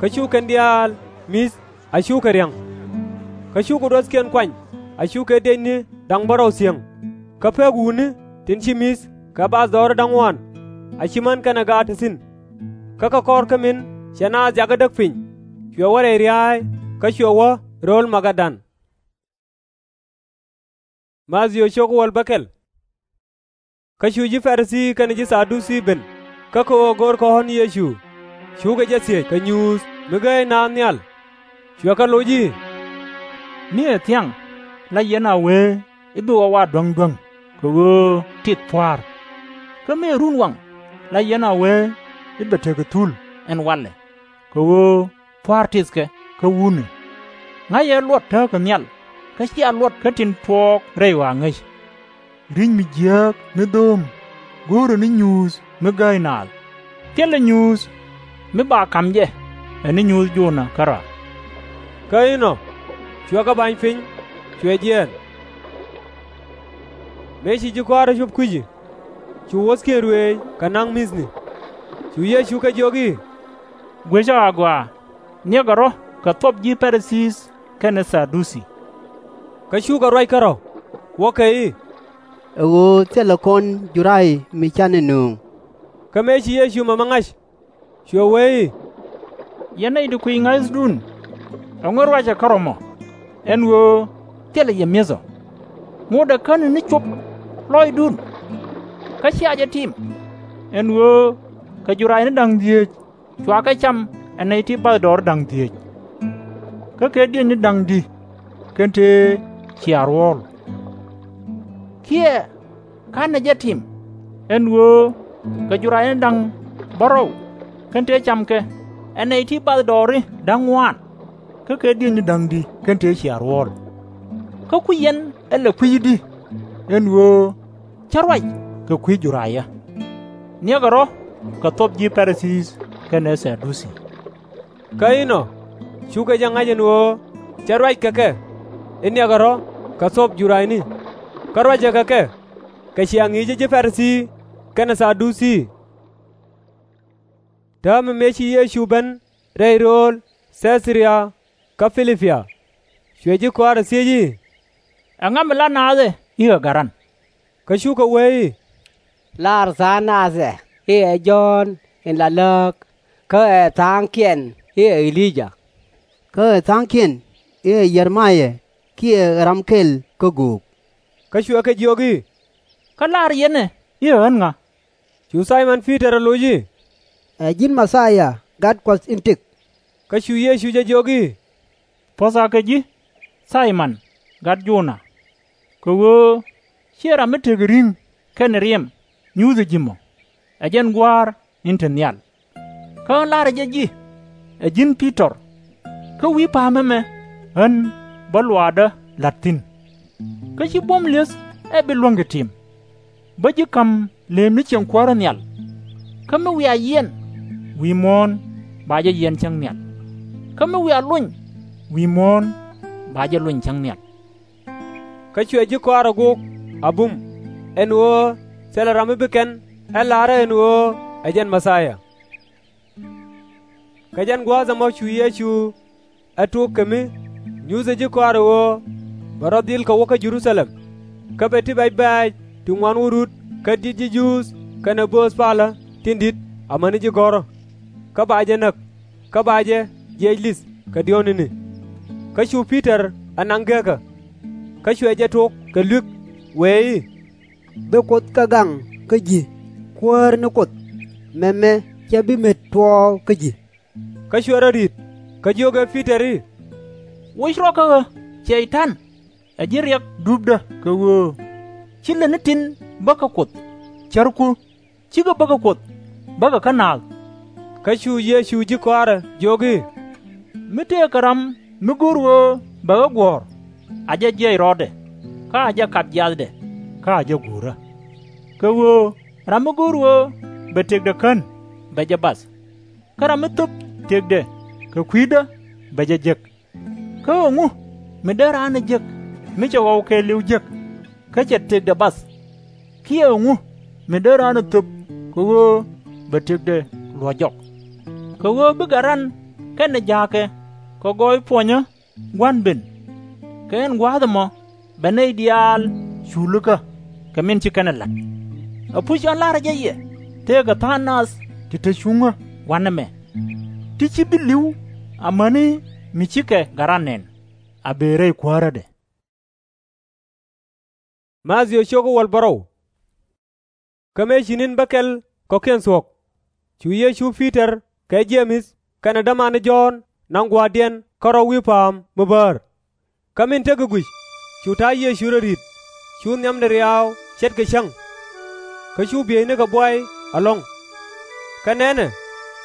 kä cu kɛn diaal mi̱th a cukɛ ria̱ŋ. Kä cukɛ ruäthkiɛn kuany a cukɛ diec ni da̱ŋ bärɔw thiäŋ, kä pek wutni tin ci mi̱th kɛ bathdɔɔri da̱ŋ ŋuan, a ci män kɛnɛ gaat te thi̱n. Kä kɛ kɔr kä min cɛ naath jakä däk piny, cuɛ wä rɛy ria̱a̱y, kä cuɛ wä rööl Magadan. Kä cu ji̱ Pa-ri-thii kɛnɛ ji̱ Tha-du-thii ben, kä kɛ ɣöö görkɛ ɣɔ̱n Yecu, cukɛ jɛ thiec kɛ nyuuth mi gääy naath nhial. Cuɛ kɛ loc i̱, Mi ɛ thiaŋ la yɛn a wee i̱ bi wä wa duäŋduäŋ, kɛ ɣöö tith pua̱a̱r? Kä mi ɛ runwaŋ la yɛn a wee i̱ bɛ tekɛ thul ɛn walɛ, kɛ ɣöö pua̱a̱r tithkɛ kä wutni? Ŋa̱cɛ luɔt tääkä nhial, kä /cia luɔt kä tin tuɔɔk rɛy ɣɔaa ŋäc. Ri̱c mi jiääk ni dho̱o̱m go̱o̱rɛ ni nyuuth mi gääy naath, thilɛ nyuuth mi ba ka̱m jɛ ɛ ni nyuuth Jona kärɔa. Kä inɔ cuɛ kɛ ba̱ny piny, cuɛ jiɛɛn. Mëë ci ji̱ kɔaarä cop kui̱ci, cu wuɔ̱thkiɛn ruëëc kɛ na̱ŋ mi̱thni. Cu Yecu kɛ jiök i̱, Gui̱cä agɔaa, niɛkɛ rɔ̱ kɛ thuɔp ji̱ Pa-ri-thii kɛnɛ Tha-du-thii. Kä cukɛ ruac kärɔ̱, wuɔ̱kɛ i̱, Ɛ ɣöö thilɛ kɔn juray mi canɛ nööŋ. Kä mëë ci Yecu mɛmɛ ŋa̱c, cuɛ wee i̱, Yɛn nɛy ti kui̱ ŋa̱thdun, ɛŋu ruacɛ kärɔ̱ mɔ? Ɛn ɣöö thilɛ yɛ mi̱eth ɔ. Ŋotdɛ käni ni cop lɔcdun, kä /cia jɛ tim. Ɛn ɣöö kɛ juray ni da̱ŋ dhieec cua kɛ cam ɛ nɛy ti bathdɔɔri da̱ŋ dhieec, kä kɛ diec ni da̱ŋ di̱ kɛn tëë cia ruɔ̱ɔ̱l. Kiɛ ka̱nɛ jɛ tim, ɛn ɣöö kɛ juray ni da̱ŋ bärɔw kɛn tëë cam kɛ ɛ nɛy ti bathdɔɔri da̱ŋ ŋuaan, kä kɛ diec ni da̱ŋ di̱ kɛn tëë cia ruɔ̱ɔ̱l. Kä kui̱c yɛn ɛ lɛ kui̱cdi, ɛn ɣöö /cä ruac kɛ kui̱ jurayä. Niɛkɛ rɔ̱ kɛ thuɔp ji̱ Pa-ri-thii kɛnɛ Tha-du-thii. Kä inɔ cukɛ jɛ ŋa̱c ɛn ɣöö cɛ ruac kɛ kɛ i̱ niɛkɛ rɔ̱ kɛ thuɔp jurayni, kä ruacɛ kɛ kɛ kɛ cia ŋi̱i̱cä ji̱ Pa-ri-thii kɛnɛ Tha-du-thii. Täämɛ mëë ci Yecu ben rɛy rööl Thɛ̈th-ri-ya kä Pi-lip-pi, cuɛ ji̱ kɔaarɛ thiec i̱, Ɛŋa mi lar naath ɛ i̱ ɛ Gat ran? Kä cukɛ wee i̱, Lar tha̱a̱ŋ nath ɛ i̱ ɛ Jɔ̱ɔ̱n in la lääk, kä ɛ tha̱a̱ŋkiɛn i̱ ɛ E-li-jah, kä ɛ tha̱a̱ŋkiɛn i̱ ɛ Yɛr-mɛ-yaa kiɛ ɛ ram kɛl kä göök. Kä cuɛ kɛ jiök i̱, Kä lar yɛn ɛ i̱ ɛ ɣän ŋa? Cu Thay-mɔn Pi-tɔr ɛ loc i̱, Ɛ ji̱n Mɛ-thi-ya, Gat Kuɔth in tëk. Kä cu Yecu jɛ jiök i̱, Puɔ̱th akä ji̱, Thay-mɔn gat Jona, kɛ ɣöö /ciɛ ram mi tekɛ ri̱ŋ kɛnɛ riɛm nyuuthɛ ji̱ mɔ, ɛ jɛn Gua̱a̱r in te nhial. Kä ɣän la̱rä jɛ ji̱, ɛ ji̱n Pi-tɔr, kä wi̱i̱ pa̱a̱m ɛmɛ ɣän bä luaakdä la̱t thi̱n. Kä /ci buɔ̱m li̱eth ɛ bi luäŋ kɛ tim. Bä ji̱ ka̱m lëëmni ciɛŋ kuäärä nhial. Kä mi wiaa yiɛn, wi̱i̱ muɔ̱ɔ̱n ba jɛ yiɛn cäŋ nhial. Kä mi wiaa lony, wi̱i̱ muɔ̱ɔ̱n ba jɛ lony cäŋ nhial. Kä cuɛ ji̱ kɔaarɛ gok a bum, ɛn ɣöö thilɛ ram mi bi kɛn ɛ la̱rä ɛn ɣöö ɛ jɛn Mɛ-thia. Kɛ jɛn gua̱a̱th ɛmɔ cu Yecu ɛ tok kɛ mi nyuthɛ ji̱ kɔaarɛ ɣöö bɛ rɔ dhil kɛ wä kä Jɛ-ru-tha-lɛm, kä bɛ ti bɛc bɛ̈ɛ̈c ti ŋuan wä rut kä di̱t ji̱ Juudh kɛnɛ bööth palä tin di̱t amäni ji̱ gɔ̱rä, kä ba jɛ näk, kä ba jɛ jiɛc li̱th kɛ diɔ̱ɔ̱kdɛ. Kä cu Pi-tɔr ɛ naŋ gekä, kä cuɛ jɛ tok kɛ luek, wëë i̱, Bi Kuoth kɛ gaŋ kä ji̱, Kuäär ni Kuoth, mɛmɛ /cɛ bi met tuɔɔk kä ji̱. Kä cuɛ rɔ ri̱t, kä jiök ɛ Pi-tɔr i̱, Woc rɔ kä ɣä, Cɛy-tan! Ɛ ji̱ riɛk dupdä, kɛ ɣöö /ci lät ni tin bä kä Kuoth, cärku, /cikɛ bä kä Kuoth, bäkɛ kä naath. Kä cu Yecu ji̱ kɔaarɛ jiök i̱, Mi tëëkɛ ram mi go̱o̱r ɣöö bɛ ɣä guɔ̱ɔ̱r, a jɛ jiɛc rɔɔdɛ, kä a jɛ kap jiathdɛ, kä a jɛ guurä. Kɛ ɣöö ram mi go̱o̱r ɣöö bɛ tëkdɛ kän, bɛ jɛ bath, kä ram mi thöp tëkdɛ kɛ kui̱dä, bɛ jɛ jek. Kä ɛŋu mi dee raan ɛ jek mi cɛ ɣɔw kɛɛliw jek, kä cɛ tëkdɛ bath? Kiɛ ɛŋu mi dee raan ɛ thöp kɛ ɣöö bɛ tëkdɛ luɔ̱c jɔk? Kɛ ɣöö bi Gat Ran kɛnɛ jaakɛ kɛ gɔɔy puɔnyä gua̱n ben, kɛ ɛn gua̱a̱th ɛmɔ bɛ nɛy diaal culikä kɛ min ci kɛn ɛ la̱t. Ɛpuc ɣän la̱rä jɛ yɛ, tëëkɛ tha̱a̱ŋ nath ti te cuŋä gua̱n ɛmɛ, ti /ci bi li̱w amäni mi cikɛ Gat Ran nɛn, a bëë rɛy kuäärädɛ. Mathiö cok wäl bärɔw. Kä mëë ci ni̱n bä kɛl kɔ̱kiɛn thuɔ̱k, cu Yecu Pi-tɔr kɛ Jee-mɛth kɛnɛ dämani Jɔ̱ɔ̱n naŋ gua̱a̱thdiɛn kärɔ̱ wi̱i̱ pa̱a̱m mi bäär. Kä min tekɛ guic, cu ta̱a̱ Yecu rɔ ri̱t, cu nhiamdɛ riaw ce̱tkɛ cäŋ. Kä cu bieynikɛ buay ɛlɔ̱ŋ. Kä nɛnɛ,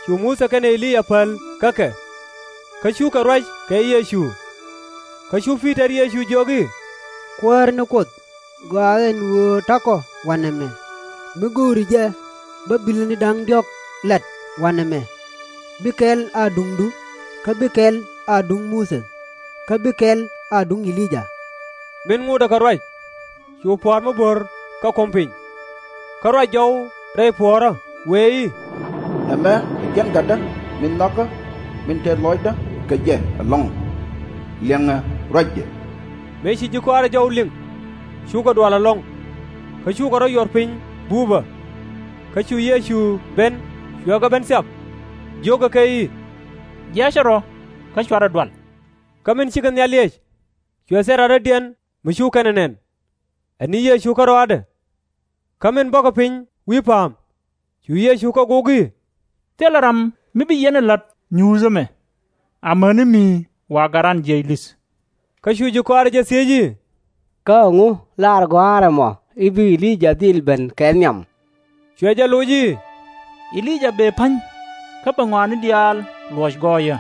cu Muthɛ kɛnɛ E-li-yaa päl kä kɛ, kä cukɛ ruac kɛ Yecu. Kä cu Pi-tɔr Yecu jiök i̱, Kuäär ni Kuoth, gɔaa ɛn ɣöö ta̱kɔ wanɛmɛ, mi go̱o̱ri jɛ bä bilni da̱ŋ diɔ̱k la̱t wanɛmɛ, bi kɛl a duŋdu, kä bi kɛl a duŋ Muthɛ, kä bi kɛl a duŋ E-li-yaa. Min ŋotdɛ kɛ ruac, cu pua̱a̱r mi bo̱r kä ko̱m piny. Kä ruac jɔw rɛy puɔ̱ɔ̱rä, wëë i̱, Ɛmɛ ɛ jɛn Gatdä min nhɔakä, min tɛth lɔcdä kɛ jɛ ɛlɔ̱ŋ. Liɛŋɛ ruacdɛ. Mëë ci ji̱ kɔaarɛ jɔw liŋ, cukɛ dual ɛlɔ̱ŋ, kä cukɛ rɔ̱ yuɔr piny buupä. Kä cu Yecu ben, cuɛ kɛ ben thiap, jiökɛ kɛ i̱, Jiackɛ rɔ̱, kä cuarɛ dual. Kä min cikɛ nhial liɛc, cuɛ thil rarädiɛn mi cu kɛn ɛ nɛn, ɛ ni Yecu kärɔaadɛ. Kä min bɔkɛ piny wi̱i̱ pa̱a̱m, cu Yecu kɛ gok i̱, Thilɛ ram mi bi yɛn ɛ la̱t nyuuth ɛmɛ, amäni mi wa Gat Ran jiɛc li̱th. Kä cu ji̱ kɔaarɛ jɛ thiec i̱, Kä ɛŋu lar gɔ̱a̱rä mɔ i̱ bi E-li-yaa dhil ben kɛ nhiam? Cuɛ jɛ loc i̱, E-li-yaa bëë pa̱ny, kä bɛ ŋɔaani diaal luɔc gɔɔyä.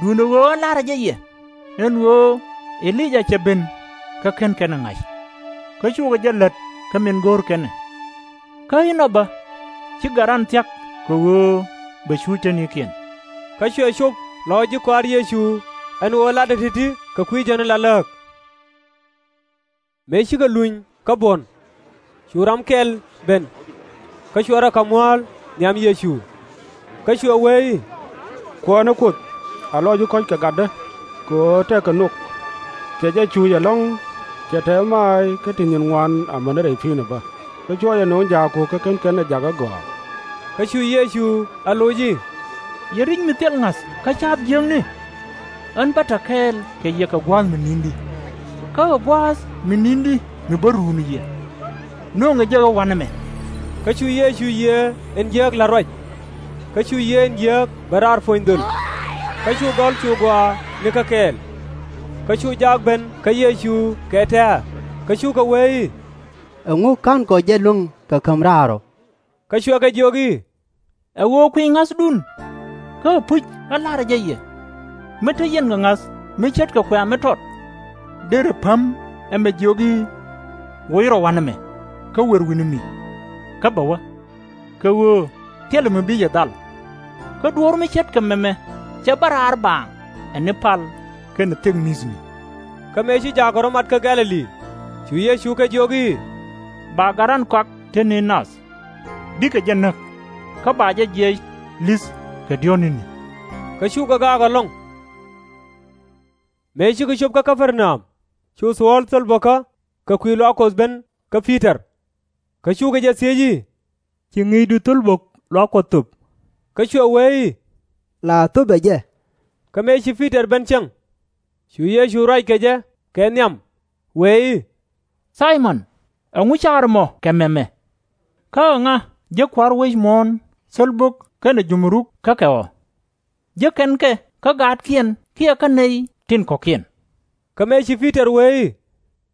Duundɛ ɣöö ɣän la̱rä jɛ yɛ, ɛn ɣöö E-li-yaa cɛ ben, kä /ken kɛn ɛ ŋa̱c. Kä cukɛ jɛ lät kä min go̱o̱r kɛn ɛ. Kä inɔ bä, ci Gat Ran thia̱k kɛ ɣöö bɛ cuuc tetnikiɛn. Kä cuɛ cop lɔc ji̱ kɔaar Yecu ɛn ɣöö latdɛ ti̱ti̱ kɛ kui̱ jääny la lääk. Mëë cikɛ luny kä buɔ̱n, cu ram kɛl ben, kä cuɛ rɔ ka̱m mua̱a̱l nhiam Yecu. Kä cuɛ wee i̱, Kuäär ni Kuoth, a lɔc i̱ kɔ̱c kɛ gatdä, kɛ ɣöö tëëkɛ nhök, cɛ jɛ cuuc ɛlɔ̱ŋ, cɛ tɛth maac kä ti nyin ŋuan amäni rɛy pi̱i̱ni bä. Kä cuɔ̱cɛ no̱o̱ŋ jaakku kä /ken kɛn ɛ jakä gɔaa. Kä cu Yecu a loc i̱, Yɛ ri̱c mi thil ŋa̱th kä ca̱a̱p jiäkni? Ɣän bä ta̱ kɛɛl kɛ yɛ kɛ gua̱a̱th mi ni̱n i̱di, kä ɛ gua̱a̱th mi ni̱n i̱di mi bä ruun yɛ. Nööŋɛ jɛ ɣä wanɛmɛ. Kä cu Yecu yiëë in jiääk la̱t ruac. Kä cu yiëë in jiääk ben raar puɔ̱ny dhöl. Kä cu gɔ̱l cu gɔaa nikä kɛɛl. Kä cu jaak ben kä Yecu kɛ tɛ̱̈ɛ̱̈, kä cukɛ wee i̱, Ɛŋu /ka̱nkɔ jɛ luäŋ kɛ käm raar ɔ? Kä cuɛ kɛ jiök i̱, Ɛ ɣöö kui̱c ŋa̱thdun. Kä ɛpuc ɣän la̱rä jɛ yɛ, mi te yɛn kɛ ŋa̱th mi ce̱tkɛ kuɛ̈ɛ̈ mi tɔt, derɛ päm ɛmɛ jiök i̱, Woc rɔ wanɛmɛ, kä wër wi̱ni mi, kä bɛ wä, kɛ ɣöö thilɛ mi bi yɛ dhal. Kä duɔ̱ɔ̱r mi ce̱tkɛ mɛmɛ cɛ bä raar baaŋ ɛ ni pal kɛnɛ thek mi̱thni. Kä mëë ci jaakɔ rɔ mat kä Gɛ̈-lɛ-li, cu Yecu kɛ jiök i̱, Ba Gat Ran kɔak te ni nath, bikɛ jɛ näk, kä ba jɛ jiɛc li̱th kɛ diɔ̱ɔ̱k ni̱ni. Kä cukɛ gaak ɛlɔ̱ŋ. Mëë cikɛ cop kä Kä-per-na-am, cu thuɔ̱ɔ̱l thol bäkä kɛ kui̱ luaak Kuɔth ben kä Pi-tɔr. Kä cukɛ jɛ thiec i̱, Ci ŋi̱i̱cdu thol bök luaak Kuɔth thöp? Kä cuɛ wee i̱, La thöpɛ jɛ. Kä mëë ci Pi-tɔr ben cieŋ, cu Yecu ruac kɛ jɛ kɛ nhiam, wee i̱, Thay-mɔn, ɛŋu ca̱r ɛmɔ kɛ mɛmɛ? Kä ɛŋa jek kua̱r wec muɔ̱ɔ̱n thol bök kɛnɛ jumuruk kä kɛ ɔ? Jek kɛn kɛ kä gaatkiɛn kiɛ kä nɛy tin kɔ̱kiɛn? Kä mëë ci Pi-tɔr wee i̱,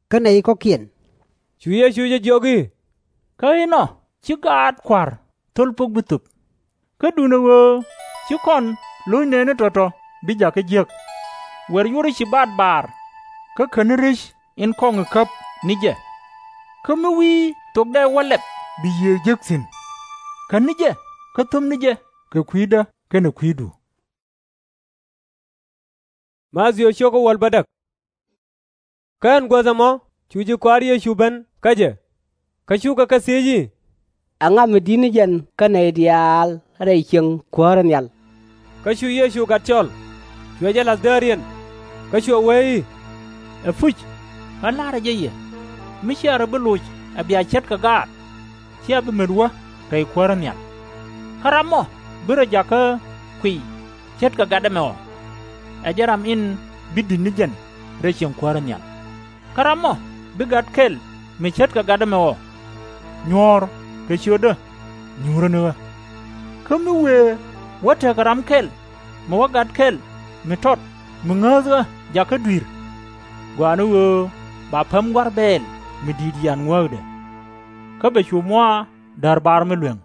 Kä nɛy kɔ̱kiɛn. Cu Yecu jɛ jiök i̱, Kä inɔ ci gaat kua̱r thol bök bi thöp. Kä duundɛ ɣöö ci kɔn lo̱c nɛɛni tɔ̱tɔ̱ bi jakä jiäk. Wer yurɛ ci baat baar, kä käni rec in kɔŋ i̱ käp ni jɛ. Kä mi wi̱i̱ thok dee wä lɛp bi Yiëë jek thi̱n. Käni jɛ kä thöpni jɛ kɛ kui̱dä kɛnɛ kui̱du. Mathiu cio̱k wäl bädäk. Kä ɛn guäth ɛmɔ cu ji̱ kɔaar Yecu ben kä jɛ. Kä cukɛ kɛ thiec i̱, Ɛŋa mi di̱t ni jɛn kä nɛy diaal rɛy cieŋ kuäärä nhial? Kä cu Yecu gat cɔl, cuɛ jɛ la̱th dääriɛn, kä cuɛ wee i̱, Ɛpuc, ɣän la̱rä jɛ yɛ, mi /cia rɔ bi loc ɛ bia ce̱tkɛ gaat, /cia bi met wä rɛy kuäärä nhial. Kä ram mɔ bi rɔ jakä kuiy ce̱tkɛ gat ɛmɛ ɔ, ɛ jɛn ram in bi di̱t ni jɛn rɛy cieŋ kuäärä nhial. Kä ram mɔ bi gat kɛl mi ce̱tkɛ gat ɛmɛ ɔ, nyuɔ̱ɔ̱r kɛ ciötdä nyuurä ni ɣä. Kä mi wëë wä tekɛ ram kɛl mi wä gat kɛl mi tɔt mi ŋääth ɣä jakä dui̱r, gɔaa ni ɣöö ba päm gua̱r bɛɛl mi di̱i̱t yian ŋuääkdɛ. Kä bɛ cu mua̱a̱ däär bar mi lueŋ.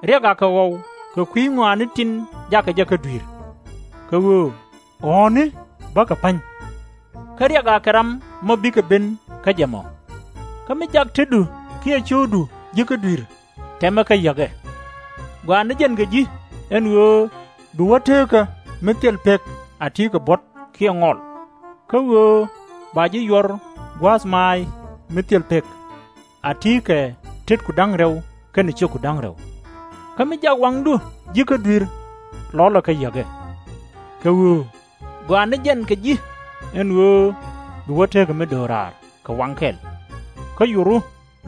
Riɛk akɛ ɣɔw kɛ kui̱ ŋɔaani tin jakɛ jɛ kä dui̱r. Kɛ ɣöö ɣɔ̱ɔ̱ni bäkɛ pa̱ny. Kä riɛk akɛ ram mɔ bikɛ ben kä jɛ mɔ. Kä mi jak tetdu kiɛ cio̱o̱kdu ji̱ kä dui̱r, tɛmɛ kä yäkɛ. Gɔaa ni jɛn kɛ ji̱ ɛn ɣöö bi wä teekä mi thil pek a ti̱i̱ kɛ buɔ̱t kiɛ ŋɔl, kä ɣöö ba ji̱ yuɔr gua̱a̱th maac mi thil pek a ti̱i̱ kɛ tetku da̱ŋ rɛw kɛnɛ ciökku da̱ŋ rɛw. Kä mi jak waŋdu ji̱ kä dui̱r, lɔlɛ kä yäkɛ. Kɛ ɣöö gɔaa ni jɛn kɛ ji̱ ɛn ɣöö bi wä teekä mi do̱raar kɛ waŋ kɛl, kä yuru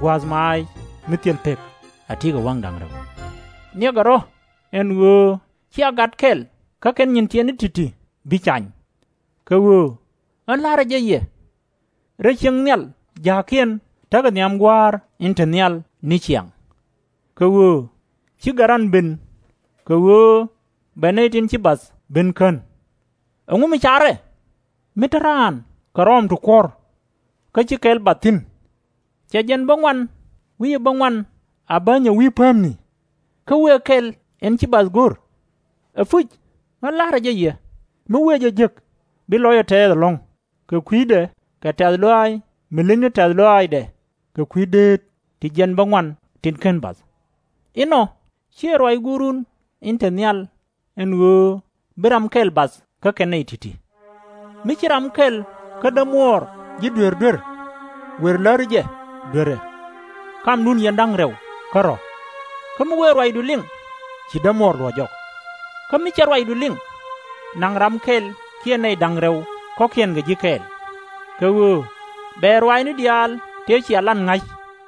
gua̱a̱th maac mi thil pek a ti̱i̱ kɛ waŋ da̱ŋ rɛw. Niɛkɛ rɔ̱ ɛn ɣöö /cia gat kɛl kä kɛn nyin tiɛtni ti̱ti̱ bi cany. Kɛ ɣöö ɣän la̱rä jɛ yɛ, rɛy cieŋ nhial ja̱a̱kiɛn tekɛ nhiam Gua̱a̱r in te nhial ni ciaŋ. Kɛ ɣöö /ci Gat Ran ben kɛ ɣöö bɛ nɛy tin ci bath ben kän. Ɛŋu mi carɛ? Mi te raan kɛ rɔɔm ti kuɔ̱r, kä ci kɛl bath thi̱n? Cɛ jiɛn bäŋuan wi̱cdɛ bäŋuan a bänyɛ wi̱i̱ päämni, kä wëë kɛl in ci bath go̱r? Ɛpuc, ɣän la̱rä jɛ yɛ, mi wëë jɛ jek, bi lɔcdɛ tɛɛth ɛlɔ̱ŋ, kɛ kui̱dɛ kɛ tɛ̈th lɔaac mi leny ni tɛ̈th lɔaacdɛ kɛ kui̱ deet ti jiɛn bäŋuan tin /ken bath. Inɔ, /ciɛ ruac Guurun in te nhial ɛn ɣöö bi ram kɛl bath kä kɛn nɛy ti̱ti̱. Mi ci ram kɛl kä dämuɔɔr ji̱ duer duer, wer läri jɛ duerɛ, kamdun yɛn da̱ŋ rɛw kä rɔ̱. Kä mi wëë ruacdu liŋ, ci dämuɔɔr luɔ̱c jɔk. Kä mi /cɛ ruacdu liŋ, naŋ ram kɛl kiɛ nɛy da̱ŋ rɛw kɔ̱kiɛn kɛ ji̱ kɛɛl. Kɛ ɣöö bɛ ruaacni diaal tëë cia lat ŋa̱c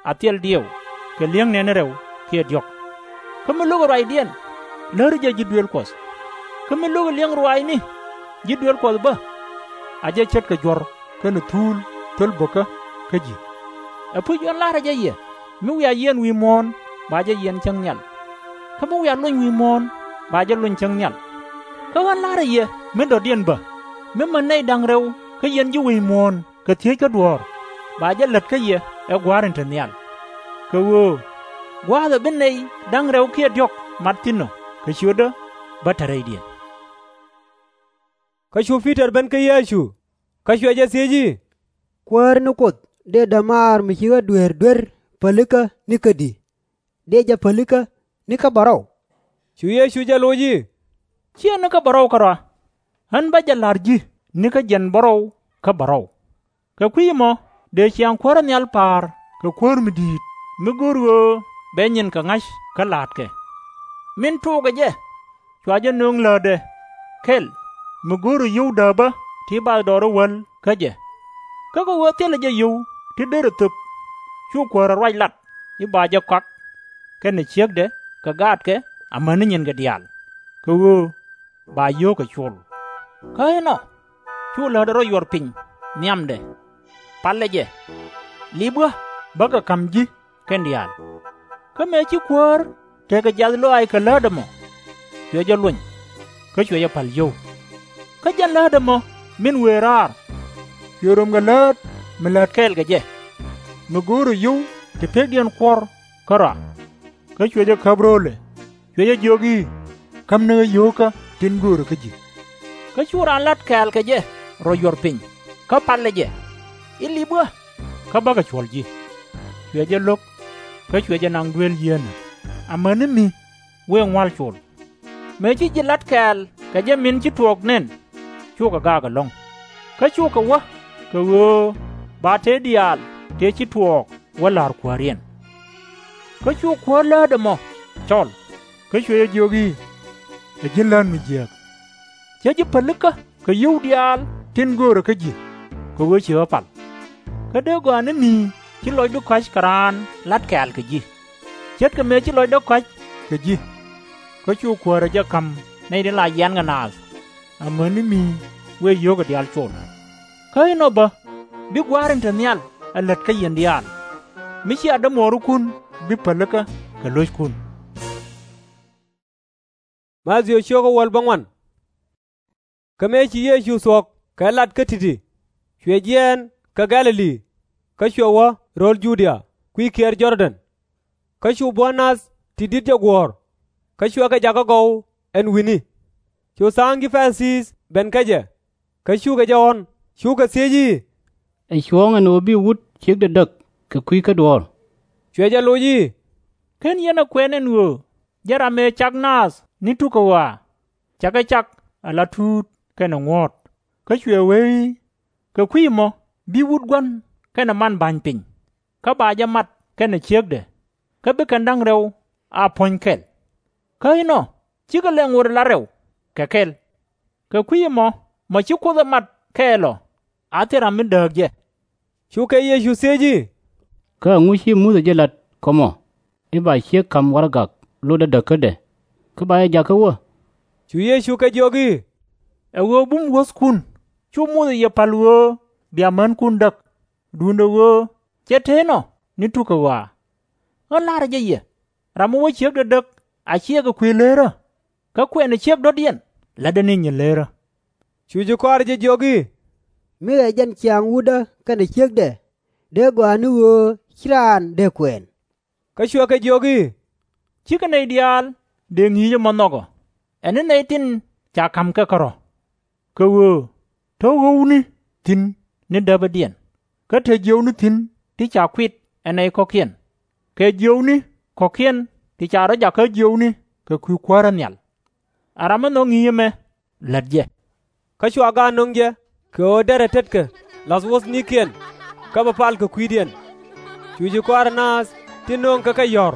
a thil diɛw kɛ li̱eŋ nɛɛni rɛw kiɛ diɔ̱k. Kä mi lo̱kɛ ruacdiɛn, läri jɛ ji̱ duëël Kuɔth. Kä mi lo̱kɛ li̱eŋ ruaacni ji̱ duëël Kuɔth bä, a jɛ ce̱tkɛ juɔ̱r kɛnɛ thuul thöl bäkä kä ji̱. Ɛpuc, ɣän la̱rä jɛ yɛ, mi wiaa yiɛn wi̱i̱ muɔ̱ɔ̱n, ba jɛ yiɛn cäŋ nhial. Kä mi wiaa lony wi̱i̱ muɔ̱ɔ̱n, ba jɛ lony cäŋ nhial. Kä ɣän la̱rä yɛ mi dɔ̱diɛn bä, mi män nɛy da̱ŋ rɛw kä yɛn ji̱ wec muɔ̱ɔ̱n kɛ thiec kä duɔ̱ɔ̱r, ba jɛ lät kä yɛ ɛ Gua̱a̱r in te nhial. Kɛ ɣöö gua̱a̱th ɛ bi nɛy da̱ŋ rɛw kiɛ diɔ̱k mat thi̱n ɔ, kɛ ciötdä bä te rɛydiɛn. Kä cu Pi-tɔr ben kä Yecu, kä cuɛ jɛ thiec i̱, Kuäär ni Kuoth, dëë dämaar mi ci ɣä duer duer pälikä nikä di̱? Dëë jɛ pälikä nikä bärɔw? Cu Yecu jɛ loc i̱, /Ciɛ nikä bärɔw kärɔa. Ɣän bä jɛ la̱r ji̱ nikä jiɛn bärɔw kä bärɔw. Kɛ kui̱ ɛmɔ dëë ciaŋ kuäärä nhial pa̱a̱r kɛ kuäär mi di̱i̱t, mi go̱o̱r ɣöö bɛ nyinkɛ ŋa̱c kä laatkɛ. Min tuɔɔkɛ jɛ, cua jɛ nöŋ lätdɛ kɛl mi go̱o̱rɛ yio̱w dääpä ti bathdɔɔri ɛ wäl kä jɛ. Kä kɛ ɣöö thilɛ jɛ yio̱w ti derɛ thöp, cu kuäärɛ ruac lat i̱ ba jɛ kɔak kɛnɛ ciekdɛ kɛ gaatkɛ amäni nyinkɛ diaal, kɛ ɣöö ba yio̱o̱kɛ col. Kä inɔ, cu lätdɛ rɔ yuɔr piny nhiamdɛ, palɛ jɛ, lip ɣä bä kɛ ka̱m ji̱ kɛn diaal. Kä mëë ci kuäär tekɛ jiath lɔaac kɛ lätdɛ mɔ, cuɛ jɛ luɔny, kä cuɛ jɛ pa̱l yio̱w. Kä jɛn lätdɛ mɔ min wëë raar, cuɛ röm kɛ läät mi lät kɛɛl kɛ jɛ, mi go̱o̱rɛ yio̱w ti pekdiɛn kuɔ̱r kärɔa. Kä cuɛ jɛ käp ro̱o̱lɛ, cuɛ jɛ jiök i̱, Kämni ɣä yio̱wkä tin göörä kä ji̱. Kä cu raan la̱t kɛ̈ɛ̈l kɛ jɛ rɔ yuɔr piny, kä palɛ jɛ, i̱, Lip ɣä, kä bäkɛ cuɔ̱l ji̱. Cuɛ jɛ lo̱k, kä cuɛ jɛ naŋ dueel yieenä, amäni mi wëë ŋua̱l col. Mëë ci ji̱ la̱t kɛ̈ɛ̈l kɛ jɛ min ci tuɔɔk nɛn, cukɛ gaak ɛlɔ̱ŋ. Kä cukɛ wä kɛ ɣöö ba tëë diaal tëë ci tuɔɔk wä la̱r kuääriɛn. Kä cu kuäär lätdɛ mɔ cɔl, kä cuɛ jɛ jiök i̱, Ɛ ji̱n lät mi jiääk! Cä ji̱ pälikä kɛ yio̱w diaal tin göörä kä ji̱, kɛ ɣöö ci ɣä pal. Kä dee gɔaa ni mi ci lɔcdu ka̱c kɛ raan la̱t kɛ̈ɛ̈l kɛ ji̱, ce̱tkɛ mëë ci lɔcdä kɔ̱a̱c kɛ ji̱. Kä cu kuäärä jɛ ka̱m nɛy tin la yiankɛ naath, amäni mi wëë yio̱wkɛ diaal col. Kä inɔ bä bi Gua̱a̱r in te nhial ɛ lät kä yɛn diaal, mi /cia dämuɔɔrikun bi pälikä kɛ lo̱ckun. Kä mëë ci Yecu thuɔ̱k kɛ lat kä ti̱ti̱, cuɛ jiɛɛn kä Gɛ̈-lɛ-li, kä cuɛ wä ro̱l Ju-dia kui̱ kiɛɛr Jɔr-dɛn. Kä cu buɔ̱n nath ti di̱t jɛ guɔ̱ɔ̱r, kä cuɛ kɛ jakä gɔw ɛn wi̱ni. Cu tha̱a̱ŋ ji̱ Pa-ri-thii ben kä jɛ, kä cukɛ jɛ ɣɔ̱n, cukɛ thiec i̱, Ɛ cuɔ̱ɔ̱ŋ ɛn ɣöö bi wut ciekdɛ däk kɛ kui̱ kä duɔ̱ɔ̱r? Cuɛ jɛ loc i̱, /Ken yɛn ɛ kuɛn ɛn ɣöö jɛn ram ëë cak naath ni tukä ɣɔaa, cakɛ cak ala tuut kɛnɛ ŋuɔ̱ɔ̱t? Kä cuɛ wee i̱, Kɛ kui̱c ɛmɔ bi wut gua̱n kɛnɛ man ba̱ny piny, kä ba jɛ mat kɛnɛ ciekdɛ, kä bi kɛn da̱ŋ rɛw a puɔ̱ny kɛl. Kä inɔ, /cikɛ lɛ ŋot ala rɛw kɛ kɛl. Kɛ kui̱c ɛmɔ, mɔ ci Kuoth ɛ mat kɛɛl ɔ, a thil ram mi dääk jɛ. Cukɛ Yecu thiec i̱, Kä ɛŋu ci Muthɛ jɛ lat kä mɔ i̱ ba ciek ka̱m warɛgak lotdɛ däkädɛ, kä ba jɛ jakä wä? Cu Yecu kɛ jiök i̱, Ɛ ɣöö bum wuɔ̱thkun cu Muthɛ yɛ pa̱l ɣöö bia mänkun däk, duundɛ ɣöö cɛ te inɔ ni tukä ɣɔaa. Ɣän la̱rä jɛ yɛ, ram mi wä ciekdɛ däk a /ciɛ kɛ kuëë leerä, kä kuɛnɛ ciek dɔ̱diɛn, la̱tdɛ ni nyin leerä. Cu ji̱ kɔaarɛ jɛ jiök i̱, Mi ɛ jɛn ciaŋ wutdä kɛnɛ ciekdɛ, dee gɔaa ni ɣöö /ci raan dee kuɛɛn. Kä cuɛ kɛ jiök i̱, Cikɛ nɛy diaal dëë ŋi̱i̱c ɛmɔ nhɔk ɔ, ɛ ni nɛy tin ca ka̱m kɛ kärɔ̱. Kɛ ɣöö te ɣɔ̱wni thi̱n ni däpädiɛn, kä te jiöwni thi̱n ti ca kuit ɛ nɛy kɔ̱kiɛn, kɛ jiöwni kɔ̱kiɛn ti ca rɔ̱ jakä jiöwni kɛ kui̱ kuäärä nhial. A ram mi nhɔk ŋi̱i̱c ɛmɛ, lät jɛ. Kä cua gaat nöŋ jɛ kɛ ɣöö derɛ tetkɛ la̱th wuɔ̱thnikiɛn, kä bɛ pal kɛ kui̱diɛn. Cu ji̱ kɔaarɛ naath tin nööŋkɛ kɛ yɔ̱r.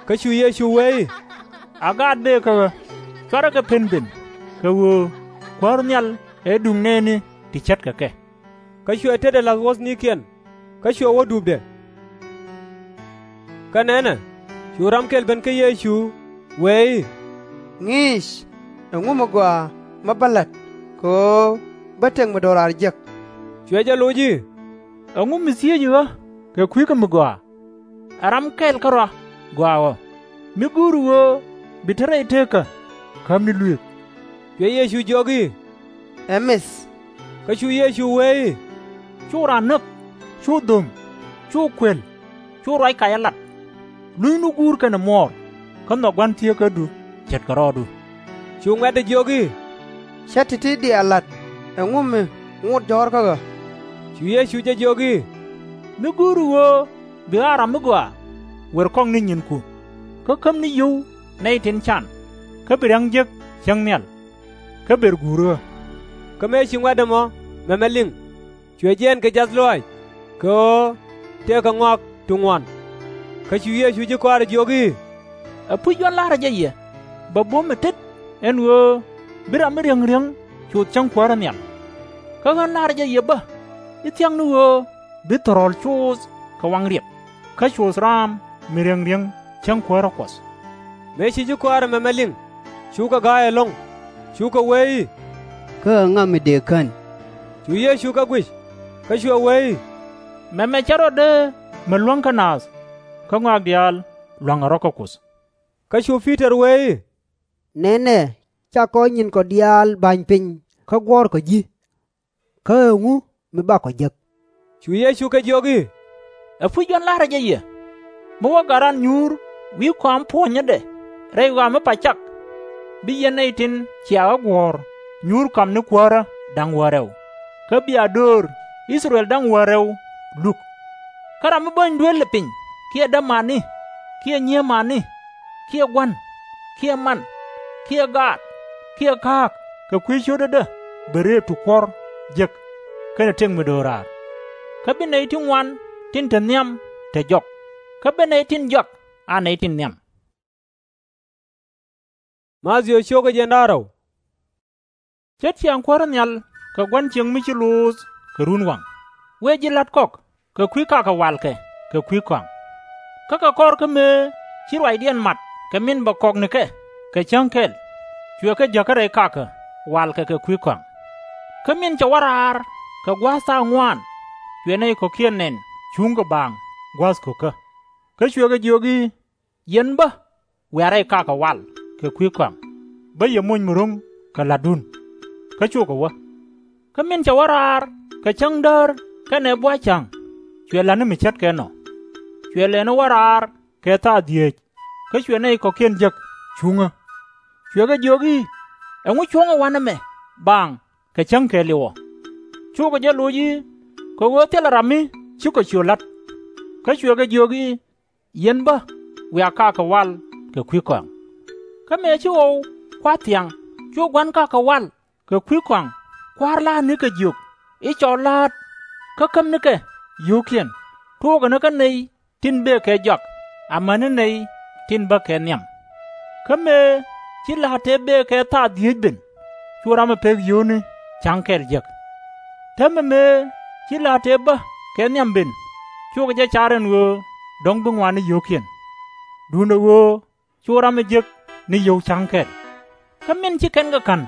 Kä cu Yecu wee i̱, A gaat bëë kä ɣä, /cuarɛ kɛ pen ben, kɛ ɣöö Kuäär nhial ɛ duŋ nɛɛni ti ce̱tkɛ kɛ. Kä cuɛ tetdɛ la̱th wuɔ̱thnikiɛn, kä cuɛ wä dupdɛ. Kä nɛnɛ, cu ram kɛl ben kä Yecu, wee i̱, Ŋi̱i̱c, ɛŋu mi gɔaa mi bä la̱t, kɛ ɣöö bä tëk mi do̱raar jek? Cuɛ jɛ loc i̱, Ɛŋu mi thiec ɣä kɛ kui̱ kä mi gɔaa? Ɛ ram kɛl kärɔa gɔaa ɣɔ̱, mi go̱o̱ri ɣöö bi te rɛy teekä käm ni luëëk? Cuɛ Yecu jiök i̱, Ɛ mith. Kä cu Yecu wee i̱, Cu raan näk, cu dho̱ŋ, cu kuël, cu ruac kacä lat. Lunynu guur kɛnɛ muɔɔr, kä nhɔk gua̱n thieekädu ce̱tkɛ rɔɔdu. Cu ŋuɛ̈tdɛ jiök i̱, Cä ti̱ti̱ diaal lat, ɛŋu mi ŋot jɔ̱ɔ̱r kä ɣä? Cu Yecu jɛ jiök i̱, Mi go̱o̱ri ɣöö bi ɣa̱a̱ ram mi gɔaa, wër kɔŋ ni nyinku, kä käm ni yio̱w nɛy tin can, kä bi ria̱ŋ jek cäŋ nhial, kä ber guuri ɣä. Kä mëë ci ŋuɛ̈tdɛ mɔ mɛmɛ liŋ, cuɛ jiɛɛn kɛ jiath lɔaac, kɛ ɣöö tëëkɛ ŋɔak ti ŋuan. Kä cu Yecu ji̱ kɔaarɛ jiök i̱, Ɛpuc ɣän la̱rä jɛ yɛ, bɛ buɔ̱m ɛ tet ɛn ɣöö bi ram mi riäŋ riäŋ coth cäŋ kuäärä nhial. Kä ɣän la̱rä jɛ yɛ bä i̱ thia̱k ni ɣöö bi thɔrɔl coth kɛ waŋ riɛk, kä coth raam mi riäŋ riäŋ cäŋ kuäärä Kuɔth. Mëë ci ji̱ kɔaarɛ mɛmɛ liŋ, cukɛ ga̱a̱c ɛlɔ̱ŋ, cukɛ wee i̱, Kä ɛŋa mi dëë kän? Cu Yecu kɛ guic, kä cuɛ wee i̱, Mɛmɛ cɛ rɔ dee mi luäŋ kä naath, kä ŋɔak diaal lua̱ŋɛ rɔ kä Kuoth. Kä cu Pi-tɔr wee i̱, Nɛnɛ, cakɔ nyinkɔ diaal ba̱ny piny kä guɔ̱ɔ̱rkɔ ji̱. Kä ɛŋu mi bakɔ jek? Cu Yecu kɛ jiök i̱, Ɛpuc ɣän la̱rä jɛ yɛ, mi wä gat ran nyuur wi̱i̱ kɔam puɔ̱nyädɛ rɛy ɣɔaa mi pa̱c cak, bi yɛn nɛy tin cia ɣä guɔ̱ɔ̱r nyuur ka̱m ni kuäärä da̱ŋ wäl rɛw, kä bia döör I-thɛ-rɛl da̱ŋ wäl rɛw luk. Kä ram mi bäny duel ɛ piny, kiɛ dämani, kiɛ nyiemani, kiɛ gua̱n, kiɛ man, kiɛ gaat, kiɛ ka̱a̱k kɛ kui̱ cio̱tädä, bɛ rëëp ti kuɔ̱r jek kɛnɛ tëk mi do̱raar. Kä bi nɛy ti ŋuan tin te nhiam te jɔk, kä bi nɛy tin jɔak a nɛy tin nhiam. Mathiö cio̱kä jiɛn da̱ŋ rɛw. Ce̱t ciaŋ kuäärä nhial kɛ gua̱n cieŋ mi ci luuth kɛ runwaŋ, wëë ji̱ la̱t kɔk kɛ kui̱ kakɛ walkɛ kɛ kui̱ kɔaŋ. Kä kɛ kɔr kä mëë ci ruacdiɛn mat kɛ min bɛ kɔk nikɛ kɛ cäŋ kɛl, cuɛ kɛ jäk kä rɛy kakä walkɛ kɛ kui̱ kɔaŋ. Kä min cɛ wä raar kɛ gua̱a̱th thaak ŋuaan, cuɛ nɛy kɔ̱kiɛn nɛn cuŋ kɛ baaŋ gua̱a̱th ko̱kä. Kä cuɛ kɛ jiök i̱, Yɛn bä, wiaa rɛy kakä wal kɛ kui̱ kɔaŋ, bä yɛ moc mi ro̱ŋ kɛ la̱tdun. Kä cukɛ wä. Kä min cɛ wä raar kɛ cäŋ däär kɛnɛ bua̱th ca̱ŋ, cuɛ la̱t ni mi ce̱tkɛ nɔ. Cuɛ lɛni wä raar kɛ thaak dhieec, kä cuɛ nɛy kɔ̱kiɛn jek cuŋä. Cuɛ kɛ jiök i̱, Ɛŋu cuɔ̱ŋä wanɛ mɛ baaŋ kɛ cäŋ kɛɛliw ɔ? Cukɛ jɛ loc i̱, Kɛ ɣöö thilɛ ram mi cikɔ ciöt la̱t. Kä cuɛ kɛ jiök i̱, Yɛn bä, wiaa kakä wal kɛ kui̱ kɔaŋ. Kä mëë ci ɣɔw kua̱r thiaŋ, cu gua̱n kakä wal kɛ kui̱ kɔaŋ kua̱r la̱a̱t nikɛ jiök i̱, Cɔl la̱a̱t, kä käm nikɛ yio̱o̱kiɛn, tuɔɔkɛ ni kä nɛy tin bëë kɛ jɔak amäni nɛy tin bä kɛ nhiam. Kä mëë ci la̱a̱t tëë bëë kɛ thaak dhieec ben, cu ram mi pek yio̱o̱ni ca̱ŋ kɛl jek. Täämɛ mëë ci la̱a̱t tëë bä kɛ nhiam ben, cukɛ jɛ car ɛn ɣöö dɔ̱ŋ bi ŋuan ni yio̱o̱kiɛn. Duundɛ ɣöö cu ram mi jek ni yio̱w ca̱ŋ kɛl. Kä min ci kɛn kɛ ka̱n,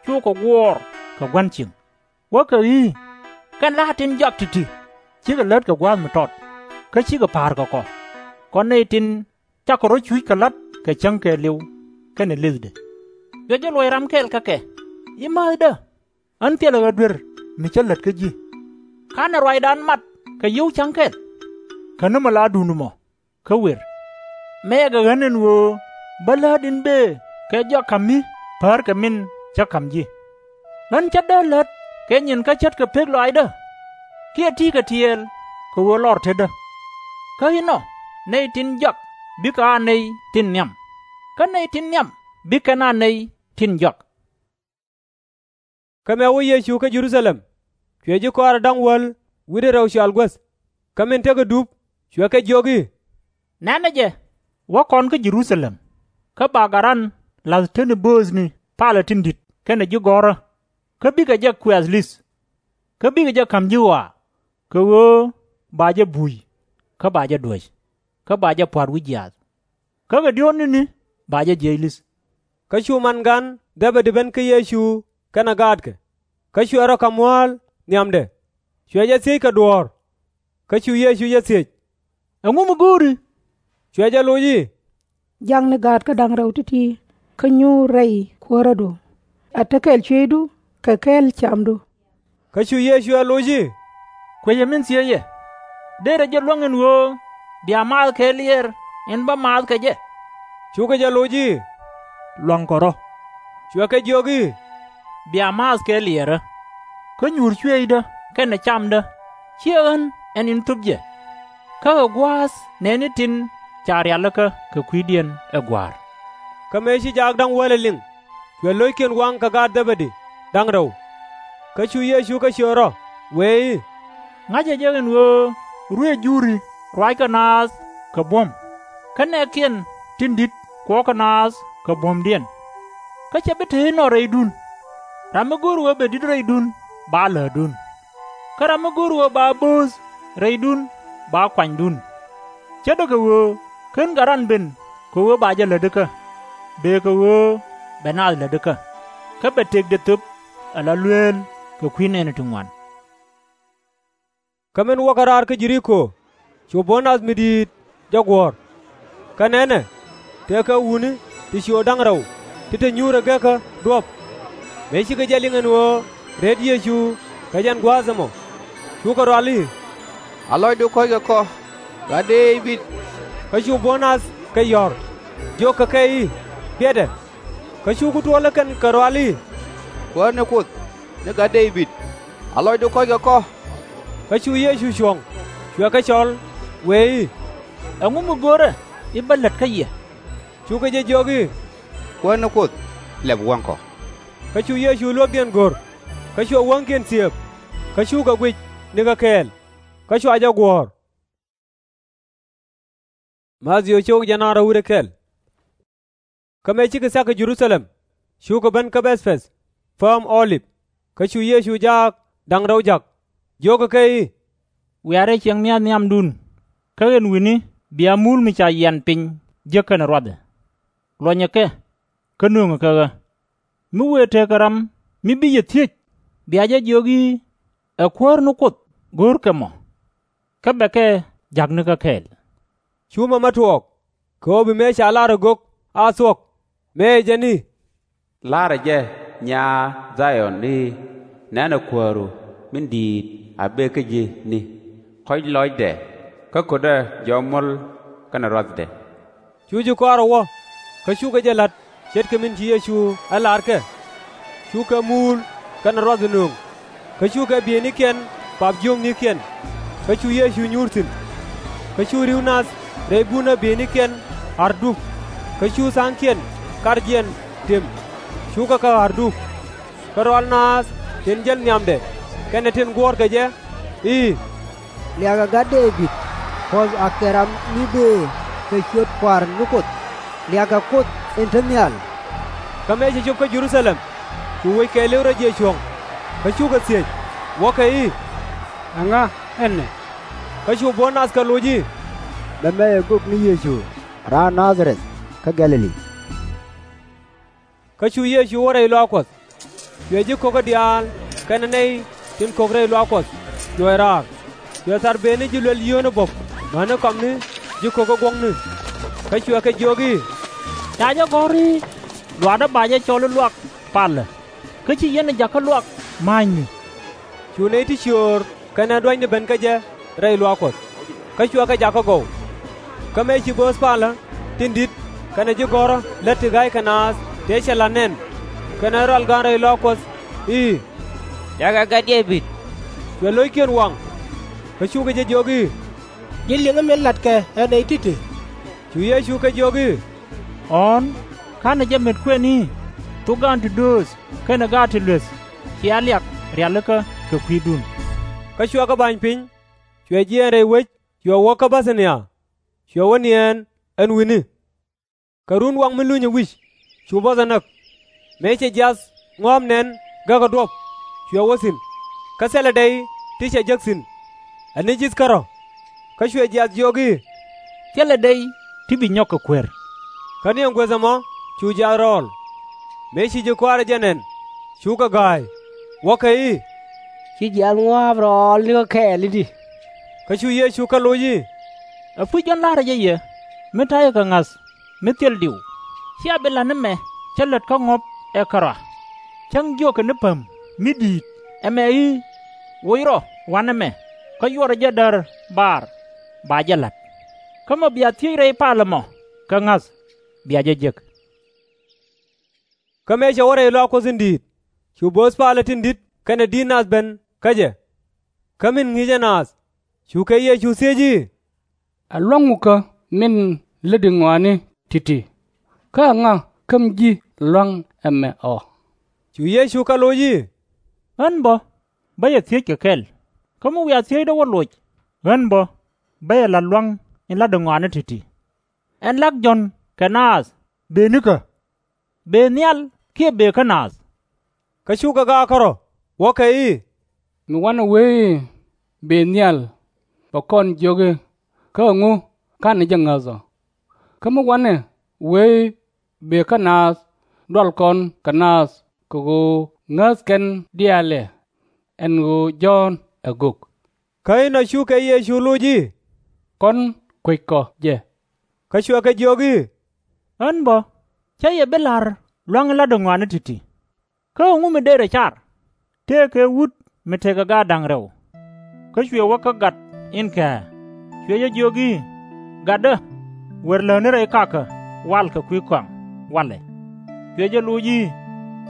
cukɛ guɔ̱ɔ̱r kɛ gua̱n cieŋ, wäkɛ i̱, Kɛn la̱a̱t tin jɔak ti̱ti̱ cikɛ lät kɛ gua̱a̱th mi tɔt, kä cikɛ pa̱a̱r kɛ kɔ. Kɔn nɛy tin cakɔ rɔ̱ cuc kɛ la̱t kɛ cäŋ kɛɛliw kɛnɛ lëthdɛ. Cuɛ jɛ luɔc ram kɛl kä kɛ i̱, Määthdä, ɣän thilɛ ɣä duer mi cä lät kä ji̱. /Kanɛ ruacdan mat kɛ yio̱w ca̱ŋ kɛl? Käni mi la duundu mɔ, kä wer. Mɛɛkɛ ɣän ɛn ɣöö bä läät in bëë kɛ jɔak ka̱m mi päär kɛ min cä ka̱m ji̱. Ɣän ce̱tdä lät kɛ nyin kä ce̱tkɛ pek lɔaacdä, kiɛ ti̱i̱kɛ tiɛɛl kɛ ɣöö lɔr tetdä. Kä inɔ nɛy tin jɔak bikɛ a nɛy tin nhiam, kä nɛy tin nhiam bi kɛn a nɛy tin jɔak. Kä mëë wä Yecu kä Jɛ-ru-tha-lɛm, cuɛ ji̱ kɔaarɛ da̱ŋ wäl wi̱cdɛ rɛw cɔal guäth. Kä min tekɛ dup, cuɛ kɛ jiök i̱, Nɛnɛ jɛ, wä kɔn kä Jɛ-ru-tha-lɛm, kä ba gat ran la̱th tetni bööthni palä tin di̱t kɛnɛ ji̱ gɔ̱rä, kä bikɛ jɛ kuɛth li̱th. Kä bikɛ jɛ ka̱m ji̱ ɣɔaa, kɛ ɣöö ba jɛ buuc, kä ba jɛ duäc, kä ba jɛ pua̱t wi̱c jiaath. Kä kɛ diɔ̱ɔ̱k ni̱ni ba jɛ jiɛc li̱th. Kä cu man gan Dhɛbɛdi ben kä Yecu kɛnɛ gaatkɛ, kä cuɛ rɔ ka̱m mua̱a̱l nhiamdɛ, cuɛ jɛ thiec kɛ duɔ̱ɔ̱r. Kä cu Yecu jɛ thiec, Ɛŋu mi go̱o̱ri? Cuɛ jɛ loc i̱, Jakni gaatkä da̱ŋ rɛw ti̱ti̱, kä nyuur rɛy kuäärädu, a te kɛl cuëëcdu kɛ kɛl camdu. Kä cu Yecu ɛ loc i̱, Kuecɛ min thieec yɛ. Dërɛ jɛ luäŋ ɛn ɣöö bia maath kɛ liɛɛr in bä maath kɛ jɛ? Cukɛ jɛ loc i̱, Luaŋkɔ rɔ̱. Cuɛ kɛ jiök i̱, Bia maath kɛ liɛɛrä. Kä nyuur cuëëcdä kɛnɛ camdä /ciɛ ɣän ɛn in thöp jɛ, kä ɛ gua̱a̱th nɛɛni tin ca rialikä kɛ kui̱diɛn ɛ gua̱a̱r. Kä mëë ci jaak da̱ŋ wälɛ liŋ, cuɛ lo̱ckiɛn waŋ kɛ gaat Dhɛbɛdi da̱ŋ rɛw. Kä cu Yecu kɛ ciöt rɔ, wëë i̱, Ŋa̱cä jɛ ɛn ɣöö ruëëc Juri ruackɛ naath kɛ buɔ̱m, kä nɛɛkiɛn tin di̱t kuɔ̱kɛ naath kɛ buɔ̱mdiɛn. Kä /cɛ bi te inɔ rɛydun. Ram mi go̱o̱r ɣöö bɛ di̱t rɛydun, ba läätdun. Kä ram mi go̱o̱r ɣöö ba bööth rɛydun, ba kuanydun. Ce̱tdɛ kɛ ɣöö /ken Gat Ran ben kɛ ɣöö ba jɛ lät ikä, bee kɛ ɣöö bɛ naath lät ikä, kä bɛ tëkdɛ thöp ala lueel kɛ kui̱ nɛɛni ti ŋuan. Kä min wäkɛ raar kä Jɛ-ri-ko, cu buɔ̱n nath mi di̱i̱t jɛ guɔ̱ɔ̱r. Kä nɛnɛ, tëëkɛ wutni ti ciöt da̱ŋ rɛw ti te nyuurɛ gekä duɔ̱p. Mëë cikɛ jɛ liŋ ɛn ɣöö reet Yecu kɛ jɛn gua̱a̱th ɛmɔ, cukɛ rual i̱, A lɔcdu kɔ̱ckɛ kɔ, Gat Dee-bid! Kä cu buɔ̱n nath kɛ yɔ̱r, jiökɛ kɛ i̱, Biɛtdɛ! Kä cukɛ tuɔɔl ɛ kɛn kɛ rual i̱, Kuäär ni Kuoth ni Gat Dee-bid, a lɔcdu kɔ̱ckɛ kɔ! Kä cu Yecu cuɔ̱ŋ, cuɛ kɛ cɔl, wëë i̱, Ɛŋu mi go̱o̱rä i̱ bä lät kä yɛ? Cukɛ jɛ jiök i̱, Kuäär ni Kuoth, lɛp wäŋ kɔ. Kä cu Yecu luäkdiɛn go̱r, kä cuɛ wäŋkiɛn thiëëp, kä cukɛ guic nikä kɛɛl, kä cua jɛ guɔ̱ɔ̱r. Kä mëë cikɛ thia̱k kɛ Jɛ-ru-tha-lɛm, cukɛ ben kä Bɛth-pɛth, pääm Ɔ-lip. Kä cu Yecu jaak da̱ŋ rɛw ja̱k, jiökɛ kɛ i̱, Wiaa rɛy ciɛŋ nhial nhiamdun, kä ɛn wi̱ni bia muul mi ca yian piny jek kɛnɛ ruathɛ. Luɔnyɛ kɛ, kä nööŋɛ kɛ ɣä. Mi wëë tekɛ ram mi bi yɛ thiec, bia jɛ jiök i̱, Ɛ Kuäär ni Kuoth go̱o̱rkɛ mɔ, kä bɛ kɛ ja̱k nikä kɛɛl. Cu mɛmɛ tuɔɔk, kɛ ɣöö bi mëë ca lar ɛ gök a thuɔ̱k, mëë jɛn i̱, La̱rä jɛ nyaa Dha-yɔn i̱, Nɛnɛ kuääru min di̱i̱t a bëë kä ji̱ni, kɔ̱c lɔcdɛ, kä kötdɛ jɔɔk muɔ̱l kɛnɛ ruathdɛ. Cu ji̱ kɔaarɛ wä, kä cukɛ jɛ la̱t ce̱tkɛ min ci Yecu ɛ lar kɛ. Cukɛ muul kɛnɛ ruath ɛ nööŋ, kä cukɛ bieynikiɛn pap jiöknikiɛn, kä cu Yecu nyuur thi̱n. Kä cu ri̱w nath rɛy bunä bieynikiɛn a̱r dup, kä cu tha̱a̱ŋkiɛn karkiɛn tëm, cukɛ kɛ a̱r dup. Kä rɔal naath tin jäl nhiamdɛ kɛnɛ tin guɔ̱ɔ̱rkɛ jɛ i̱, Liakɛ Gat Dee-bid, puɔ̱th akɛ ram mi bëë kɛ ciöt Kua̱r ni Kuoth! Liakɛ Kuoth in te nhial! Kä mëë cɛ cop kä Jɛ-ru-tha-lɛm, cu wec kɛɛliw rɔ jiɛc cuɔ̱ŋ, kä cukɛ thiec, wäkɛ i̱, Ɛŋa ɛnɛ? Kä cu buɔ̱n nath kɛ loc i̱, Mɛmɛ ɛ gök ni Yecu raan Na-dha-rɛth kä Gɛ̈-lɛ-li. Kä cu Yecu wä rɛy luaak Kuɔth. Cuɛ ji̱ ko̱kä diaal kɛnɛ nɛy tin ko̱k rɛy luaak Kuɔth cuɛ raar. Cuɛ thar bëëni ji̱ luɛl yio̱o̱ni buɔ̱p mäni kɔamni ji̱ ko̱kä guɔ̱kni. Kä cuɛ kɛ jiök i̱, Ca jɛ gɔ̱r i̱, Luaakdä ba jɛ cɔl i̱ luaak palä, kä ci yɛn ɛ jakä luaak ma̱a̱cni. Cu nɛy ti cio̱o̱r kɛnɛ duanyni ben kä jɛ rɛy luaak Kuɔth, kä cuɛ kɛ jakä gɔw. Kä mëë ci bööth palä tin di̱t kɛnɛ ji̱ gɔ̱rä lät ti ga̱ykɛ naath tëë cɛ la̱t nɛn kɛnɛ rɔal ga̱a̱ŋ rɛy luaak Kuɔth i̱, Liakɛ Gat Dee-bid! Cuɛ lo̱ckiɛn waŋ, kä cukɛ jɛ jiök i̱, Ji̱ liŋä min la̱tkɛ ɛ nɛy ti̱ti̱. Cu Yecu kɛ jiök i̱, Ɣɔ̱ɔ̱n, ka̱nɛ jɛ met kuɛn i̱, Thok gaat ti dööth kɛnɛ gaat ti lueth cia liak rialikä kɛ kui̱dun. Kä cuɛ kɛ ba̱ny piny, cuɛ jiɛɛn rɛy wec, cuɛ wä kä Bɛ-tha-ni-ya, cuɛ wä niɛɛn ɛn wi̱ni. Kɛ runwaŋ mi lunyɛ wi̱c cu buɔth ɛ näk. Mëë cɛ jiath ŋɔ̱a̱p nɛn gekä duɔ̱p, cuɛ wä thi̱n, kä thilɛ dɛy ti cɛ jek thi̱n, ɛ ni ji̱th kärɔ̱. Kä cuɛ jiath jiök i̱, Thilɛ dɛy ti bi nyɔk kɛ kuer. Kä ni ɛn guäth ɛmɔ cu jiath rɔɔl. Mëë ci ji̱ kɔaarɛ jɛ nɛn, cukɛ ga̱a̱c, wäkɛ i̱, Ci jiath ŋɔ̱a̱p rɔɔl nikä kɛɛl i̱di? Kä cu Yecu kɛ loc i̱, Ɛpuc, ɣän la̱rä jɛ yɛ, mi ta̱yɛ kɛ ŋa̱th mi thil diw, /cia bi la̱t ni mɛ cä lät kä ŋɔ̱p ɛ kärɔa. Cäŋ jiökɛ ni päm mi di̱i̱t ɛmɛ i̱, Woc rɔ wa̱nɛ mɛ, kä yuɔrɛ jɛ däär baar, ba jɛ la̱t. Kä mi bia thiec rɛy palä mɔ kɛ ŋa̱th, bia jɛ jek. Kä mëë cɛ wä rɛy luaak Kuɔth in di̱i̱t, cu bööth palä tin di̱t kɛnɛ di̱t nath ben kä jɛ. Kä min ŋi̱i̱cɛ naath, cukɛ Yecu thiec i̱, Ɛ lua̱ŋ ŋukä min lätdi ŋɔaani ti̱ti̱? Kä ɛŋa kä mi ji̱ lua̱ŋ ɛmɛ ɔ? Cu Yecu kɛ loc i̱, Ɣän bä bä yɛ thiec kɛ kɛl, kä mi wiaa thiecdä wä loc, ɣän bä bä yɛ la̱t lua̱ŋ in la̱tdɛ ŋɔaani ti̱ti̱. Ɛn lak Jɔ̱ɔ̱n kɛ naath bëë nikä, bëë nhial kiɛ bëë kä naath? Kä cukɛ gaakä rɔ̱, wäkɛ i̱, Mi wanɛ wee i̱ bëë nhial, bɛ kɔn jiök i̱, Kä ɛŋu ka̱nɛ jɛ ŋäth ɔ? Kä mi wanɛ wee i̱ bëë kä naath, dual kɔn kɛ naath kɛ ɣöö ŋäth kɛn diaal ɛ ɛn ɣöö Jɔ̱ɔ̱n ɛ gök. Kä inɔ cukɛ Yecu loc i̱, Kɔn kueckɔ jɛ. Kä cuɛ kɛ jiök i̱, Ɣän bä, /cä yɛ bi la̱r lua̱ŋ in la̱tdɛ ŋɔaani ti̱ti̱. Kä ɛŋu mi dërɛ car? Tëëkɛ wut mi tekɛ gaat da̱ŋ rɛw. Kä cuɛ wä kä gat in kɛ̱̈ɛ̱̈, cuɛ jɛ jiök i̱, Gatdä, wër lätni rɛy kakä wal kɛ kui̱ kɔaŋ walɛ. Cuɛ jɛ loc i̱,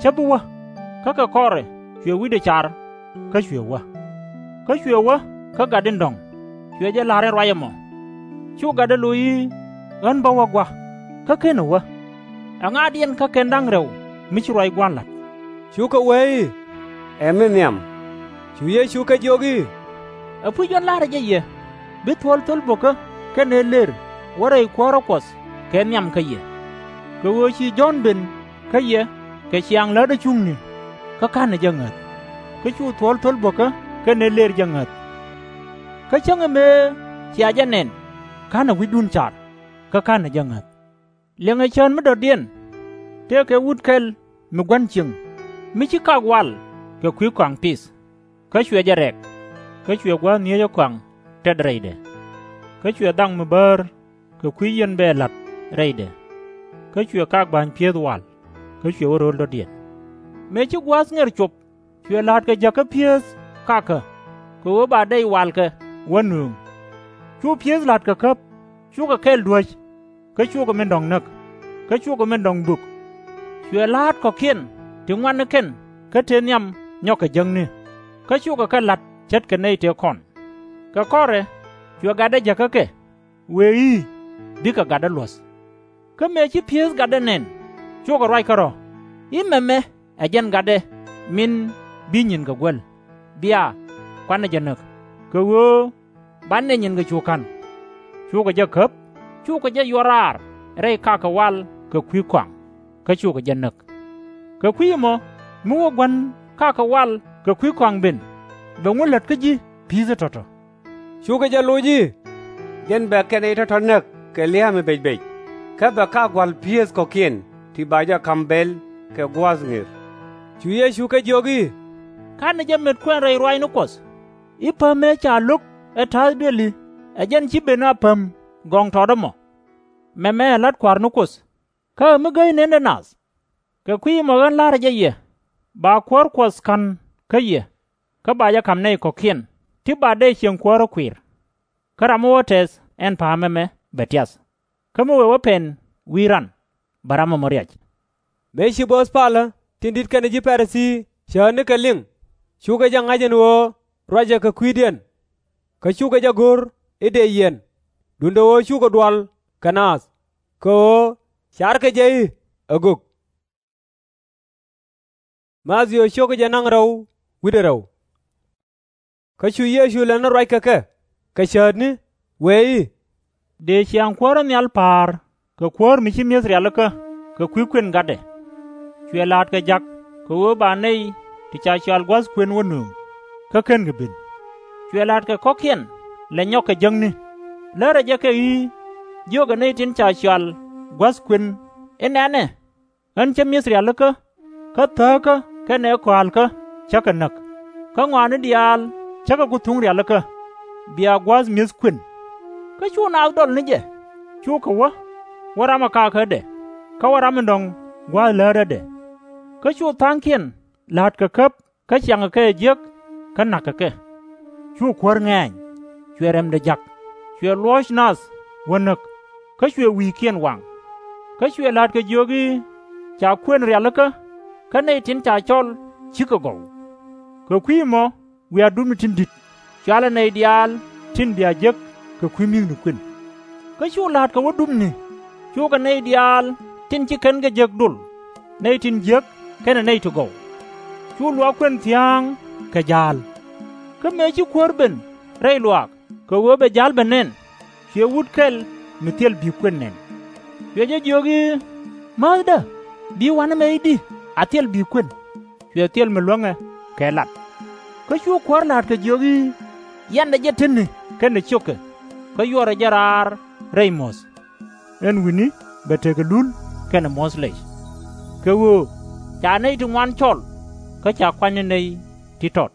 Cä bi wä. Kä kɛ kɔrɛ cuɛ wi̱cdɛ car, kä cuɛ wä. Kä cuɛ wä kä gat in dɔ̱ŋ, cuɛ jɛ la̱r in ruac ɛmɔ. Cu gatdɛ loc i̱, Ɣän bä wä gua̱, kä /kenɛ wä. Ɛŋaadiɛn kä kɛn da̱ŋ rɛw mi ci ruac Gua̱n la̱t? Cukɛ wee i̱, Ɛ mi nhiam. Cu Yecu kɛ jiök i̱, Ɛpuc ɣän la̱rä jɛ yɛ, bi thuɔ̱l thol bo̱kä kɛnɛ lër wä rɛy kuäärä Kuɔth kɛ nhiam kä yɛ. Kɛ ɣöö ci Jɔ̱ɔ̱n ben kä yɛ kɛ ciaŋ lätdä cuŋni, kä /ka̱nɛ jɛ ŋäth, kä cu thuɔ̱l thol bo̱kä kɛnɛ lër jɛ ŋäth. Kä cäŋ mëë cia jɛ nɛn, /ka̱nɛ wi̱cdun car, kä /ka̱nɛ jɛ ŋäth. Liɛŋɛ cään mi dɔ̱diɛn, tëëkɛ wut kɛl mi gua̱n cieŋ, mi ci kak wal kɛ kui̱ kɔaŋ pith. Kä cuɛ jɛ rɛk, kä cuɛ gua̱a̱th nyieecä kɔaŋ tɛt rɛydɛ. Kä cuɛ dhaŋ mi bäär kɛ kui̱ yɛn bɛ la̱t rɛydɛ. Kä cuɛ kak ba̱ny pi̱eth wal, kä cuɛ wä ro̱l dɔ̱diɛn. Mëë ci gua̱a̱th ŋɛr cop, cuɛ la̱a̱tkɛ jäkä pi̱eth kakä, kɛ ɣöö ba dɛy walkɛ wä nööŋ. Cu pi̱eth la̱t kɛ käp, cukɛ kɛl duäc, kä cukɛ min dɔ̱ŋ näk, kä cukɛ min dɔ̱ŋ bök. Cuɛ la̱a̱t kɔ̱kiɛn ti ŋuan ni kɛn kä tëë nhiam nyɔk kɛ jäkni, kä cukɛ kɛ la̱t ce̱tkɛ nɛy tëë kɔn. Kɛ kɔrɛ cuɛ gatdɛ jäkä kɛ, wëë i̱, Bikɛ gatdä luɔ̱th. Kä mëë ci pi̱eth gatdɛ nɛn, cukɛ ruac kärɔ̱ i̱, Mɛmɛ ɛ jɛn gatdɛ min bi nyinkɛ guäl. Bia, kuanɛ jɛ näk, kɛ ɣöö banɛ nyinkɛ cu ka̱n. Cukɛ jɛ käp, cukɛ jɛ yuɔr raar rɛy kakä wal kɛ kui̱ kɔaŋ, kä cukɛ jɛ näk. Kɛ kui̱ ɛmɔ, mi wä gua̱n kakä wal kɛ kui̱ kɔaŋ ben, bɛ ŋu lät kä ji̱ pi̱i̱thä tɔ̱tɔ̱? Cukɛ jɛ loc i̱, Jɛn bɛ kɛn nɛy tɔ̱tɔ̱ näk kɛ lia̱a̱ mi becbec, kä bɛ kak gua̱l pi̱eth kɔ̱kiɛn ti ba jɛ ka̱m bɛl kɛ gua̱a̱th ŋër. Cu Yecu kɛ jiök i̱, /Ka̱nɛ jɛ met kuɛn rɛy ruaacni Kuɔth i̱, Päm ëë ca lo̱k ɛ ta̱a̱th duëli, ɛ jɛn ci ben a päm gɔŋtɔt ɛmɔ? Mɛmɛ ɛ la̱t kua̱r ni Kuoth, kä ɛ mi gäy nëndɛ nath. Kɛ kui̱ ɛmɔ ɣän la̱rä jɛ yɛ, ba kuäär Kuɔth ka̱n kä yɛ, kä ba jɛ ka̱m nɛy kɔ̱kiɛn ti ba dɛy cieŋ kuäärä kui̱r. Kä ram mi wä tɛth ɛn pa̱a̱m ɛmɛ bɛ tiath, kä mi wëë wä pɛn wi̱i̱ ran, bɛ ram ɛmɔ riac. Mëë ci bo̱o̱th palä tin di̱t kɛnɛ ji̱ Pa-ri-thii cäätni kɛ liŋ, cukɛ jɛ ŋa̱c ɛn ɣöö ruacɛ kɛ kui̱diɛn. Kä cukɛ jɛ go̱r i̱ dëë yiɛn, duundɛ ɣöö cukɛ dual kɛ naath, kɛ ɣöö carkɛ jɛ i̱ ɛ gök. Kä cu Yecu lät ni ruac kɛ kɛ, kɛ cäätni, wëë i̱, Dëë ciaŋ kuäärä nhial pa̱a̱r kɛ kuäär mi ci mi̱eth rialikä kɛ kui̱ kuën gatdɛ. Cuɛ la̱a̱tkɛ ja̱k kɛ ɣöö ba nɛy ti ca cɔal gua̱th kuën wä nööŋ, kä /kenkɛ ben. Cuɛ la̱a̱tkɛ kɔ̱kiɛn lɛ nyɔk kɛ jäkni, lärɛ jɛ kɛ i̱, Jiökɛ nɛy tin ca cɔal gua̱th kuën i̱, Nɛnɛ, ɣän cä mi̱eth rialikä, kä thääkä kɛnɛ kɔa̱a̱lkä cä kɛ näk, kä ŋɔaani diaal cä kɛ ku thuŋ rialikä, bia gua̱a̱th mi̱eth kuën. Kä cu naath dɔl ni jɛ, cukɛ wä, wä ram ɛ kakädɛ, kä wä ram in dɔ̱ŋ gua̱a̱th läätädɛ. Kä cu tha̱a̱ŋkiɛn la̱t kɛ käp kä ciaŋɛ kɛ ɛ jiäk, kä na̱kɛ kɛ. Cu kuäär ŋɛ̈ɛ̈ny, cuɛ rɛmdɛ ja̱k, cuɛ luɔ̱ɔ̱c nath wä näk, kä cuɛ wi̱i̱kiɛn waŋ. Kä cuɛ la̱t kɛ jiök i̱, Ca kuën rialikä, kä nɛy tin ca cɔl /cikɛ gɔw. Kɛ kui̱ ɛmɔ wiaa dupni tin di̱t, cɔalɛ nɛy diaal tin bia jek kɛ kui̱ mi̱thni kuën. Kä cu la̱a̱tkɛ wä dupni, cukɛ nɛy diaal tin ci kɛn kɛ jek dol, nɛy tin jiäk kɛnɛ nɛy ti gɔw. Cu luaak kuën thia̱a̱ŋ kɛ ja̱a̱l. Kä mëë ci kuäär ben rɛy luaak kɛ ɣöö bɛ ja̱l ben nɛn, Cuɛ wut kɛl mi thil bi kuën nɛn. Cuɛ jɛ jiök i̱, Määthdä, bi wa̱nɛ mɛ i̱di a thil bi kuën? Cuɛ thil mi luäŋɛ kɛ lat. Kä cu kuäär la̱a̱t kɛ jiök i̱, Yɛndɛ jɛ tetni kɛnɛ ciökɛ, kä yuɔrɛ jɛ raar rɛy muɔ̱th. Ɛn wi̱ni bɛ tekɛ lul kɛnɛ muɔ̱th lɛc. Kɛ ɣöö ca nɛy ti ŋuan cɔl, kä ca kuany ni nɛy ti tɔt.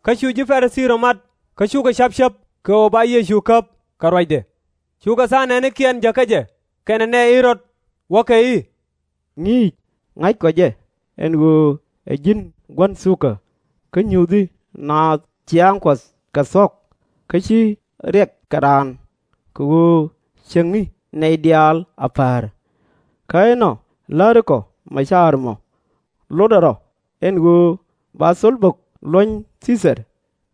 Kä cu ji̱ Pa-ri-thii rɔ̱ mat, kä cukɛ ca̱p cäp kɛ ɣöö ba Yecu käp kɛ ruacdɛ. Cukɛ tha̱a̱ŋ nɛɛnikiɛn jäkä jɛ kɛnɛ nɛy Ɣɛ-rɔd, wäkɛ i̱, Ŋi̱i̱c, ŋa̱ckɔ jɛ, ɛn ɣöö ɛ ji̱n gua̱n thukä, kä nyuthi naath ciaaŋ Kuɔth kɛ thuɔ̱k, kä /ci riɛk kɛ raan, kɛ ɣöö cieŋni nɛy diaal a päär. Kä inɔ läärikɔ mɛ caar mɔ, lotdɛ rɔ̱, ɛn ɣöö ba thol bök luɔ̱ny Thii-thɛr,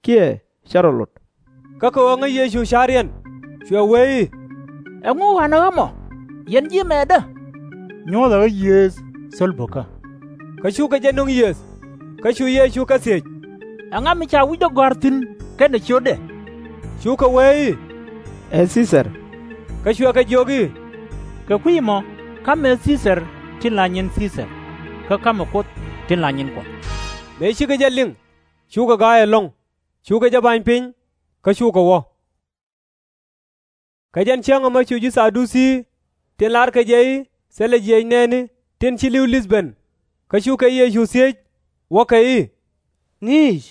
kiɛ /cɛ rɔ lot. Kä kɛ ɣöö ŋäc Yecu ca̱riɛn, cuɛ wee i̱, Ɛŋu ɣa̱nɛ ɣä mɔ? Yɛn ji̱ mɛɛtdä. Nyuɔ̱thɛ ɣä yiëëth thol bökä. Kä cukɛ jɛ nöŋ yiëëth. Kä cu Yecu kɛ thiec, Ɛŋa mi ca wi̱cdɛ gɔ̱a̱r thi̱n kɛnɛ ciötdɛ? Cukɛ wee i̱, Ɛ Thii-thɛr. Kä cuɛ kɛ jiök i̱, Kɛ kui̱ ɛmɔ, ka̱m ɛ Thii-thɛr tin la nyin Thii-thɛr, kä ka̱mɛ Kuoth tin la nyin Kuɔth. Mëë cikɛ jɛ liŋ, cukɛ ga̱a̱c ɛlɔ̱ŋ, cukɛ jɛ ba̱ny piny, kä cukɛ wä. Kɛ jɛn cäŋ ɛmɔ cu ji̱ Tha-du-thii, tin la̱rkɛ jɛ i̱ thilɛ jiɛc nɛɛni tin ci li̱w li̱th ben, kä cukɛ Yecu thiec, wäkɛ i̱, Ŋi̱i̱c,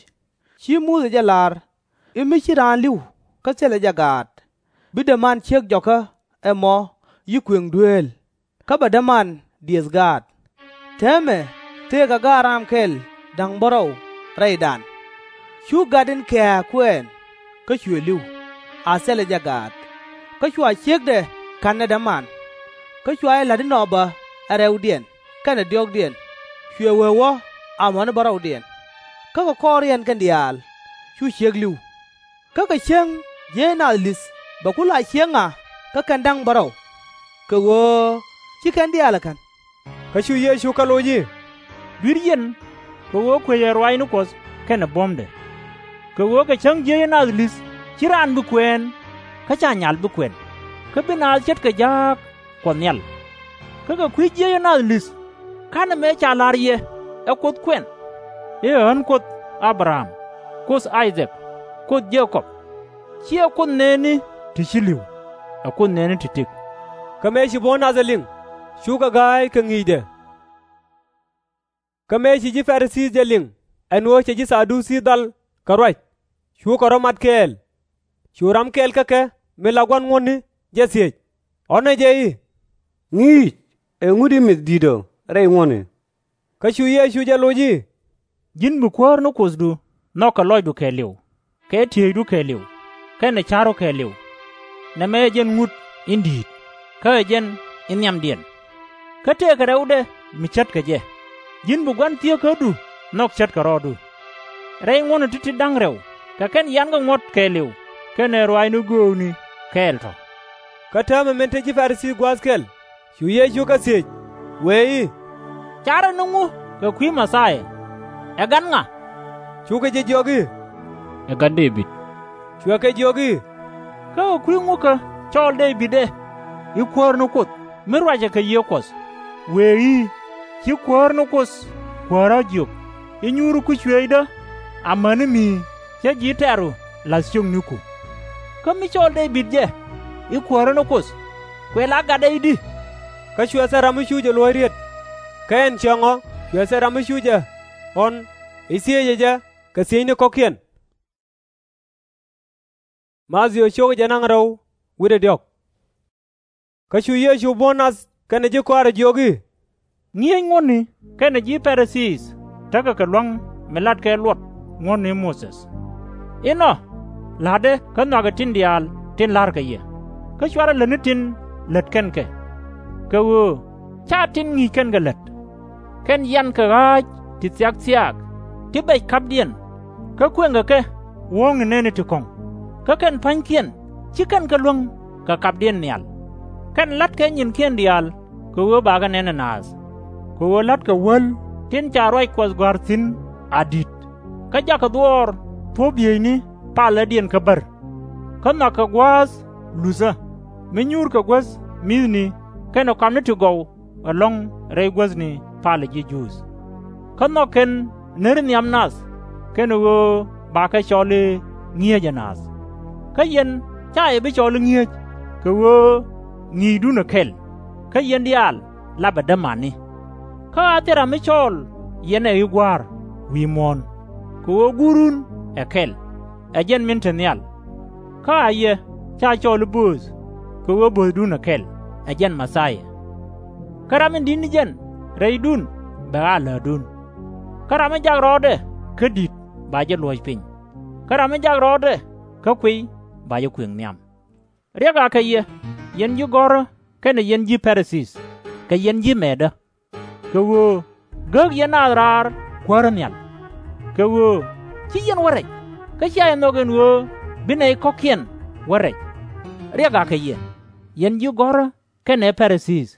ci Muthɛ jɛ la̱r i̱ mi ci raan li̱w kä thilɛ jɛ gaat, bi däman ciek jɔkä ɛmɔ yi kuëŋ dueel, kä bɛ däman diëth gaat. Täämɛ tëëkɛ gaat ram kɛl da̱ŋ bärɔw rɛydan. Cu gat in kɛ̱̈ɛ̱̈ kuɛɛn, kä cuɛ li̱w, a thilɛ jɛ gaat, kä cua ciekdɛ ka̱n ɛ däman. Kä cua jɛ la̱t inɔ bä ɛ rɛwdiɛn kɛnɛ diɔ̱ɔ̱kdiɛn, cuɛ wee wä amäni bärɔwdiɛn. Kä kɛ kɔriɛn kɛn diaal cu ciek li̱w. Kä kɛ cäŋ jiäc naath li̱th bɛ ku la ciek ŋa kä kɛn da̱ŋ bärɔw? Kɛ ɣöö /ci kɛn diaal ɛ ka̱n. Kä cu Yecu kɛ loc i̱, Dui̱r yɛn, kɛ ɣöö kuecɛ ruaacni Kuɔth kɛnɛ buɔ̱mdɛ. Kɛ ɣöö kɛ cäŋ jiäcä naath li̱th /ci raan bi kuɛɛn, kä /ca nyal bi kuɛn, kä bi naath ce̱tkɛ ja̱a̱k Kuɔth Nhial. Kä kɛ kui̱ jiäcä naath li̱th, /ka̱nɛ mëë ca la̱r yɛ ɛ Kuoth kuɛn, i̱ ɛ ɣän Kuoth A-bɛ-ram, Kuoth I-dhak, Kuoth Je-kɔb? /Ciɛ Kuoth nɛɛni ti ci li̱w, ɛ Kuoth nɛɛni ti tëk. Kä mëë ci buɔ̱n nath ɛ liŋ, cukɛ ga̱a̱c kɛ ŋi̱i̱cdɛ. Kä mëë ci ji̱ Pa-ri-thii jɛ liŋ ɛn ɣöö cɛ ji̱ Tha-du-thii dhal kɛ ruac, cukɛ rɔ̱ mat kɛɛl. Cu ram kɛl kä kɛ min la gua̱n ŋuɔ̱tni jɛ thiec, ɣɔ̱nɛ jɛ i̱, Ŋi̱i̱c, ɛŋu di mith di̱t ɔ rɛy ŋuɔ̱tni? Kä cu Yecu jɛ loc i̱, Ji̱n bi kuäär ni Kuothdu nhɔk kɛ lɔcdu kɛɛliw, kɛ tieydu kɛɛliw, kɛnɛ ca̱ru kɛɛliw. Nɛmɛ ɛ jɛn ŋut in di̱i̱t, kä ɛ jɛn in nhiamdiɛn. Kä tëëkɛ rɛwdɛ mi ce̱tkɛ jɛ, Ji̱n bi gua̱n thieekädu nhɔk ce̱tkɛ rɔɔdu. Rɛy ŋuɔ̱tni ti̱ti̱ da̱ŋ rɛw kɛ kɛn yankɛ ŋuɔ̱t kɛɛliw kɛnɛ ruaacni göökni kɛɛl tɔ̱. Kä täämɛ min te ji̱ Pa-ri-thii gua̱a̱th kɛl, cu Yecu kɛ thiec, wëë i̱, Carɛ ni ŋu kɛ kui̱ Mɛ-thia-yaa? Ɛ gat ŋa? Cukɛ jɛ jiök i̱, Ɛ gat Dee-bid. Cuɛ kɛ jiök i̱, Kä kɛ kui̱ ŋukä cɔɔl Dee-bid ɛ i̱ Kuäär ni Kuoth mi ruacɛ kɛ Yiëë Kuɔth, wëë i̱, /Ci Kuäär ni Kuoth Kuääru a jiök, i̱ Nyuuru kui̱c cuëëcdä amäni mi cä ji̱ tɛ̈ru la̱th ciökniku? Kä mi cɔɔl Dee-bid jɛ i̱ Kuääru ni Kuoth, kuɛ la gatdɛ i̱di? Kä cuɛ thil ram mi cu jɛ luɔ̱c riet. Kä ɛn ciaŋ ɔ cuɛ thil ram mi cu jɛ ɣɔ̱n i̱ thiëcɛ jɛ kɛ thiecni kɔ̱kiɛn. Kä cu Yecu buɔ̱n nath kɛnɛ ji̱ kɔaarɛ jiök i̱, Ŋi̱eec ŋuɔ̱tni kɛnɛ ji̱ Pa-ri-thii tekɛ kɛ lua̱ŋ mi latkɛ luɔt ŋuɔ̱tni Muthɛ. Inɔ la̱tdɛ kä nhɔakɛ tin diaal tin la̱rkɛ yɛ, kä /cuarɛ lät ni tin lät kɛn kɛ. Kɛ ɣöö /ca tin ŋi̱i̱c kɛn kɛ lät. Kɛn yankɛ ɣa̱a̱c ti thia̱k thiaak, ti bɛc ka̱pdiɛn, kä kuëŋkɛ kɛ wuɔ̱ɔ̱ŋni nɛɛni ti kɔ̱ŋ, kä kɛn pa̱nykiɛn /ci kɛn kɛ luäŋ kɛ kapdiɛn nhial. Kɛn la̱tkɛ nyinkiɛn diaal kɛ ɣöö bakɛ nɛn ɛ naath, kɛ ɣöö la̱tkɛ wäl tin ca ruac Kuɔth gɔ̱a̱r thi̱n a di̱t, kä jakɛ dhuɔɔr thuɔ̱ɔ̱p yiëëcni palädiɛn kä bär. Kä nhɔakɛ gua̱a̱th luthä, mi nyuurkɛ guäth mi̱thni kɛnɛ kɔamni ti gɔw ɛlɔ̱ŋ rɛy guäthni palä ji̱ Juudh. Kä nhɔk kɛn neer nhiam nath, kɛnɛ ɣöö bakɛ cɔl i̱ ŋi̱eecä naath. Kä yɛn /ca yɛ bi cɔl i̱ ŋi̱eec, kɛ ɣöö ŋi̱i̱cdun ɛ kɛl, kä yɛn diaal lapɛ dämani. Kä a thil ram mi cɔɔl yɛn ɛ i̱ Gua̱a̱r wi̱i̱ muɔ̱ɔ̱n, kɛ ɣöö Guurun ɛ kɛl, ɛ jɛn min te nhial. Kä a yɛ /ca cɔl i̱ Bööth, kɛ ɣöö böthdun ɛ kɛl, ɛ jɛn Mɛ-thia. Kä ram in di̱t ni jɛn rɛydun bɛ a läätdun. Kä ram mi jak rɔɔdɛ kä di̱t ba jɛ luɔ̱c piny, kä ram mi jak rɔɔdɛ kä kuiy ba jɛ kuëŋ nhiam. Riɛk akɛ yɛ, yɛn ji̱ gɔ̱rä kɛnɛ yɛn ji̱ Pa-ri-thii, kɛ yɛn ji̱ mɛɛtdä! Kɛ ɣöö gäk yɛn naath raar kuäärä nhial. Kɛ ɣöö /ci yɛn wä rɛc, kä /cia yɛ nhɔk ɛn ɣöö bi nɛy kɔ̱kiɛn wä rɛc. Riɛk akɛ yɛ, yɛn ji̱ gɔ̱rä kɛnɛ Pa-ri-thii,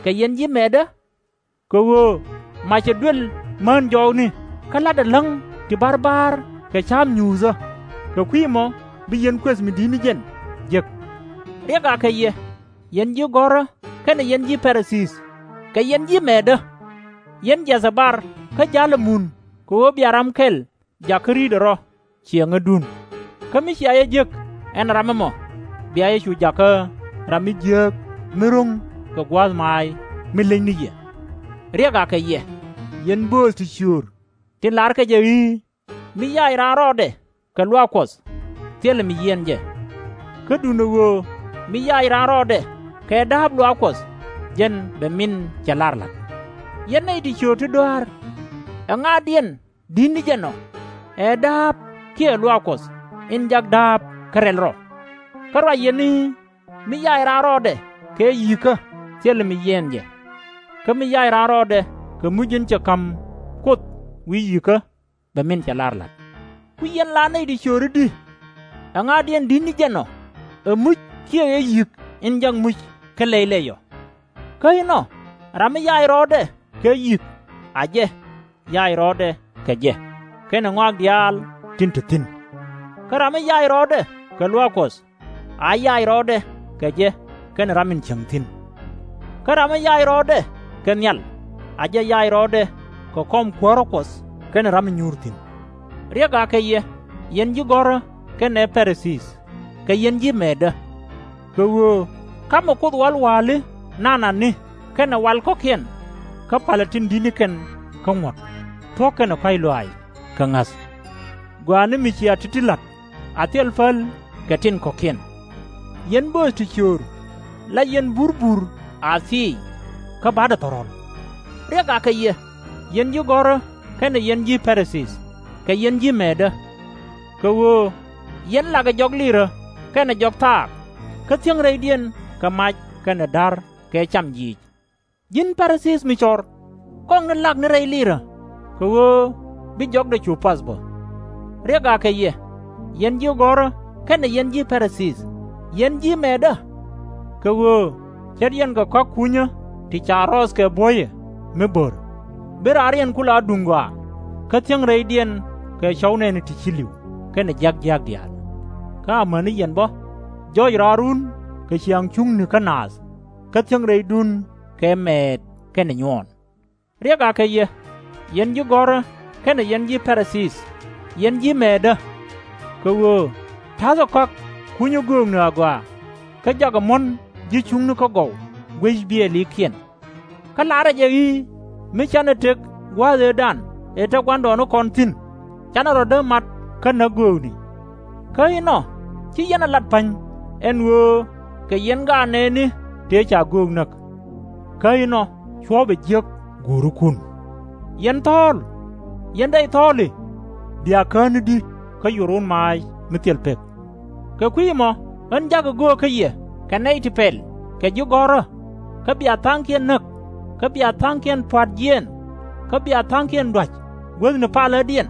kɛ yɛn ji̱ mɛɛtdä! Kɛ ɣöö macɛ duël mään jɔɔkni kä la̱tdɛ läŋ ti barbaar kɛ ca̱a̱p nyuuthä, kɛ kui̱ ɛmɔ bi yɛn kuëth mi di̱t ni jɛn jek. Riɛk akɛ yɛ, yɛn ji̱ gɔ̱rä kɛnɛ yɛn ji̱ Pa-ri-thii, kɛ yɛn ji̱ mɛɛtdä! Yɛn jiathɛ bar kä ja̱lɛ mun kɛ ɣöö bia ram kɛl jakä ri̱tdɛ rɔ̱ ciɛŋädun. Kä mi cia yɛ jek ɛn ram ɛmɔ, bia yɛ cu jakä ram mi jiääk mi ro̱ŋ kɛ gua̱a̱th maac mi leny ni yɛ. Riɛk akɛ yɛ, yɛn bööth ti ciöör tin la̱rkɛ jɛ i̱, Mi yac raan rɔɔdɛ kɛ luaak Kuɔth, thilɛ mi yiɛɛn jɛ. Kä duundɛ ɣöö mi yac raan rɔɔdɛ kɛ dääp luaak Kuɔth, jɛn bɛ min cɛ lar la̱t. Yɛn nɛy ti ciöör ti dɔa̱a̱r, ɛŋa̱diɛn di̱t ni jɛn ɔ ɛ dääp kiɛ luaak Kuɔth in jak dääp kä rɛl rɔ? Kä ruac yɛn i̱, Mi yac raan rɔɔdɛ kɛ yi̱i̱kä, thilɛ mi yiɛɛn jɛ. Kä mi yac raan rɔɔdɛ kɛ muc in cɛ ka̱m Kuoth wi̱i̱ yi̱i̱kä, bɛ min cɛ lar la̱t. Kui̱ yɛn la nɛy ti ciöör i̱di! Ɛŋa̱diɛn di̱t ni jɛn ɔ ɛ muc kiɛ ɛ yi̱k in jak muc kä lɛy lɛy ɔ? Kä inɔ, ram mi yac rɔɔdɛ kɛ yi̱k, a jɛ yac rɔɔdɛ kɛ jɛ kɛnɛ ŋɔak diaal tin te thi̱n. Kä ram mi yac rɔɔdɛ kɛ luaak Kuɔth, a yac rɔɔdɛ kɛ jɛ kɛnɛ ram in cieŋ thi̱n. Kä ram mi yac rɔɔdɛ kɛ nhial, a jɛ yac rɔɔdɛ kɛ kɔm kuäärä Kuɔth kɛnɛ ram in nyuur thi̱n. Riɛk akɛ yɛ, yɛn ji̱ gɔ̱rä kɛnɛ Pa-ri-thii, kɛ yɛn ji̱ mɛɛtdä! Kɛ ɣöö ka̱mɛ Kuoth wal wa̱a̱li nanani kɛnɛ wal kɔ̱kiɛn, kä palɛ tin di̱t ni kɛn kä ŋuɔ̱t, thuɔ̱k kɛnɛ kɔ̱a̱c lɔaac kɛ ŋa̱th. Gɔaa ni mi cia ti̱ti̱ la̱t, a thil päl kɛ tin kɔ̱kiɛn. Yɛn bööth ti ciöör, la yɛn burbur a thiic, kä ba̱dɛ thɔ̱rɔ̱l. Riɛk akɛ yɛ, yɛn ji̱ gɔ̱rä kɛnɛ yɛn ji̱ Pa-ri-thii, kɛ yɛn ji̱ mɛɛtdä! Kɛ ɣöö yɛn lakɛ jɔk lirä kɛnɛ jɔk thaak, kä thiäŋ rɛydiɛn kɛ mac kɛnɛ da̱r kɛ cam jiic. Ji̱n Pa-ri-thii mi cɔr, kɔŋni lak ni rɛy lirä, kɛ ɣöö bi jɔkdɛ cu path bä. Riɛk akɛ yɛ, yɛn ji̱ gɔ̱rä kɛnɛ yɛn ji̱ Pa-ri-thii, yɛn ji̱ mɛɛtdä! Kɛ ɣöö ce̱t yɛn kɛ kɔ̱a̱k kunyä ti ca rɔɔth kɛ buɔ̱yɛ mi bär, bi raariɛn ku la duŋ gɔaa, kä thiäŋ rɛydiɛn kɛ cɔw nɛɛni ti ci li̱w kɛnɛ jiäk jiääk diaal. Kä amäni yɛn bä, jɔc raarun kɛ ciaŋ cuŋni kä naath, kä thiäŋ rɛydun kɛ mɛɛt kɛnɛ nyuɔɔn. Riɛk akɛ yɛ, yɛn ji̱ gɔ̱rä kɛnɛ yɛn ji̱ Pa-ri-thii, yɛn ji̱ mɛɛtdä! Kɛ ɣöö ta̱thɛ kɔ̱a̱k kunyä göökni agɔaa, kä jakɛ muɔ̱n ji̱ cuŋni kä gɔw guec biɛɛlikiɛn. Kä la̱rä jɛ i̱, Mi canɛ tëk gua̱a̱th ëëdan ëë te gua̱ndɔɔŋnikɔn thi̱n, canɛ rɔ̱ dee mat kä näk göökni. Kä inɔ /ci yɛn ɛ lat pa̱ny ɛn ɣöö kɛ yɛn gaat nɛɛni tëë ca göök näk. Kä inɔ cuɔ̱ɔ̱pɛ jiäk guurikun. Yɛn thɔ̱ɔ̱l, yɛn rɛy thɔ̱ɔ̱li, bia kään i̱di kä yurun maac mi thil pek. Kɛ kui̱ ɛmɔ ɣän ja̱kɛ göök kä yɛ kɛ nɛy ti pɛl kɛ ji̱ gɔ̱rä, kä bia tha̱a̱ŋkiɛn näk, kä bia tha̱a̱ŋkiɛn pua̱t jiɛɛn, kä bia tha̱a̱ŋkiɛn dua̱c guäthni palädiɛn,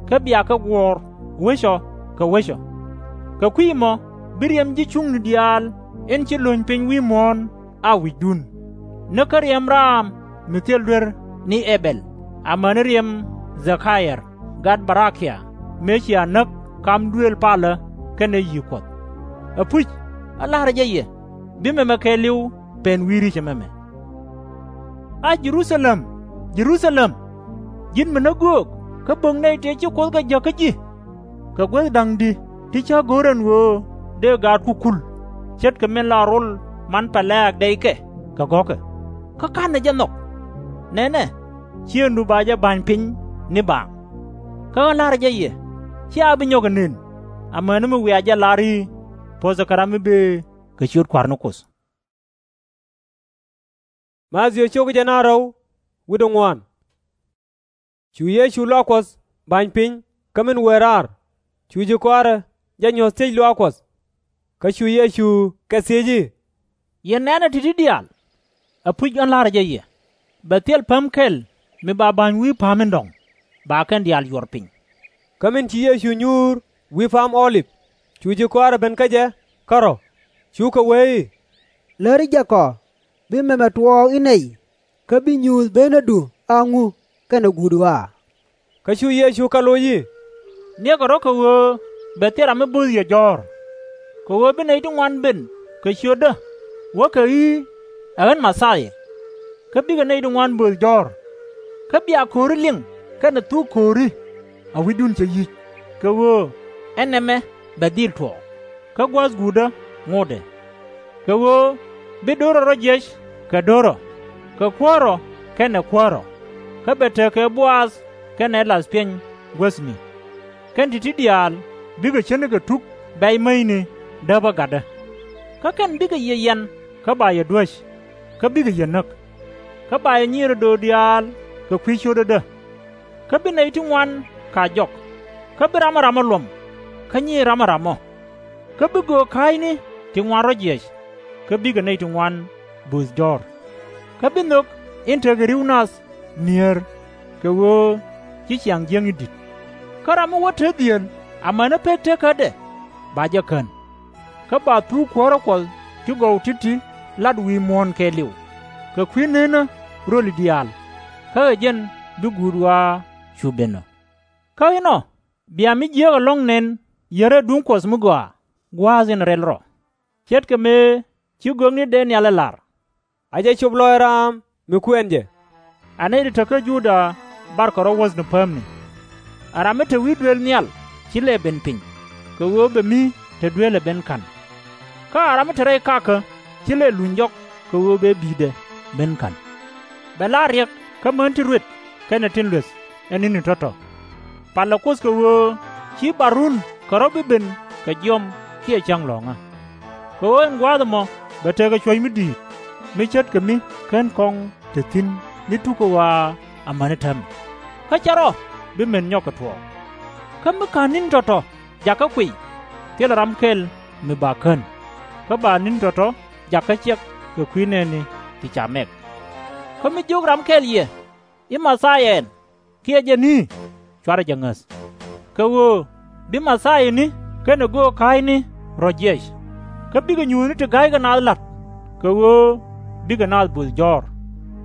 kä bia kɛ guɔ̱ɔ̱r wecɔ kɛ wecɔ. Kɛ kui̱ ɛmɔ bi riɛm ji̱ cuŋni diaal in ci lo̱ny piny wi̱i̱ muɔ̱ɔ̱n a wi̱cdun, näk kä riɛm raam mi thil duer ni Ɛ-bɛl, amäni riɛm Dha-ka-yɛr gat Ba-ra-kia, mëë cia näk kam duëël palä kɛnɛ yi̱i̱k Kuɔth. Ɛpuc, ɣä la̱rä jɛ yɛ, bi mɛmɛ kɛɛliw pɛn wi̱i̱ ri̱c ɛmɛmɛ. A Jɛ-ru-tha-lɛm, Jɛ-ru-tha-lɛm, ji̱n mi näk göök kä bo̱k nɛy tëë ci Kuoth kɛ jäk kä ji̱, kɛ guäth da̱ŋ di̱ ti cä go̱r ɛn ɣöö dëë gaatku kul, ce̱tkɛ min la rol man pɛlɛ̈ɛ̈k dɛykɛ kɛ gɔ̱kɛ, kä ka̱nɛ jɛ nhɔk! Nɛnɛ, ciëŋdu ba jɛ ba̱ny piny ni baaŋ. Kä ɣän la̱rä jɛ yɛ, /cia bi nyɔk ɛ nën, amäni mi wiaa jɛ lar i̱, Puɔ̱thɛ kɛ ram mi bëë kɛ ciöt Kua̱r ni Kuoth. Cu Yecu luaak Kuɔth ba̱ny piny kä min wëë raar, cu ji̱ kɔaarä jɛ nyuɔ̱th thiec luaak Kuɔth. Kä cu Yecu kɛ thiec i̱, Yɛn nɛ̈nɛ ti̱ti̱ diaal? Ɛpuc ɣän la̱rä jɛ yɛ, bɛ thil päm kɛl mi ba ba̱ny wi̱i̱ pa̱a̱m in dɔ̱ŋ, ba kɛn diaal yuɔr piny. Kä min ci Yecu nyuur wi̱i̱ Pa̱a̱m Ɔ-lip, cu ji̱ kɔaarä ben kä jɛ kärɔ̱, cukɛ wee i̱, Läri jɛ kɔ, bi mɛmɛ tuɔɔk i̱ nɛy, kä bi nyuuth benädu a ŋu kɛnɛ guut ɣɔaa? Kä cu Yecu kɛ loc i̱, Niɛkɛ rɔ̱ kɛ ɣöö bɛ thil ram mi bo̱o̱th yɛ jɔ̱ɔ̱r. Kɛ ɣöö bi nɛy ti ŋuan ben kɛ ciötdä, wäkɛ i̱, Ɛ ɣän Mɛ-thia, kä bikɛ nɛy ti ŋuan bööth jɔ̱ɔ̱r. Kä bia ko̱ri liŋ kɛnɛ thuk ko̱ri, a wi̱cdun cɛ yi̱c, kɛ ɣöö ɛ nɛmɛ bɛ dhil tuɔɔk, kä gua̱a̱th guutdä ŋotdɛ. Kɛ ɣöö bi do̱r rɔ jiɛc kɛ do̱r rɔ, kɛ kuäär rɔ kɛnɛ kuäär rɔ, kä bɛ tekɛ Bo-ath kɛnɛ lath piɛny guäthni. Kɛn ti̱ti̱ diaal bikɛ ce̱tnikɛ tuk bɛ̈c mäcni däpä gatdä. Kä kɛn bikɛ yɛ yiɛn kä ba yɛ duäc, kä bikɛ yɛ näk. Kä ba yɛ nyier ɛ döör diaal kɛ kui̱ cio̱tädä. Kä bi nɛy ti ŋuan ka̱c jɔk, kä bi ramɔ ramɔ luɔ̱m, kä nyiir ramɔ ramɔ. Kä bi göök ka̱a̱cni ti ŋuan rɔ jiɛc, kä bikɛ nɛy ti ŋuan bööth jɔ̱ɔ̱r. Kä bi nhök in tekɛ ri̱w nath mi̱eer, kɛ ɣöö ci ciaŋ jiäkni di̱t. Kä ram mi wä te dhieel amäni pek tekädɛ, ba jɛ kän. Kä ba thuk kuäärä Kuɔth ti gɔw ti̱ti̱ lat wi̱i̱ muɔ̱ɔ̱n kɛɛliw, kɛ kui̱ ne̱e̱nä röli diaal, kä ɛ jɛn bi guut ɣɔaa cu ben ɔ. Kä inɔ bia mi jiääk ɛlɔ̱ŋ nɛn yär ɛ duŋ Kuɔth mi gɔaa gua̱a̱th in rɛl rɔ, ce̱tkɛ mëë ci gökni dee nhial ɛ la̱r, A jɛ cop lɔaac raam mi kuɛn jɛ. A nɛy ti te kä Juda barkɛ rɔ̱ wuɔ̱thni päämni. A ram mi te wi̱i̱ duëël nhial /ci lɛ ben piny, kɛ ɣöö bɛ mi te duëël ɛ ben ka̱n. Kä a ram mi te rɛy kakä /ci lɛ luny jɔk kɛ ɣöö bɛ bi̱i̱dɛ ben ka̱n. Bɛ la̱r riɛk kä män tin ruet kɛnɛ tin lueth ɛ ni̱ni tɔ̱tɔ̱. Palɛ Kuoth kɛ ɣöö /ci barun kɛ rɔ̱ bi ben kɛ jiɔam kiɛ cäŋ lɔ̱ŋä. Kɛ ɣöö ɛn gua̱a̱th ɛmɔ bɛ tekɛ cuɔ̱c mi di̱i̱t, mi ce̱tkɛ mi /ken kɔŋ te thi̱n ni tukä ɣɔaa amäni täämɛ, kä /cɛ rɔ bi met nyɔk kɛ tuɔɔk. Kä mi /ka̱n ni̱ni tɔ̱tɔ̱ jakä kuiy, thilɛ ram kɛl mi ba kän, kä ba ni̱ni tɔ̱tɔ̱ jakä ciɛk kɛ kui̱ nɛɛni ti ca mɛk. Kä mi jiök ram kɛl yɛ i̱, Mɛ-thia ɛn, kiɛ jɛn i̱, /cuarɛ jɛ ŋäth, kɛ ɣöö bi Mɛ-thiani kɛnɛ göök ka̱a̱cni rɔ jiɛc, kä bikɛ nyuuthni ti ga̱ykɛ naath la̱t, kɛ ɣöö bikɛ naath bööth jɔ̱ɔ̱r.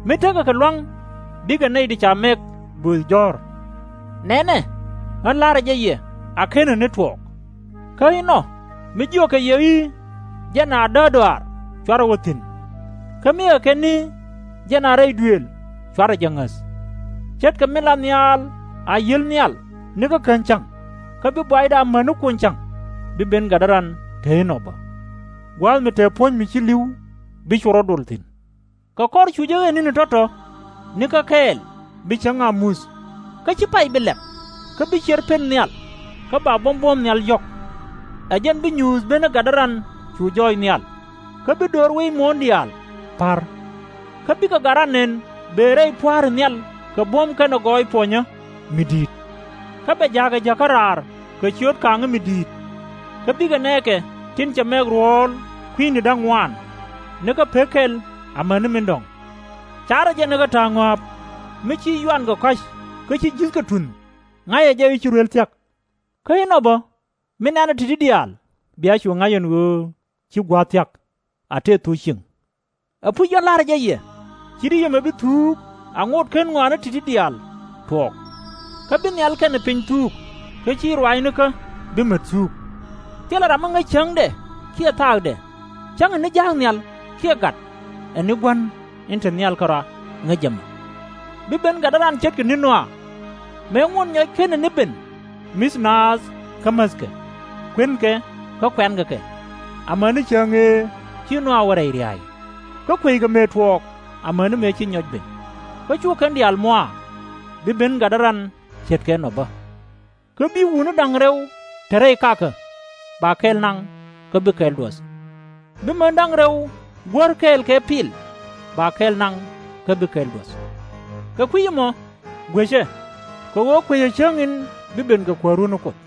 Mi tekɛ kɛ lua̱ŋ bikɛ nɛy ti ca mɛk bööth jɔ̱ɔ̱r. Nɛnɛ, ɣän la̱rä jɛ yɛ, a /kenɛ ni tuɔɔk. Kä inɔ mi jiökɛ yɛ i̱, Jɛn a däär dɔaar, /cuarɛ wä thi̱n, kä mi ɛ kɛn i̱, Jɛn a rɛy duëël, /cuarɛ jɛ ŋäth, ce̱tkɛ min la nhial a yi̱el nhial nikä kän cäŋ, kä bi buaydɛ amäni kuɔny cäŋ bi ben gatdä ran te inɔ bä, gua̱a̱th mi te puɔ̱ny mi ci li̱w bi cu rɔ̱ dol thi̱n. Kɛ kɔr cu jɛ ɣet ni̱ni tɔ̱tɔ̱ nikä kɛɛl bi cäŋ a muth, kä /ci pay bi lɛp, kä bi cier pen nhial, kä ba buɔ̱m buɔ̱ɔ̱m nhial jɔ̱k. Ɛ jɛn bi nyuuth ben ɛ gatdä ran cu jɔɔc nhial, kä bi döör wec muɔ̱ɔ̱n diaal pa̱r. Kä bikɛ gat ran nɛn bëë rɛy pua̱a̱ri nhial kɛ buɔ̱m kɛnɛ gɔɔy puɔnyä mi di̱i̱t. Kä bɛ ja̱a̱kɛ jäkä raar kɛ ciöt ka̱a̱ŋä mi di̱i̱t. Kä bikɛ nɛɛkɛ tin cɛ mɛk ruɔ̱ɔ̱l kui̱ni da̱ŋ ŋuaan, nikä pek kɛl amäni min dɔ̱ŋ. Ca̱rɛ jɛ nikä ta̱a̱ ŋɔa̱a̱p, mi ci yuankɛ kɔ̱a̱c kä ci ji̱thkɛ tunh, ŋa̱cɛ jɛ i̱ ci ruël thia̱k. Kä inɔ bä, mi nɛnɛ ti̱ti̱ diaal bia cu ŋa̱c ɛn ɣöö ci gua̱a̱th thia̱k, a tëë thuk cieŋ. Ɛpuc ɣän la̱rä jɛ yɛ, /ci̱ ti yɛmɛ bi thuuk a ŋot /ken ŋɔaani ti̱ti̱ diaal tuɔɔk. Kä bi nhial kɛnɛ piny thuuk, kä /ci ruaacnikä bi met thuuk. Thilɛ ram mi ŋäc cäŋdɛ kiɛ thaakdɛ, Cäŋɛ ni ja̱a̱k nhial kiɛ gat, ɛ ni Gua̱n in te nhial kärɔa ŋäc ɛmɔ. Bi ben gatdä ran ce̱tkɛ ni̱n Nɔa. Mëë ŋuɔ̱t nyɔc /kenɛ ni ben, mi̱th naath kä mäthkɛ, kuënkɛ kä kuɛ̈nkɛ kɛ, amäni cäŋ ëë ci Nɔa wä rɛy ria̱a̱c, kä kueckɛ mëë tuɔɔk amäni mëë ci nyɔc ben. Kä cu kɛn diaal muaak, bi ben gatdä ran ce̱tkɛ nɔ bä. Kä bi wutni da̱ŋ rɛw te rɛy kakä, ba kɛl naŋ kä bi kɛl duɔth. Bi män da̱ŋ rɛw guäär kɛɛl kɛ pil, ba kɛl naŋ kä bi kɛl duɔth. Kɛ kui̱c ɛmɔ gui̱cɛ, kɛ ɣöö kuecɛ cäŋ in bi ben kɛ kuäärun ni Kuoth.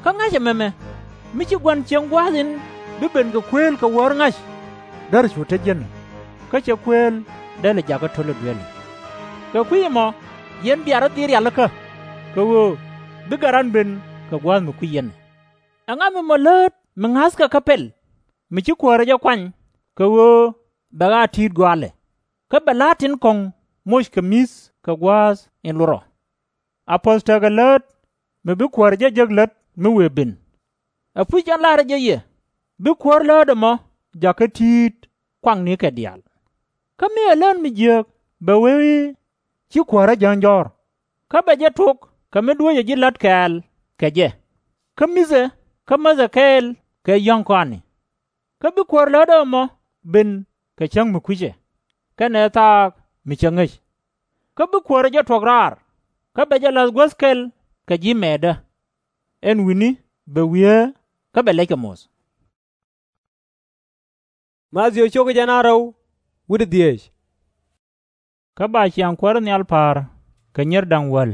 Kä ŋa̱cɛ mɛmɛ, mi ci gua̱n cieŋ gua̱a̱th in bi ben kɛ kuëël kɛ wäär ŋa̱c, därɛ cu te jiɛn ɔ, kä cɛ kuëël dɛl ɛ jakä to̱l ɛ dueeli. Kɛ kui̱c ɛmɔ yɛn bia rɔ̱ dhil rialikä, kɛ ɣöö bi gat ran ben kɛ gua̱a̱th mi kui̱c yɛn ɛ. Ɛŋa mi mɔ läät mi ŋa̱thkɛ kä pɛl, mi ci kuäärä jɛ kuany, kɛ ɣöö bɛ ɣaa ti̱i̱t gɔaalɛ, kä bɛ la̱a̱t tin kɔ̱ŋ moc kɛ mi̱th kɛ gua̱a̱th in lot rɔ? A puɔ̱th tekɛ läät mi bi kuäärä jɛ jek lät mi wëë ben. Ɛpuc jɛn la̱rä jɛ yɛ, bi kuäär läät ɛmɔ jakä ti̱i̱t kuaknikɛ diaal. Kä mi ɛ lät mi jiääk bɛ wee i̱, ci kuäärä jääny jɔ̱ɔ̱r, kä bɛ jɛ tok kɛ mi dueecɛ ji̱ la̱t kɛɛl kɛ jɛ, kä mi̱thɛ kä mäthɛ kɛɛl kɛ yɔ̱ŋ kɔaani. Kä bi kuäär lätdä ɛmɔ ben kɛ cäŋ mi kui̱cɛ, kɛnɛ thaak mi cä ŋäc. Kä bi kuäärä jɛ tuɔ̱k raar, kä bɛ jɛ la̱th guäth kɛl kɛ ji̱ mɛɛtdä. Ɛn wi̱ni bɛ wieer kä bɛ lɛckɛ moth. Kä ba ciaŋ kuäärä nhial pa̱a̱r kɛ nyier da̱ŋ wäl,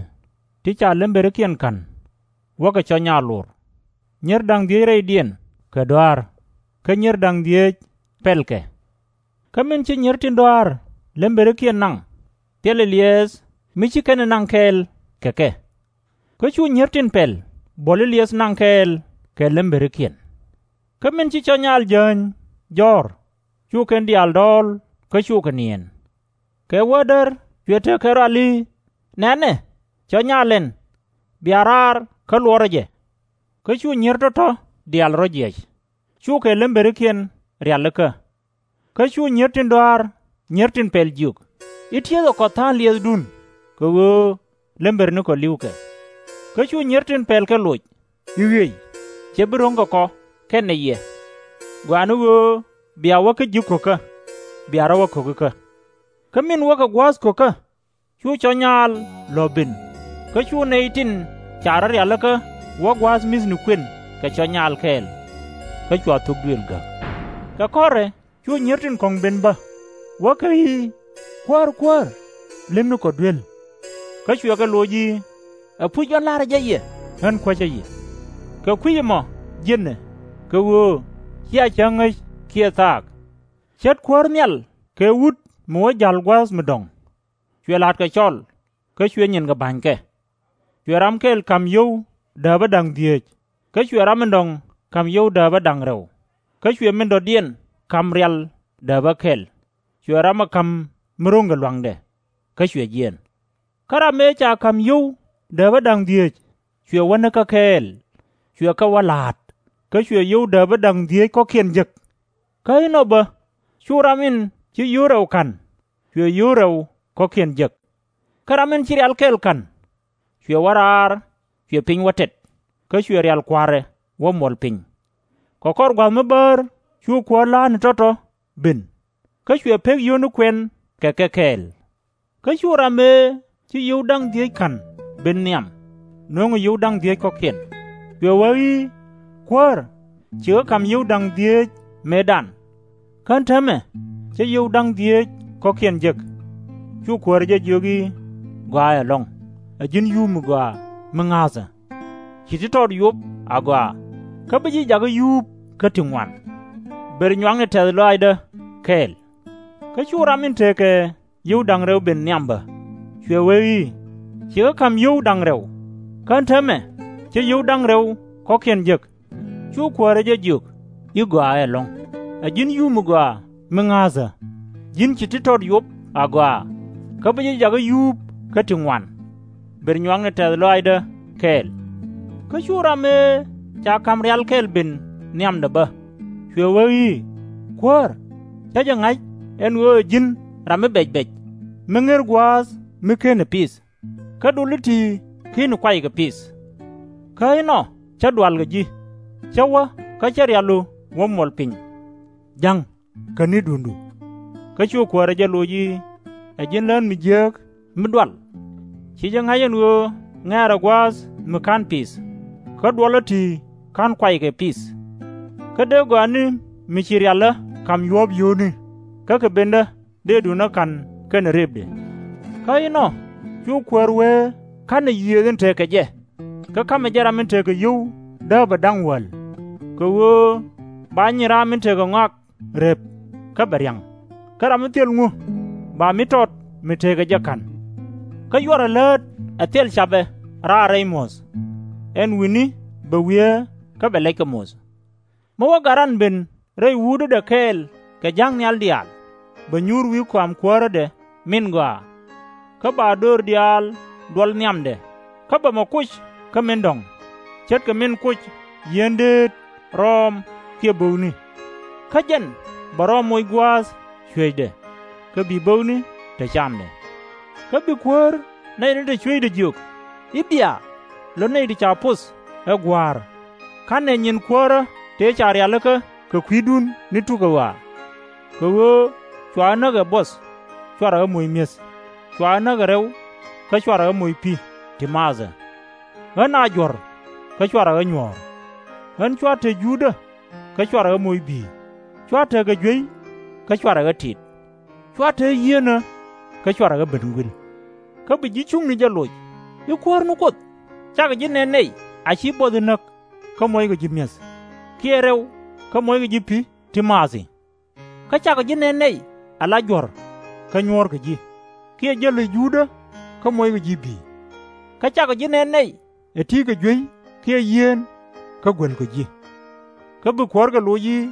ti ca lemberikiɛn ka̱n, wäkɛ cɔc nyaal lor, nyier da̱ŋ dhieec rɛydiɛn kɛ dɔa̱a̱r, kä nyier da̱ŋ dhieec pɛlkɛ. Kä min ci nyier tin dɔa̱a̱r lemberikiɛn naŋ, thilɛ liɛɛth mi ci kɛn ɛ naŋ kɛɛl kɛ kɛ. Kä cu nyier tin pɛl buɔli liɛth naŋ kɛɛl kɛ lemberikiɛn. Kä min ci cɔc nyaal jääny jɔ̱ɔ̱r, cu kɛn diaal dɔɔl kä cukɛ niɛɛn. Kɛ wädär cuɛ tekɛ rɔal i̱, Nɛnɛ, cɔc nyaal ɛn, bia raar kä luɔrä jɛ. Kä cu nyier tɔ̱tɔ̱ diaal rɔ̱ jiɛc, cukɛ lemberikiɛn rialikä. Kä cu nyier tin dɔa̱a̱r nyier tin pɛl jiök i̱, Ti̱ethɛ kɔ tha̱a̱ŋ liɛthdun, kɛ ɣöö lembernikɔ li̱wkɛ. Kä cu nyier tin pɛl kɛ loc i̱, Ɣiey, /cɛ bi ro̱ŋ kɛ kɔ kɛnɛ yɛ, gɔaa ni ɣöö bia wä kä ji̱ ko̱kä, bia rɔ̱ wä ko̱kikä. Kä min wäkɛ gua̱a̱th ko̱kä, cu cɔc nyaal lɔ ben, kä cu nɛy tin ca rɔ̱ rialikä wä gua̱a̱th mi̱thnikiɛn kɛ cɔc nyaal kɛɛl, kä cua thok duëël gäk. Kɛ kɔrɛ cu nyier tin kɔ̱ŋ ben bä, wäkɛ i̱, Kuäär, Kuäär, limnikɔ duel. Kä cuɛ kɛ loc i̱, Ɛpuc jɔ̱ɔ̱n la̱rä jɛ yɛ, ɣän kuäcä yɛ. Kɛ kui̱c ɛmɔ jiɛnɛ, kɛ ɣöö cia cäŋ ŋäc kiɛ thaak. Cät kuäär nhial kɛ wut mi wä ja̱l gua̱a̱th mi dɔ̱ŋ. Cuɛ la̱tkɛ cɔl, kä cuɛ nyinkɛ ba̱nykɛ. Cuɛ ram kɛl ka̱m yio̱w dääpä da̱ŋ dhieec, kä cuɛ ram min dɔ̱ŋ ka̱m yio̱w dääpä da̱ŋ rɛw, kä cuɛ min dɔ̱diɛn ka̱m rial dääpä kɛl. Cuɛ ram ɛ ka̱m mi ro̱ŋkɛ lua̱ŋdɛ, kä cuɛ jiɛɛn. Kä ram ëë ca ka̱m yio̱w dääpä da̱ŋ dhieec cuɛ wä näkä kɛɛl, cuɛ kɛ wä la̱a̱t, kä cuɛ yio̱w dääpä da̱ŋ dhieec kɔ̱kiɛn jek. Kä inɔ bä cu ram in ci yio̱w rɛw ka̱n, cuɛ yio̱w rɛw kɔ̱kiɛn jek. Kä ram in ci rial kɛl ka̱n, cuɛ wä raar, cuɛ piny wä tɛt, kä cuɛ rial kua̱rɛ wä muɔl piny. Kɛ kɔr gua̱th mi bäär cu kuäär la̱a̱tni tɔ̱tɔ̱ ben, kä cuɛ pek yio̱wni kuɛn kɛ kɛ kɛɛl. Kä cu ram ëë ci yio̱w da̱ŋ dhieec ka̱n ben nhiam, nöŋɛ yio̱w da̱ŋ dhieec kɔ̱kiɛn, cuɛ wee i̱, Kuäär, cikɛ ka̱m yio̱w da̱ŋ dhieec mëëdan, kä ɛn täämɛ cä yio̱w da̱ŋ dhieec kɔ̱kiɛn jek. Cu kuäärä jɛ jiök i̱, Gɔaaɛ ɛlɔ̱ŋ, ɛ ji̱n yup mi gɔaa mi ŋa̱thä! Ci ti tɔt yop agɔaa, kä bi ji̱ jakä yuup kä ti ŋuan. Ber nyuakni tɛ̈th lɔaacdä kɛɛl. Kä cu ram in tekɛ yio̱w da̱ŋ rɛw ben nhiam bä, cuɛ wee i̱, Cikɛ ka̱m yio̱w da̱ŋ rɛw, kä ɛn täämɛ cä yio̱w da̱ŋ rɛw kɔ̱kiɛn jek. Cu kuäärä jɛ jiök i̱, Gɔaaɛ ɛlɔ̱ŋ, ɛ ji̱n yup mi gɔaa mi ŋa̱thä! Ji̱n ci ti tɔt yop agɔaa, kä bi ji̱ jakä yuup kä ti ŋuan. Ber nyuakni tɛ̈th lɔaacdä kɛɛl. Kä cu ram ëë ca ka̱m rial kɛl ben nhiamdɛ bä, cuɛ wee i̱, Kuäär, cä jɛ ŋa̱c ɛn ɣöö ɛ ji̱n ram mi bɛc bɛc, mi ŋer gua̱a̱th mi /kenɛ piith, kä dulä ti /keni kuay kɛ piith. Kä inɔ cä dual kɛ ji̱, cä wä kä cä rialu wä muɔl piny. Ja̱ŋ, käni duŋdu. Kä cu kuäärä jɛ loc i̱, Ɛ ji̱n lään mi jiääk mi dual! Ci jɛ ŋa̱c ɛn ɣöö ŋɛ̈rɛ gua̱a̱th mi /ka̱n piith, kä duɔlä ti /ka̱n kuay kɛ piith. Kä dee gɔaa ni mi ci rialä ka̱m yuɔ̱ɔ̱p yio̱o̱ni, kä kɛ bendä dëë duŋdä ka̱n kɛnɛ rëpdɛ. Kä inɔ cu kuäär wee ka̱nɛ yiëëth in tekɛ jɛ, kä ka̱mɛ jɛ ram in tekɛ yio̱w dääpä da̱ŋ wäl, kɛ ɣöö ba nyin ram in tekɛ ŋɔak rep, kä bɛ ria̱ŋ. Kä ram mi thil ŋu ba mi tɔt mi tekɛ jɛ ka̱n? Kä /cuarɛ läät ɛ thil capɛ raar rɛy muɔ̱th, ɛn wi̱ni bɛ wiee kä bɛ lɛckɛ muth. Mi wä gat ran ben rɛy wuutädɛ kɛɛl kɛ ja̱k nhial diaal, bɛ nyuur wi̱i̱ kɔam kuäärädɛ min gɔaa, kä ba döör diaal duɔl nhiamdɛ, kä bɛ mɔ kuc kä min dɔ̱ŋ, ce̱tkɛ min kuc yieen deet, rɔɔm, kiɛ bo̱o̱kni. Kä jɛn bɛ rɔɔm moc gua̱a̱th cueecdɛ, kä bi bo̱o̱kni te camdɛ. Kä bi kuäär nɛy tin te cuecdɛ jiök i̱, Bia, lö nɛy ti ca poth ɛ Gua̱a̱r, /ka̱nɛ nyin kuäärä tëë ca rialikä kɛ kui̱dun ni tuk ɛ ɣɔaa. Kɛ ɣöö cua ɣä näk ɛ buɔth, /cuarɛ ɣä moc mi̱eth, cua ɣä näk ɛ rɛw, kä /cuarɛ ɣä moc pi̱ ti maathɛ. Ɣän a juɔ̱r, kä /cuarɛ ɣä nyuɔ̱ɔ̱r. Ɣän cua te juutdä, kä /cuarɛ ɣä moc bi̱i̱, cua te kɛ juey, kä /cuarɛ ɣä tit, cua te yieenä, kä /cuarɛ ɣä ben guil. Kä bi ji̱ cuŋni jɛ loc i̱, Kuäär ni Kuoth, cakɔ ji̱ nɛn nɛy a /ci buɔth in näk, kä mockɔ ji̱ mi̱eth, kiɛ rɛw, kä mockɔ ji̱ pi̱ ti maathi? Kä cakɔ ji̱ nɛn nɛy a la juɔ̱r, kä nyuɔ̱ɔ̱rkɔ ji̱, kiɛ jäli juutdä, kä mockɔ ji̱ bi̱i̱? Kä cakɔ ji̱ nɛn nɛy ɛ ti̱i̱ kɛ juey kiɛ yieen, kä guelkɔ ji̱? Kä bi kuäärkɛ loc i̱,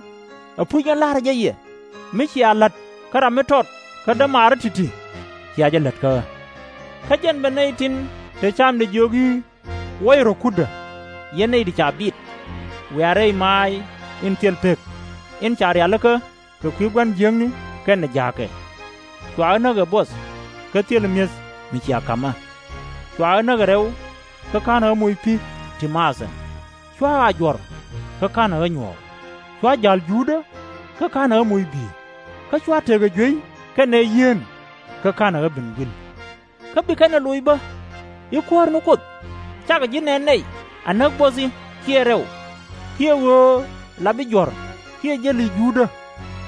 Ɛpuc ɣän la̱rä jɛ yɛ, mi cia la̱t kä ram mi tɔt kä dämaari ti̱ti̱, cia jɛ lät kä ɣä. Kä jɛn bɛ nɛy tin te camdɛ jiök i̱, Wuɔcɛ rɔ̱ kutdä, yɛn nɛy ti ca bit, wiaa rɛy maac in thil pek, in ca rialikä kɛ kui̱ gua̱n jiäkni kɛnɛ ja̱a̱kɛ. Cua ɣä näk ɛ buɔth, kä thilɛ mi̱eth mi cia ka̱m ɣä. Cua ɣä näk ɛ rɛw, kä /ka̱nɛ ɣä moc pi̱ ti maathɛ. Cua ɣä a juɔ̱r, kä /ka̱nɛ ɣä nyuɔ̱ɔ̱r. Cua ja̱l juutdä, kä /ka̱nɛ ɣä moc bi̱i̱, kä cua tekɛ juey kɛnɛ yieen, kä /ka̱nɛ ɣä ben guil. Kä bi kɛn ɛ loc bä i̱, Kuäär ni Kuoth, cakɔ ji̱ nɛn nɛy a näk buɔthi kiɛ rɛw, kiɛ ɣöö lap ji̱ juɔ̱r, kiɛ jäli juutdä,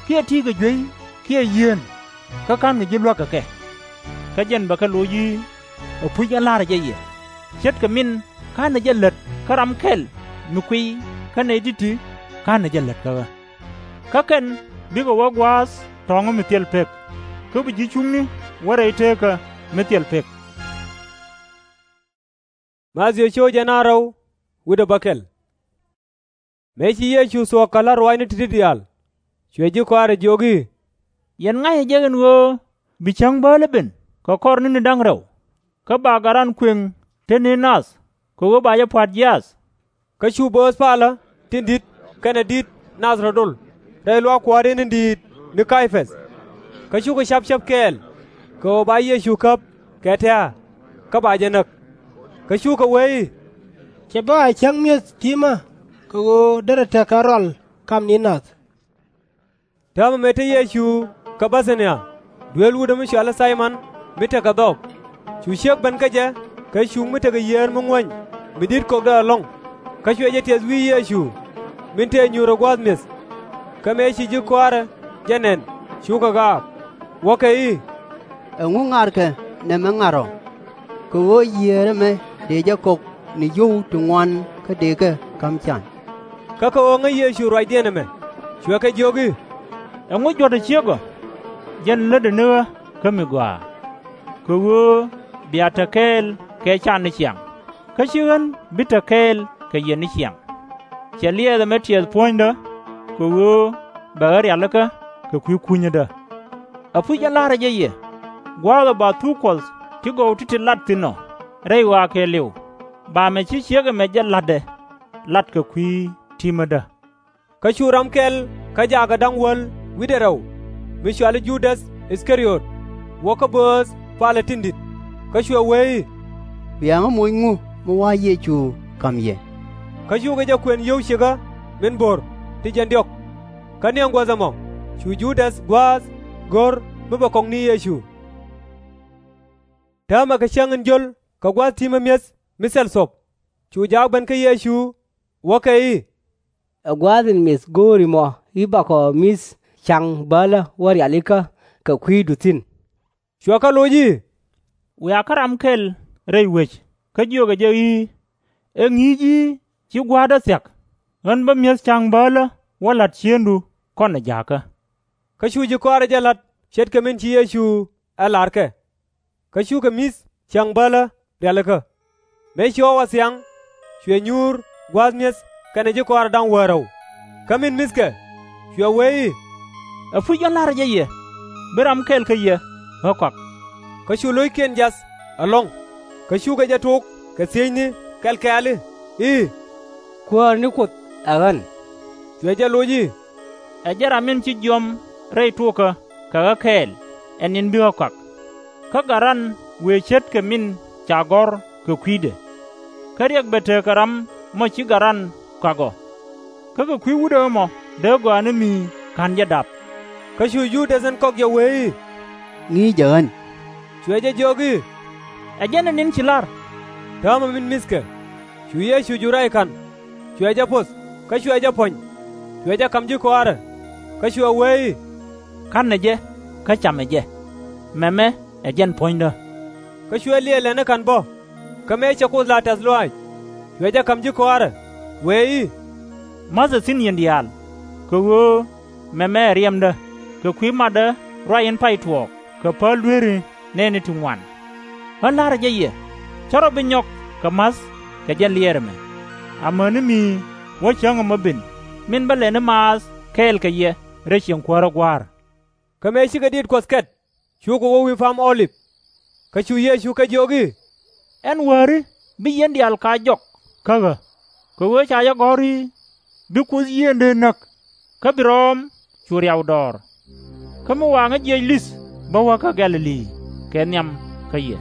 kiɛ ti̱i̱ kɛ juey kiɛ yieen, kä /ka̱nkɔ ji̱ luäk kɛ kɛ? Kä jɛn bɛ kɛ loc i̱, Ɛpuc ɣän la̱rä jɛ yɛ, ce̱tkɛ min /ka̱nɛ jɛ lät kä ram kɛl mi kuiy, kä nɛy ti̱ti̱ /ka̱nɛ jɛ lät kä ɣä. Kä kɛn bikɛ wä gua̱a̱th tɔ̱ɔ̱ŋä mi thil pek, kä bi ji̱ cuŋni wä rɛy teekä mi thil pek. Mëë ci Yecu thuɔ̱k kɛ la̱t ruaacni ti̱ti̱ diaal, cuɛ ji̱ kɔaarɛ jiök i̱, Yɛn ŋa̱cä jek ɛn ɣöö bi cäŋ bäälä ben kɛ kɔr ni̱ni da̱ŋ rɛw, kä ba gat ran kuëŋ te ni nath, kɛ ɣöö ba jɛ pua̱t jiaath. Kä cu bööth palä tin di̱t kɛnɛ di̱t nath rɔ̱ dol rɛy luaak kuäärdiɛn in di̱i̱t ni Kay-päth. Kä cukɛ ca̱p cäp kɛɛl kɛ ɣöö ba Yecu käp kɛ tɛ̱̈ɛ̱̈, kä ba jɛ näk. Kä cukɛ wee i̱, Cɛ bä a cäŋ mi̱eth ti̱mä, kɛ ɣöö derɛ tekɛ ɣä rɔal kam ni nath. Täämɛ mëë te Yecu kä Bɛ-tha-ni-ya, dueel wutdä mi cɔal i̱ Thay-mɔn, mi tekɛ dhɔɔk. Cu ciek ben kä jɛ kɛ cuŋ mi tekɛ yiëër mi ŋuäny mi di̱t kökdɛ ɛlɔ̱ŋ. Kä cuɛ jɛ tiɛth wi̱i̱ Yecu, min tëë nyuurɛ gua̱a̱th mi̱eth. Kä mëë ci ji̱ kɔaarɛ jɛ nɛn, cukɛ gaak, wäkɛ i̱, Ɛŋu ŋa̱rkɛ nɛmɛ ŋa̱r ɔ? Kɛ ɣöö yiëër ɛmɛ dëë jɛ kök ni yio̱w ti ŋuan kä dëëkɛ ka̱m can. Kä kɛ ɣöö ŋäc Yecu ruacdiɛn ɛmɛ, cuɛ kɛ jiök i̱, Ɛŋu juɔ̱t ɛ ciek ɔ? Jɛn lätdɛ ni ɣä kä mi gɔaa. Kɛ ɣöö bia te kɛɛl kɛ can ni ciaŋ, kä /ci ɣän bi te kɛɛl kɛ yɛn ni ciaŋ. Cɛ liɛɛth ɛmɛ tiɛɛth puɔ̱nydä, kɛ ɣöö bɛ ɣä rialikä kɛ kui̱ kunyädä. Ɛpuc ɣän la̱rä jɛ yɛ, gua̱a̱th ɔ ba thuk Kuɔth ti gɔw ti̱ti̱ lat thi̱n ɔ rɛy ɣɔaa kɛɛliw, ba mɛ ci ciek ɛmɛ jɛ la̱tdɛ lat kɛ kui̱ ti̱mädä. Kä cu ram kɛl kä jaakɛ da̱ŋ wäl wi̱cdɛ rɛw, mi cɔali Ju-däth I-dha-riöt, wä kä bööth palä tin di̱t, kä cuɛ wee i̱, Ria̱ŋä moc ŋu mi wa̱a̱ Yecu ka̱m yɛ? Kä cukɛ jɛ kuën yio̱w ciëkä min bo̱r ti jiɛn diɔ̱k. Kä niɛŋ guäth ɛmɔ cu Ju-däth gua̱a̱th go̱r mi bɛ kɔk ni Yecu. Täämɛ kɛ cäŋ in jio̱l kɛ gua̱a̱th ti̱i̱ mi mi̱eth mi thil thop, cu jaak ben kä Yecu, wäkɛ i̱, Ɛ gua̱a̱th in mith go̱o̱ri mɔ i̱ bakɔ mi̱th ca̱ŋ bälä wä rialikä kɛ kui̱du thi̱n? Cuɛ kɛ loc i̱, Wiaa kä ram kɛl rɛy wec, kä jiökɛ jɛ i̱, Ɛ ŋi̱i̱c i̱ ci Gua̱a̱rdä thia̱k, ɣän bä mi̱eth ca̱ŋ bälä wä la̱t ciëŋdu kɔnɛ ja̱a̱kä. Kä cu ji̱ kɔaarɛ jɛ la̱t ce̱tkɛ min ci Yecu ɛ la̱r kɛ. Kä cukɛ mi̱th ca̱ŋ bälä rialikä. Mëë ci ɣɔw a thiaŋ, cuɛ nyuur gua̱a̱th mi̱eth kɛnɛ ji̱ kɔaarɛ da̱ŋ wäl rɛw. Kä min mi̱thkɛ, cuɛ wee i̱, Ɛ puc, ɣän la̱rä jɛ yɛ, bi ram kɛl kä yɛ ɣä kɔak. Kä cu lo̱ckiɛn jiath ɛlɔ̱ŋ, kä cukɛ jɛ tok kɛ thiecni kɛl kɛ̈ɛ̈l i̱, Kuäär ni Kuoth ɛ ɣän? Cuɛ jɛ loc i̱, Ɛ jɛn ram in ci jiɔam rɛy tokä kɛ ɣä kɛɛl, ɛ ni̱n bi ɣä kɔak. Kä gat ran wëë ce̱tkɛ min ca gɔ̱r kɛ kui̱dɛ. Kä riɛk bɛ tekɛ ram mɔ ci gat ran kɔak ɔ. Kä kɛ kui̱ wutdä ɛmɔ dee gɔaa ni mi /ka̱n jɛ dap. Kä cu Ju-däth in kɔk jɛ wee i̱, Ŋi̱i̱cɛ ɣän. Cuɛ jɛ jiök i̱, Ɛ jɛn ɛ ni̱n ci la̱r. Täämɛ min mi̱thkɛ, cu Yecu jur rɛy ka̱n, cuɛ jɛ poth kä cuɛ jɛ puɔ̱ny, cuɛ jɛ ka̱m ji̱ kɔaarɛ, kä cuɛ wee i̱, Ka̱nɛ jɛ kä camɛ jɛ. Mɛmɛ ɛ jɛn puɔ̱nydä. Kä cuɛ liɛɛl lɛni ka̱n bä, kä mëë cɛ Kuoth la tɛ̈th lɔaac, cuɛ jɛ ka̱m ji̱ kɔaarɛ, wee i̱, Ma̱thɛ thi̱n yɛn diaal, kɛ ɣöö mɛmɛ ɛ riɛmdä, kɛ kui̱ matdä ruac in pay tuɔɔk kɛ päl dueeri nɛɛni ti ŋuan. Ɣän la̱rä jɛ yɛ, /cä rɔ bi nyɔk kɛ ma̱th kɛ jɛn liɛɛr ɛmɛ, amäni mi wä cäŋ ɛmɔ ben min bä lɛni maath kɛɛl kɛ yɛ rɛy ciɛŋ-kuäärä Gua̱a̱r. Kä mëë cikɛ diit Kuɔth kɛt, cukɛ wä wi̱i̱ Pa̱a̱m Ɔ-lip. Kä cu Yecu kɛ jiök i̱, Ɛn Wäri bi yɛn diaal kɛ jɔk kä ɣä, kɛ ɣöö ca jɛ gɔ̱r i̱, Bi Kuoth Yiëëŋdɛ näk, kä bi rɔ̱ɔ̱m cu riaw dɔɔr. Kä mi waaŋä jiɛc li̱th bä wä kä Gɛ̈-lɛ-li kɛ nhiam kä yɛ.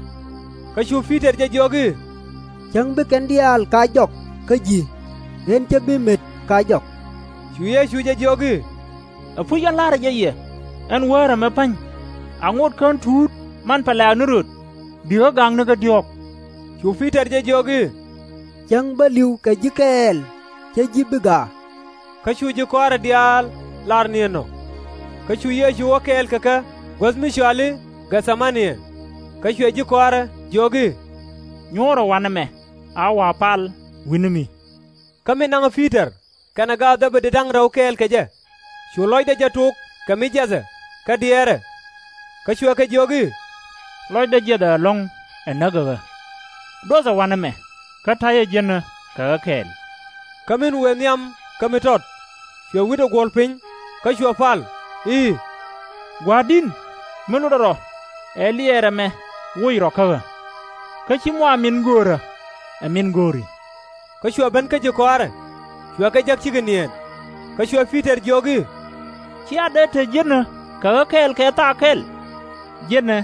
Kä cu Pi-tɔr jɛ jiök i̱, Cäŋ bi kɛn diaal kɛ jɔk kä ji̱, ɣän /cä bi met kɛ jɔk. Cu Yecu jɛ jiök i̱, Ɛ puc, ɣän la̱rä jɛ yɛ, ɛn Wäär ɛmɛ pa̱ny, a ŋot kä ɣän tuut manpɛlɛ̈ɛ̈k ni röt, bi ɣä gaŋ ni kä diɔ̱ɔ̱k. Cu Pi-tɔr jɛ jiök i̱, Cäŋ bä li̱w kɛ ji̱ kɛɛl, /cä ji̱ bi gaak. Kä cu ji̱ kɔaarɛ diaal lar ni ɛnɔ. Kä cu Yecu wä kɛɛl kɛ kɛ guäth mi cɔal i̱ Gɛ̈-tha-ma-nɛ. Kä cuɛ ji̱ kɔaarɛ jiök i̱, Nyuɔ̱ɔ̱rɛ wanɛ mɛ, a wa pal wi̱ni mi. Kä min naŋ ɛ Pi-tɔr kɛnɛ gaath Dhɛ-bid ti da̱ŋ rɛw kɛɛl kɛ jɛ, cu lɔcdɛ jɛ tok kɛ mi jiathɛ kä diɛɛrɛ. Kä cuɛ kɛ jiök i̱, Lɔcdä jiäthɛ ɛlɔ̱ŋ ɛ näk ɛ ɣä. Duɔthɛ wanɛ mɛ, kä ta̱yɛ jiänä kɛ ɣä kɛɛl. Kä min wëë nhiam kä mi tɔt, cuɛ wi̱cdɛ guɔ̱ɔ̱l piny, kä cuɛ pal i̱, Gua̱a̱r di̱n, mi lotdä rɔ, ɛ liɛɛr ɛmɛ woc rɔ kä ɣä. Kä /ci mɔ a min göörä, ɛ min go̱o̱ri. Kä cuɛ ben kä ji̱ kɔaarɛ, cuɛ kɛ jäk cikɛ niɛɛn. Kä cuɛ Pi-tɔr jiök i̱, /Cia dee te jiänä kɛ ɣä kɛɛl kɛ thaak kɛl? Jiänɛ,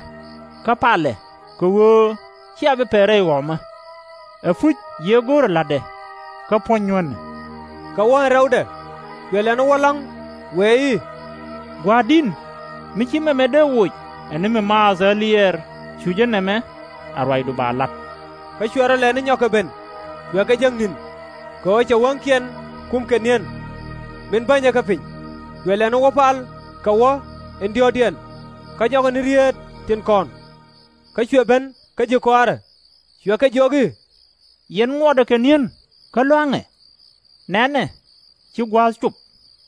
kä palɛ, kɛ ɣöö /cia bi pɛl rɛy ɣɔmä. Ɛ puc, yiëë go̱o̱rɛ la̱tdɛ, kä puɔ̱ny nyuänɛ. Kɛ wä ɛn rɛwdɛ, cuɛ lɛni wä la̱ŋ, wëë i̱, Gua̱a̱r di̱n, mi /ci mɛmɛ dee woc ɛ ni mi maath ɣä liɛɛr cu jɛ nɛmɛ, a ruacdu ba la̱t. Kä cuɛ rɔ lɛni nyɔk kɛ ben, cuɛ kɛ jäk ni̱n, kɛ ɣöö cɛ wäŋkiɛn kum kɛ ni̱en, min bänyɛ kä piny. Cuɛ lɛni wä pal kɛ wä in diɔ̱ɔ̱kdiɛn, kä jɔkɛ ni rieet tin kɔn. Kä cuɛ ben kä ji̱ kɔaarɛ, cuɛ kɛ jiök i̱, Yɛn ŋuɔtdɛ kɛ ni̱en kä lua̱ŋɛ? Nɛnɛ, ci gua̱a̱th cop,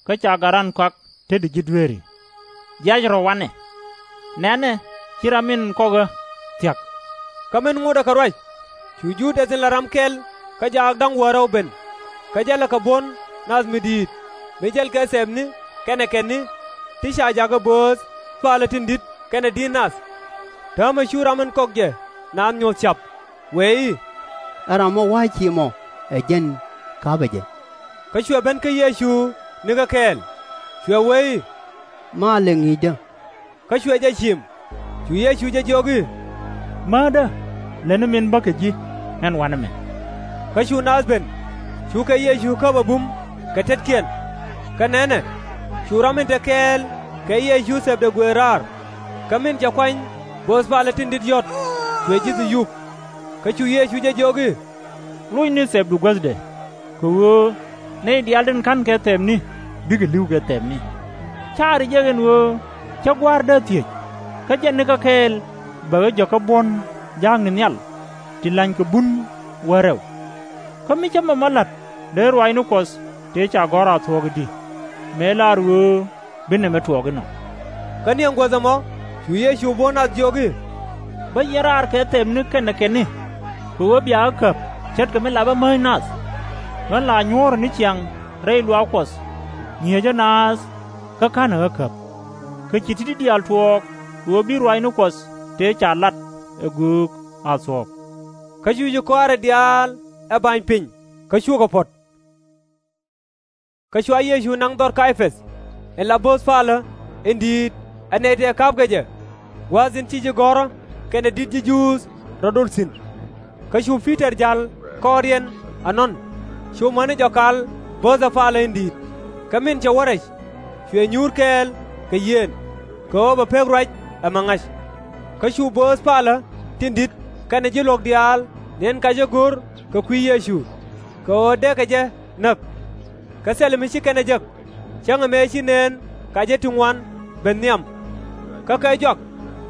kä ca gat ran kɔak tetdi ji̱ dueeri. Jiac rɔ wanɛ. Nɛnɛ, ci ram in kɔk ɣä thia̱k. Kä min ŋotdɛ kɛ ruac, cu Ju-däth in la ram kɛl kä jaak da̱ŋ wäl rɛw ben, kä jälɛ kɛ buɔ̱n nath mi di̱i̱t, mi jälkɛ thɛpni kɛnɛ kɛtni, ti ca jakä bööth palä tin di̱t kɛnɛ di̱t nath. Täämɛ cu ram in kɔk jɛ naath nyoth ca̱p, wëë i̱, Ɛ ram mɔ wa̱a̱ cie mɔ, ɛ jɛn ka̱pɛ jɛ. Kä cuɛ ben kä Yecu nikä kɛɛl, cuɛ wee i̱, malɛ ŋi̱i̱cdä. Kä cuɛ jɛ ciim. Cu Yecu jɛ jiök i̱, Määtdä, lätni min bä kɛ ji̱, ɛn wanɛ mɛ. Kä cu naath ben, cukɛ Yecu käp ɛ bum kɛ tetkiɛn. Kä nɛnɛ, cu ram min te kɛɛl kɛ Yecu thɛpdɛ guëër raar, kä min cɛ kuany bööth palä tin di̱t yɔ̱t, cuɛ ji̱ thi̱n yup. Kä cu Yecu jɛ jiök i̱, Locni thɛpdu guäthdɛ, kɛ ɣöö nɛy diaal tin ka̱nkɛ thɛpni bikɛ li̱w kɛ thɛpni. Caari jɛ ɛn ɣöö cä Gua̱a̱r dee thiec, kä jɛn nikä kɛɛl bɛ ɣä jɔkä buɔ̱n jaakni nhial, ti lany kɛ bun wä rɛw. Kä mi cä mɛmɔ la̱t, dee ruaacni Kuɔth tëë ca gɔ̱r a thuɔ̱k i̱di, mëë lar ɣöö bi nɛmɛ tuɔɔk inɔ. Kä ni ɛn guäth ɛmɔ, cu Yecu bo̱o̱th nath jiök i̱, Bä yɛn raar kɛ thɛpni kɛnɛ kɛnni, kɛ ɣöö bia ɣä käp ce̱tkɛ mi lapä mäc nath. Ɣän la nyuɔ̱ɔ̱rä ni ciaŋ rɛy luaak Kuɔth, ŋi̱eecä naath kä ka̱nɛ ɣä käp. Kä ci ti̱ti̱ diaal tuɔɔk kɛ ɣöö bi ruaacni Kuɔth tëë ca lat ɛ göök a thuɔ̱k. Kä cu ji̱ kɔaarɛ diaal ɛ ba̱ny piny, kä cukɛ puɔ̱t. Kä cua Yecu naŋ dhɔr Kay-päth, in la bööth palä in di̱i̱t, ɛ nɛy tëë ka̱pkɛ jɛ, gua̱a̱th in ci ji̱ gɔ̱rä kɛnɛ di̱t ji̱ Juudh rɔ̱ dol thi̱n. Kä cu Pi-tɔr ja̱l kɔɔriɛn ɛnɔn, cu mäni jɔk kal bööthɛ palä in di̱i̱t. Kä min cɛ wä rɛc, cuɛ nyuur kɛɛl kɛ yieen, kɛ ɣöö bɛ pek ruac ɛmɛ ŋa̱c. Kä cu bööth palä tin di̱t kɛnɛ ji̱ luɔ̱k diaal nɛn kɛ jɛ go̱r kɛ kui̱ Yecu, kɛ ɣöö dee kɛ jɛ näk. Kä thilɛ mi ci kɛn ɛ jek, cäŋɛ mëë ci nëën kɛ jɛ ti ŋuan ben nhiam. Kä kɛ jɔak,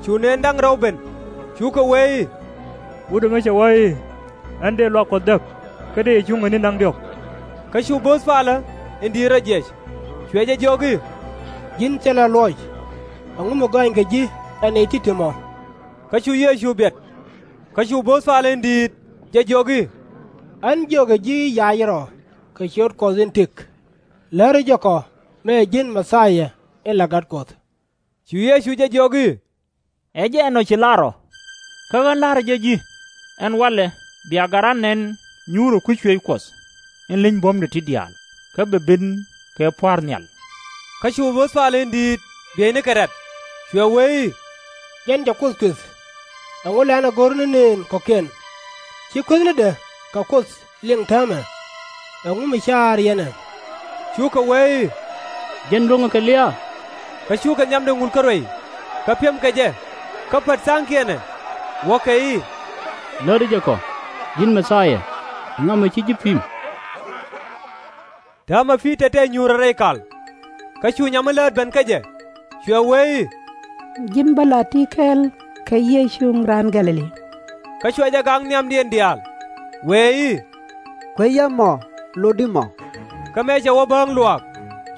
cu nëën da̱ŋ rɛw ben, cukɛ wee i̱, Wut ɛmɛ cɛ wä i̱, Ɣän dëë luaak Kuɔth däk, kä dëë yɛ cuŋ ɛ ni̱n da̱ŋ diɔ̱k. Kä cu bööth palä in di̱i̱t rɔ jiɛc, cuɛ jɛ jiök i̱, Ji̱n thilɛ luɔc! Ɛŋu mi gɔaaŋkɛ ji̱ ɛ nɛy ti̱ti̱ ɛmɔ? Kä cu Yecu biɛt. Kä cu bööth palä in di̱i̱t jɛ jiök i̱, Ɣän jiökɛ ji̱ i̱, Ya̱a̱c rɔ kɛ ciöt Kuɔth in tëk. Läri jɛ kɔ mëë ɛ ji̱n Mɛ-thia in la Gat Kuɔth. Cu Yecu jɛ jiök i̱, Ɛ jɛn ɔ ci lar ɔ. Kä ɣän la̱rä jɛ ji̱, ɛn walɛ bia gat ran nɛn nyuurɛ kui̱ cuëëc Kuɔth in leny buɔ̱mdɛ ti diaal, kä bɛ ben kɛ pua̱a̱r nhial. Kä cu bööth palä in di̱i̱t bieynikɛ rɛ̈t, cuɛ wee i̱, Jɛn cɛ Kuoth kuëth. Ɛŋu lɛ ɣän ɛ go̱r ni nëën kɔ̱kiɛn? Ci kuethnidɛ kɛ Kuoth liŋ täämɛ. Ɛŋu mi caar yɛn ɛ? Cukɛ wee i̱, Jɛn luäŋɛ kɛ lia̱a̱. Kä cukɛ nhiamdɛ ŋul kä ruac, kä piɛmkɛ jɛ, kä pät tha̱a̱ŋkiɛn ɛ, wäkɛ i̱, Läri jɛ kɔ, ji̱n Mɛ-thia, ɛŋa mɛ ci ji̱ pi̱i̱m? Täämɛ Pi-tɔr tɛɛth nyuurɛ rɛy kal. Kä cu nyam mi läät ben kä jɛ, cuɛ wee i̱, Ji̱n bä la ti kɛl kɛ Yecu Raan Gɛ̈-lɛ-li. Kä cuɛ jɛ gak nhiamdiɛn diaal, wee i̱, Kuecä mɔ, lotdi mɔ. Kä mëë cɛ wä bääŋ luaak,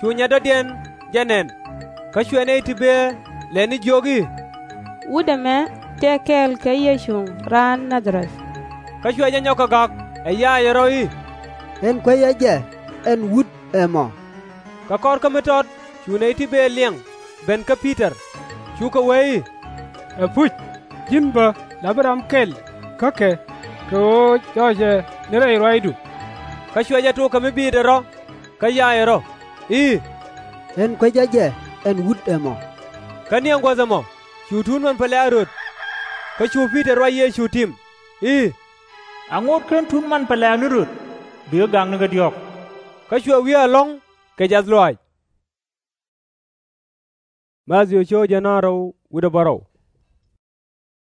cu nyɛt dɔ̱diɛn jɛ nɛn. Kä cuɛ nɛy ti bëë lɛni jiök i̱, Wut ɛmɛ tëë kɛl kɛ Yecu raan Na-dha-rɛth. Kä cuɛ jɛ nyɔk kɛ gak ɛ yaacɛ rɔ̱ i̱, Ɣän kuecä jɛ ɛn wut ɛmɔ. Kä kɔr kä mi tɔt cu nɛy ti bëë liɛŋ ben kä Pi-tɔr, cukɛ wee i̱, Ɛpuc, ji̱n bä la bi ram kɛl kä kɛ, kɛ ɣöö jɔɔcɛ ni rɛy ruaacdu. Kä cuɛ jɛ tok kɛ mi biitdɛ rɔ̱, kä yaacɛ rɔ̱ i̱, Ɣän kuecä jɛ ɛn wut ɛmɔ. Kä ni ɛn guäth ɛmɔ cu tuut män pɛlɛ a röt. Kä cu Pi-tɔr ruac Yecu tim i̱, Aŋot /ken tuut män pɛlɛ ni röt, bikɛ gak nikä diɔ̱k. Kä cuɛ wiee ɛlɔ̱ŋ kɛ jiath lɔaac.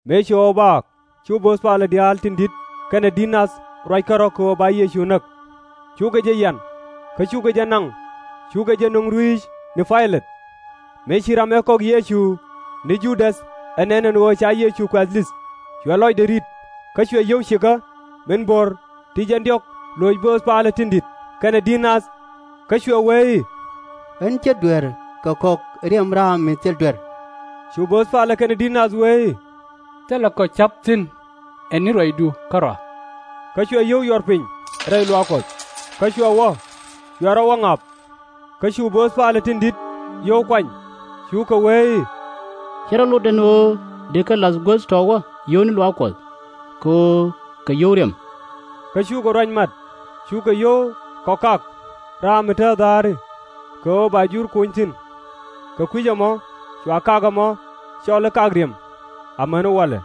Mëë cu ɣɔw baak, cu bööth palä diaal tin di̱t kɛnɛ di̱t nath ruac kärɔ̱ kɛ ɣöö ba Yecu näk. Cukɛ jɛ yian, kä cukɛ jɛ naŋ, cukɛ jɛ nöŋ rui̱c ni Pay-lɛt. Mëë ci ram ëë kɔk Yecu ni Ju-däth ɛ nɛn ɛn ɣöö ca Yecu kuɛ̈th li̱th, cuɛ lɔcdɛ ri̱t, kä cuɛ yio̱w cikä min bo̱r ti jɛn diɔ̱k loc bööth palä tin di̱t kɛnɛ di̱t nath. Kä cuɛ wee i̱, Ɣän /cä duer kɛ kɔk riɛm raam mi thil duer. Cu bööth palä kɛnɛ di̱t nath wee i̱, Thilɛ kɔ ca̱p thi̱n ɛ ni ruacdu kärɔa. Kä cuɛ yio̱w yuɔr piny rɛy luaak Kuɔth, kä cuɛ wä, cuɛ rɔ wä ŋa̱p. Kä cu bööth palä tin di̱t yio̱w kuany, cukɛ wee i̱, /Ci rɔ lot ɛn ɣöö dëë kɛ la̱th guäth tɔ̱ wä yio̱w ni luaak Kuɔth, kɛ ɣöö kɛ yio̱w riɛm. Kä cukɛ ruac mat, cukɛ yio̱w kɔkak raam mi tääth dha̱a̱ri, kɛ ɣöö ba jur kony thi̱n. kɛ kui̱c ɛmɔ cua kak ɛmɔ cɔl i̱ kak riɛm, amäni walɛ.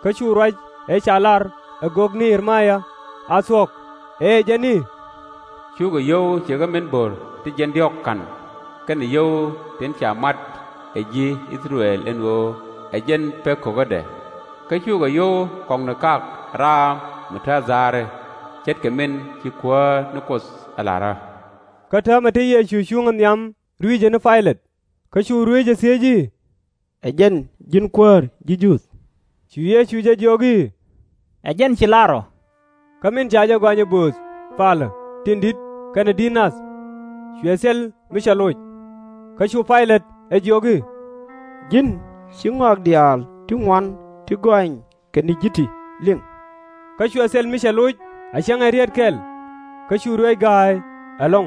Kä cu ruac ëë ca lar ɛ gök ni Yir-maya a thuɔ̱k, ëë jɛn i̱, Cukɛ yio̱w ce̱tkɛ min bo̱r ti jiɛn diɔ̱ɔ̱k ka̱n, kɛnɛ yio̱w tin ca mat ɛ ji̱ I-thɛ-rɛl ɛn ɣöö ɛ jɛn pek ko̱kädɛ. Kä cukɛ yio̱w kɔŋni kak raam mi te dha̱a̱ri, ce̱tkɛ min ci Kuäär ni Kuoth ɛ la̱rä. Kä täämɛ te Yecu cuŋä nhiam rui̱cɛ ni Pay-lɛt, kä cu ruëëcɛ thiec i̱, Ɛ jɛn ji̱n Kuäär ji̱ Juudh? Cu Yecu jɛ jiök i̱, Ɛ jɛn ci lar ɔ. Kä min ca jɛ gɔany ɛ bööth palä tin di̱t kɛnɛ di̱t nath, cuɛ thil mi cɛ loc. Kä cu Pay-lɛt ɛ jiök i̱, Ji̱n ci ŋɔak diaal ti ŋuan ti gɔany kɛ ni ji̱ ti liŋ? Kä cuɛ thil mi cɛ loc a cäŋ ɛ riet kɛl, kä cu ruëëc ga̱a̱y ɛlɔ̱ŋ.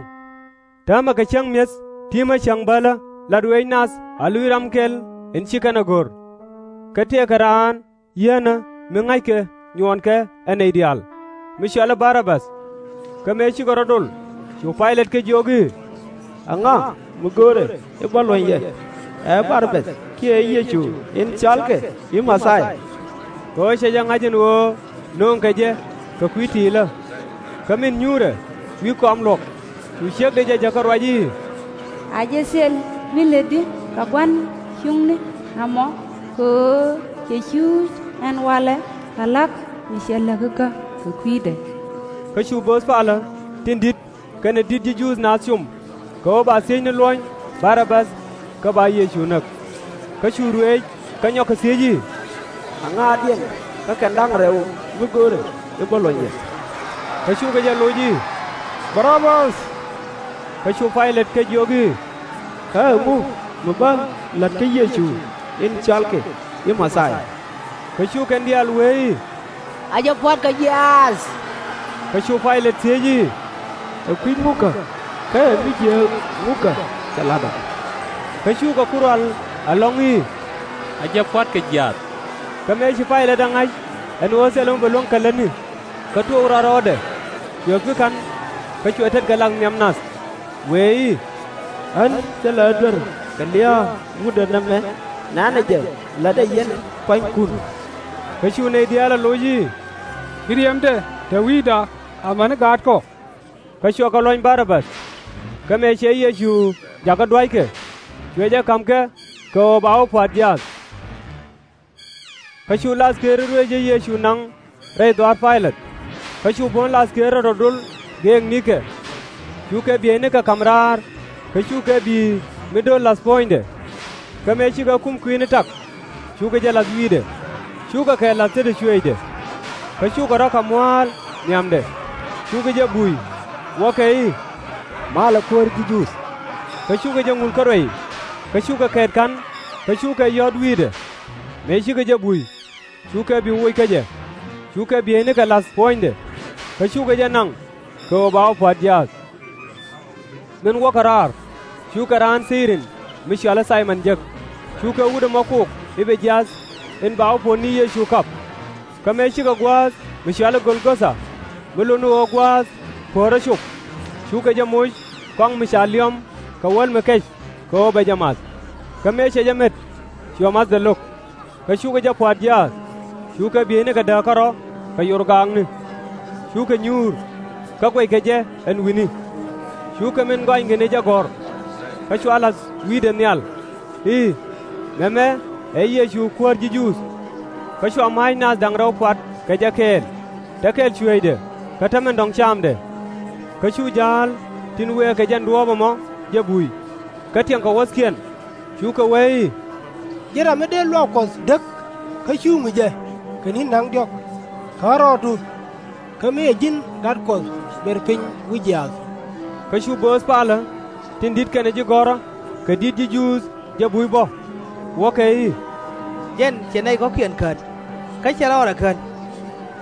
Täämɛ kɛ cäŋ mi̱eth ti̱mä cäŋ bälä la ruëëc nath a luc ram kɛl in ci kɛn ɛ go̱r. Kä tëëkɛ raan yieenä mi ŋa̱ckɛ nyuɔɔnkɛ ɛ nɛy diaal, mi cɔal i̱ Bar-a-bäth. Kä mëë cikɛ rɔ̱ dol, cu Pay-lɛt kɛ jiök i̱, Ɛŋa mi go̱o̱rɛ i̱ bä luɔ̱ny yɛ, ɛ Bar-a-bäth kiɛ Yecu in cɔalkɛ i̱ Mɛ-thia-ya? Kɛ ɣöö cɛ jɛ ŋa̱c ɛn ɣöö nööŋkɛ jɛ kɛ kui̱ ti̱i̱lä. Kä min nyuurɛ wi̱i̱ kɔam luɔ̱k, cu ciekdɛ jɛ jäkä ruac i̱, A jɛ thil mi lätdi kɛ gua̱n cuŋni ɛmɔ, kɛ ɣöö cɛ cuuc ɛn walɛ kɛ la̱k mi cɛ läk ikä kɛ kui̱dɛ. Kä cu bööth palä tin di̱t kɛnɛ di̱t ji̱ Juudh naath com, kɛ ɣöö ba thiec ni luɔ̱ny Bar-a-bäth kä ba Yecu näk. Kä cu ruëëc kä nyɔk kɛ thiec i̱, Ɛŋa diɛn kä kɛn da̱ŋ rɛw mi go̱o̱rɛ i̱ bä luɔ̱ny yɛ? Kä cukɛ jɛ loc i̱, Bar-a-bäth. Kä cu Pay-lɛt kɛ jiök i̱, Kä ɛŋu mi bä la̱t kä Yecu in cɔalkɛ i̱ Mɛ-thia-ya? Kä cu kɛn diaal wee i̱, A jɛ pua̱t kɛ jiaath. Kä cu Pay-lɛt thiec i̱, Ɛ kui̱c ŋukä, kä ɛ mi jiääk ŋukä cɛ la̱t ɔ? Kä cukɛ ku rual ɛlɔ̱ŋ i̱, A jɛ pua̱t kɛ jiaath. Kä mëë ci Pay-lɛt ɛ ŋa̱c ɛn ɣöö thilɛ mi bɛ luäŋ kɛ lätni, kä tuɔɔk rɔɔdɛ, cuɛ pi̱ ka̱n, kä cuɛ tetkɛ lak nhiam nath, wëë i̱, Ɣän thilɛ ɣä duer kɛ lia̱a̱ wutdä nɛmɛ, nɛ̈nɛ jɛ la̱tdɛ yɛn pua̱nykun. Kä cu nɛy diaal ɛ loc i̱, Ci riɛmdɛ te wi̱i̱da amäni gaatkɔ. Kä cuɛ kɛ luɔ̱ny Bar-a-bäth. Kä mëë cɛ Yecu jakä dua̱ckɛ, cuɛ jɛ ka̱m kɛ kɛ ɣöö ba wä pua̱a̱t jiaath. Kä cu lathkëër i̱ ruëëc ëë Yecu naŋ rɛy dhɔaar Pay-lɛt. Kä cu buɔ̱n lathkëërä rɔ̱ dol geek nikɛ. Cukɛ bieynikɛ ka̱m raar, kä cukɛ bi̱i̱ mi döör la̱th puɔ̱nydɛ. Kä mëë cikɛ kum kui̱ni tak, cukɛ jɛ la̱th wi̱i̱dɛ, cukɛ kɛ la̱th tetdɛ cuëëcdɛ. Kä cukɛ rɔ̱ kɛ mua̱a̱l nhiamdɛ, cukɛ jɛ buy, wäkɛ i̱, Malɛ Kuäär ji̱ Juudh! Kä cukɛ jɛ ŋul kä ruac, kä cukɛ kɛɛt ka̱n, kä cukɛ yɔ̱ɔ̱t wi̱i̱dɛ. Mëë cikɛ jɛ buy, cukɛ bi woc kä jɛ, cukɛ bieynikɛ la̱th puɔ̱nydɛ, kä cukɛ jɛ naŋ kɛ ɣöö ba wä pua̱a̱t jiaath. Min wäkɛ raar, cukɛ raan Thiirin mi cɔal i̱ Thay-mɔn jek, cukɛ wut ɛmɔ kok i̱ bɛ jiath in ba wä puɔ̱th ni Yecu kap. Kä mëë cikɛ gua̱a̱th mi cɔal i̱ Gol-go-tha, mi lot ni ɣöö Gua̱a̱th Puɔ̱ɔ̱rä Cop, cukɛ jɛ moc kɔaŋ mi ca liɔ̱m kɛ wäl mi kɛc kɛ ɣöö bɛ jɛ math. Kä mëë cɛ jɛ met, cuɛ ma̱thdɛ lo̱k. Kä cukɛ jɛ pua̱a̱t jiaath, cukɛ bieynikɛ dääk kärɔ̱ kɛ yorgaakni. Cukɛ nyuur, kä guɛckɛ jɛ ɛn wi̱ni. Cukɛ min gɔanykɛ ni jɛ gɔ̱r, kä cua la̱th wi̱i̱dɛ nhial i̱, Mɛmɛ ɛ Yecu Kuäär ji̱ Juudh. Kä cua ma̱a̱c naath da̱ŋ rɛw pua̱t kɛ jɛ kɛɛl, te kɛl cuëëcdɛ kä te min dɔ̱ŋ camdɛ. Kä cu ja̱a̱l tin wëë kɛ jɛn duɔ̱ɔ̱p ɛmɔ jɛ buy, kä tiɛŋkɛ wuɔ̱thkiɛn, cukɛ wee i̱, Ji̱n ram mi dee luaak Kuɔth däk kä cuŋ jɛ kɛ ni̱n da̱ŋ diɔ̱k, käk rɔɔdu, kä mi cɛ ji̱n Gat Kuɔth ber piny wi̱c jiaath. Kä cu bööth palä tin di̱t kɛnɛ ji̱ gɔ̱rä kɛ di̱t ji̱ Juudh jɛ buy bä, wäkɛ i̱, Jɛn cɛ nɛy kɔ̱kiɛn kän, kä cɛ rɔɔdɛ kän.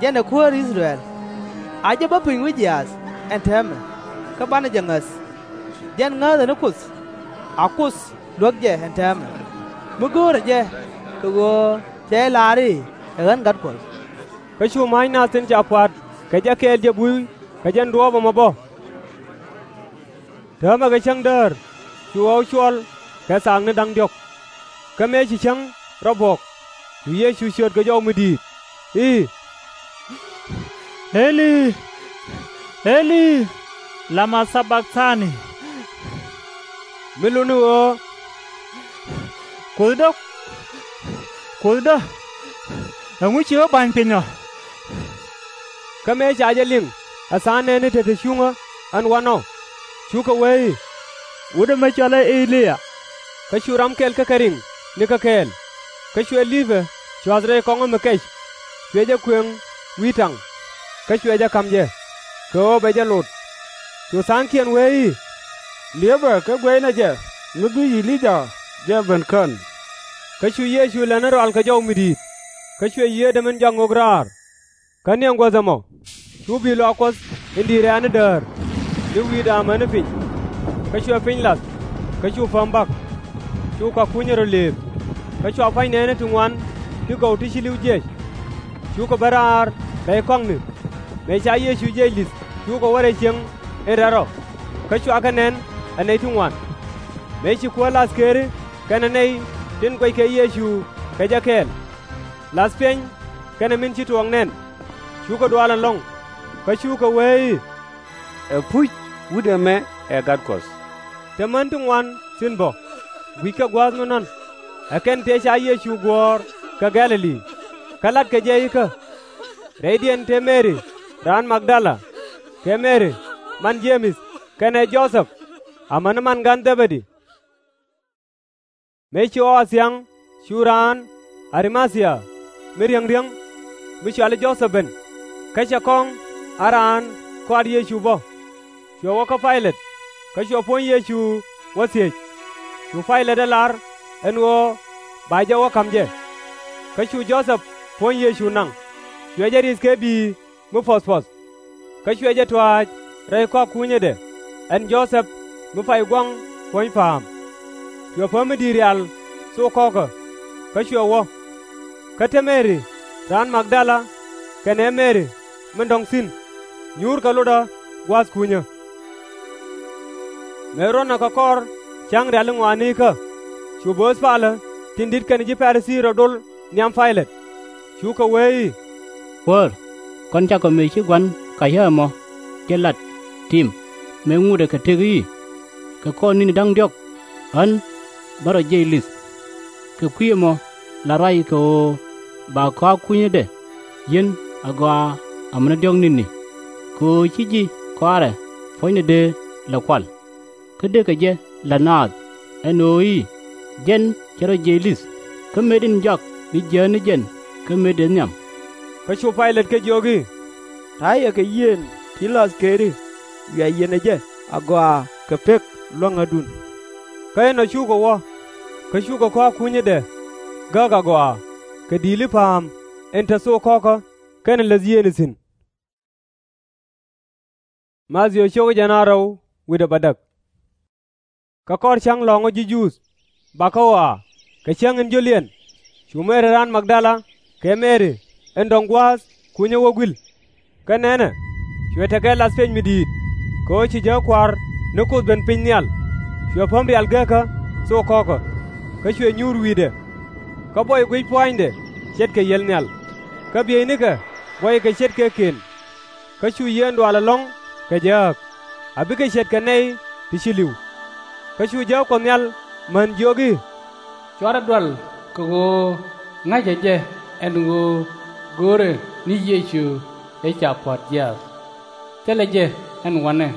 Jɛn ɛ Kuäär I-thɛ-rɛl. A jɛ bä piny wi̱c jiaath ɛn täämɛ, kä banɛ jɛ ŋäth. Jɛn ŋääthɛ ni Kuoth a Kuoth luäk jɛ ɛn täämɛ, mi go̱o̱rɛ jɛ kɛ ɣöö cɛ jɛ lar i̱ ɛ ɣän Gat Kuɔth. Kä cu ma̱a̱c naath tin ca pua̱a̱t kɛ jɛ kɛɛl jɛ buy kɛ jɛn duɔ̱ɔ̱p ɛmɔ bä. Täämɛ kɛ cäŋ däär, cu ɣɔw cuɔl kɛ thaakni da̱ŋ diɔ̱k. Kä mëë ci cäŋ rɔ buɔ̱k, cu Yecu ciöt kɛ jɔw mi di̱i̱t i̱, Eli, Eli, lama thabaktani? Mi luni ɣöö, Kuothdä, Kuothdä, ɛŋu ci ɣä ba̱ny piny ɔ? Kä mëë ca jɛ liŋ ɛ tha̱a̱ŋ nɛɛni te te cuŋä ɛn wanɔ, cukɛ wee i̱, Wut ɛmɛ cɔalɛ E-li-yaa. Kä cu ram kɛl kä kɛ riŋ ni kä kɛɛl. Kä cuɛ li̱pɛ cua̱th rɛy kɔŋä mi kɛc, cuɛ jɛ kuëŋ wi̱i̱ taŋ, kä cuɛ jɛ ka̱m jɛ, kɛ ɣöö bɛ jɛ lot. Cu tha̱a̱ŋkiɛn wee i̱, Li̱epɛ kɛ guɛcnɛ jɛ mi bi E-li-yaa jɛ ben kän. Kä cu Yecu lɛni rɔal kɛ jɔw mi di̱i̱t, kä cuɛ yiëëdɛ min jɔak ŋok raar. Kä ni ɛn guäth ɛmɔ, cu bi̱i̱ lɔaac Kuɔth in di̱i̱t rɛ̈ɛ̈ni däär ni wi̱i̱da amäni piny. Kä cuɛ piny lath, kä cu päm bak. Cu kɔak kunyä rɔ lëëp, kä cua pua̱ny nɛɛni ti ŋuan ti gɔw ti ci li̱w jiɛc. Cukɛ ben raar rɛy kɔaŋni. Mëë ca Yecu jiɛc li̱th, cukɛ wä rɛy cieŋ in rɛl rɔ, kä cua kɛ nɛn ɛ nɛy ti ŋuan. Mëë ci kuäär lath këëri kɛnɛ nɛy tin guɛckɛ Yecu kɛ jɛ kɛɛl, lath piɛny kɛnɛ min ci tuɔɔk nɛn, cukɛ dual ɛlɔ̱ŋ, kä cukɛ wee i̱, Ɛpuc, Wut ɛmɛ ɛ Gat Kuɔth! Te män ti ŋuan thi̱n bä, gui̱ckɛ gua̱a̱th mi nɔ̱n, ɛ kɛn tëë ca Yecu guɔ̱ɔ̱r kɛ Gɛ̈-lɛ-li, kä latkɛ jɛ ikä. Rɛydiɛn te Mɛri raan Mag-dala, kɛ Mɛri man Je-mɛth kɛnɛ Jo-thɛp, amäni man gan Dhɛ-bɛ-di. Mëë ci ɣɔw a thia̱ŋ, cu raan Ar-ma-thia mi riäŋ riäŋ, mi cɔali Jo-thɛp ben, kä cɛ kɔŋ a raan kɔaar Yecu bä. Cuɛ wä kä Pay-lɛt, kä cuɛ puɔ̱ny Yecu wä thiec. Cu Pay-lɛt ɛ lar ɛn ɣöö ba jɛ wä ka̱m jɛ. Kä cu Jo-thɛp puɔ̱ny Yecu naŋ, cuɛ jɛ ri̱th kɛ bi̱i̱ mi puɔ̱th puɔ̱th. Kä cuɛ jɛ tuaac rɛy kɔak kunyädɛ, ɛn Jo-thɛp mi pay gua̱ŋ puɔ̱ny pa̱a̱m. Cuɛ päm mi di̱i̱t rial thok kɔ̱kä, kä cuɛ wä. Kä te Mɛri raan Mag-dala kɛnɛ Mɛri min dɔ̱ŋ thi̱n, nyuurkɛ lotdä gua̱a̱th kunyä. Mëë ruɔ̱nɛ kɛ kɔr cäŋ riali ŋɔaanikä, cu bööth palä tin di̱t kɛnɛ ji̱ Pa-ri-thii rɔ dol nhiam Pay-lɛt. Cukɛ wee i̱, Kuäär, kɔn cakɔ mëë ci Gua̱n Kaycä ɛmɔ jɛ lat tim mëë ŋutdɛ kɛ tëk i̱, Kɛ kɔr ni̱ni da̱ŋ diɔ̱k ɣän bä rɔ jiɛc li̱th. Kɛ kui̱ ɛmɔ la ruac kɛ ɣöö ba kɔak kunyädɛ yi̱n agɔaa amäni diɔ̱k ni̱ni, kɛ ɣöö /ci ji̱ kɔaarɛ puɔ̱nydɛ dee lɛ kual. Kä dëëkɛ jɛ la̱t naath ɛn ɣöö i̱, Jɛn cɛ rɔ jiɛc li̱th, kä mëëdan jɔak bi jiääk ni jɛn kä mëë dëë nhiam. Kä cu Pay-lɛt kɛ jiök i̱, Ta̱a̱ yɛ kɛ yien ti la̱th këëri, wiaa yiɛnɛ jɛ agɔaa kɛ pek lua̱ŋädun. Kä inɔ cukɛ wä, kä cukɛ kɔak kunyädɛ gääk agɔaa kɛ di̱i̱li pa̱a̱m in te thok kɔ̱kä kɛnɛ läth yiëëni thi̱n. Mathiö cio̱k jiɛn rɛw wi̱cdɛ bädäk. Kä kɔr cäŋ lɔ̱ŋä ji̱ Juudh bakä ɣɔaa, kɛ cäŋ in jio̱liɛn, cu Mɛri raan Mag-dala kɛ Mɛri in dɔ̱ŋ gua̱a̱th kunyä wä gui̱l. Kä nɛnɛ, cuɛ tekɛ lath piɛny mi di̱i̱t, kɛ ɣöö ci jääk Kua̱r ni Kuoth ben piny nhial. Cuɛ päm rial geekä thok kɔ̱kä, kä cuɛ nyuur wi̱i̱dɛ. Kä buɔy guic pua̱nydɛ ce̱tkɛ yiël nhial, kä bieynikɛ buɔykɛ ce̱tkɛ kɛn. Kä cu yieen dual ɛlɔ̱ŋ kɛ jääk, a bikɛ ce̱tkɛ nɛy ti ci li̱w. Kä cu jääk Kuɔth Nhial män jiök i̱, /Cuarɛ dual kɛ ɣöö ŋa̱cä jɛ ɛn ɣöö göörä ni Yecu ëë ca pua̱t jiaath. Thilɛ jɛ ɛn wanɛ,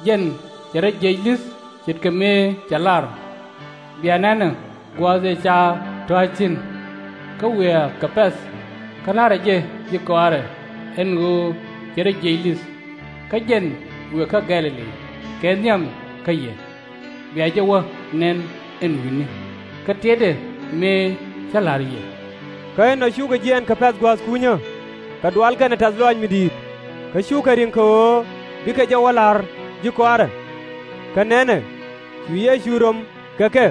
jɛn cɛ rɔ jiɛc li̱th ce̱tkɛ mëë cɛ lar. Bia nɛnɛ gua̱a̱th ëë ca tɔ̱a̱c thi̱n. Kä wiaa kɛ pɛ̈th, kä la̱rä jɛ ji̱ kɔaarɛ ɛn ɣöö cɛ rɔ jiɛc li̱th. Kä jɛn wëë kä Gɛ̈-lɛ-li kɛ nhiam kä yɛ. Bia jɛ wä nɛn ɛn wi̱ni, kä tiɛtdɛ mëë cä la̱r yɛ. Kä inɔ cukɛ jiɛɛn kɛ pɛ̈th gua̱a̱th kunyä, kɛ dual kɛnɛ tɛ̈th lɔaac mi di̱i̱t, kä cukɛ ri̱ŋ kɛ ɣöö bikɛ jɛ wä la̱r ji̱ kɔaarɛ. Kä nɛnɛ, cu Yecu rom kɛ kɛ,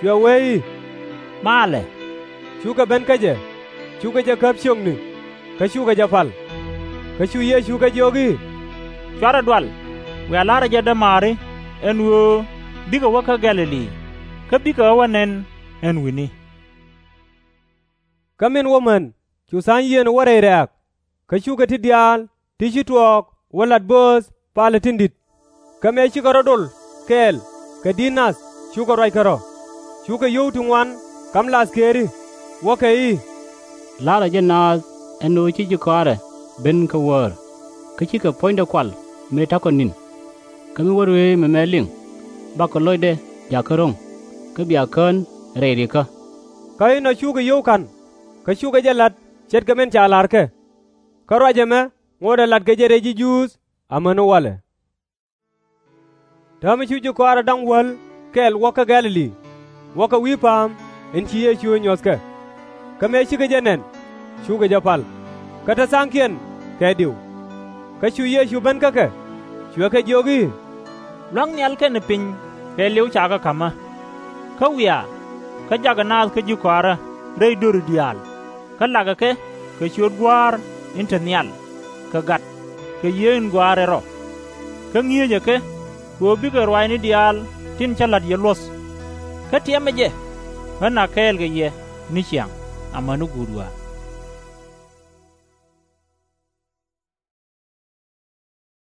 cuɛ wee i̱, Maalɛ! Cukɛ ben kä jɛ, cukɛ jɛ käp ciökni, kä cukɛ jɛ pal. Kä cu Yecu kɛ jiök i̱, /Cuarɛ dual, wiaa la̱rä jɛ dämaari ɛn ɣöö bikɛ wä kä Gɛ̈-lɛ-li. kä bikɛ ɣä wä nɛn ɛn wi̱ni. Kä min wä män cu tha̱a̱ŋ yieen wä rɛy rɛ̈ɛ̈k, kä cukɛ ti diaal ti ci tuɔɔk wä lat bööth palä tin di̱t. Kä mëë cikɛ rɔ dol kɛɛl kɛ di̱t nath cukɛ ruac kɛ rɔ̱, cukɛ yio̱w ti ŋuan ka̱m lathkëëri, wäkɛ i̱, La̱rä jɛ naath ɛn ɣöö ci ji̱ kɔaarɛ ben kä wäär, kä cikɛ puɔ̱nydɛ kual mëë ta̱kɔ ni̱n. Kä mi wä ruëëc mɛmɛ liŋ, bakɔ lo̱cdɛ jakä ro̱ŋ, kä bia kään rɛy rikä. Kä inɔ cukɛ yio̱w ka̱n, kä cukɛ jɛ la̱t ce̱tkɛ min ca la̱rkɛ. Kä ruac ɛmɛ ŋotdɛ latkɛ jɛ rɛy ji̱ Juudh amäni walɛ. Täämɛ cu ji̱ kɔaarɛ da̱ŋ wäl kɛl wä kä Gɛ̈-lɛ-li, wäkɛ wi̱i̱ pa̱a̱m in ci Yecu ɛ nyuɔ̱thkɛ. Kä mëë cikɛ jɛ nɛn, cukɛ jɛ pal, kä te tha̱a̱ŋkiɛn kɛ diw. Kä cu Yecu ben kä kɛ, cuɛ kɛ jiök i̱, Lua̱ŋ nhial kɛnɛ piny kɛɛliw cakɛ ka̱mä. Kä wiaa, kä jakɛ naath kä ji̱ kɔaarä rɛy döri diaal, kä lakɛ kɛ kɛ ciöt Gua̱a̱r in te nhial, kɛ Gat, kɛ Yiëë in Gɔaa rɛl rɔ. Kä ŋi̱eecɛ kɛ kɛ ɣöö bikɛ ruaacni diaal tin cä la̱t yɛ luɔ̱th. Kä tiɛmɛ jɛ, kä na̱k kɛɛl kɛ yɛ ni ciaŋ amäni guut ɣɔaa.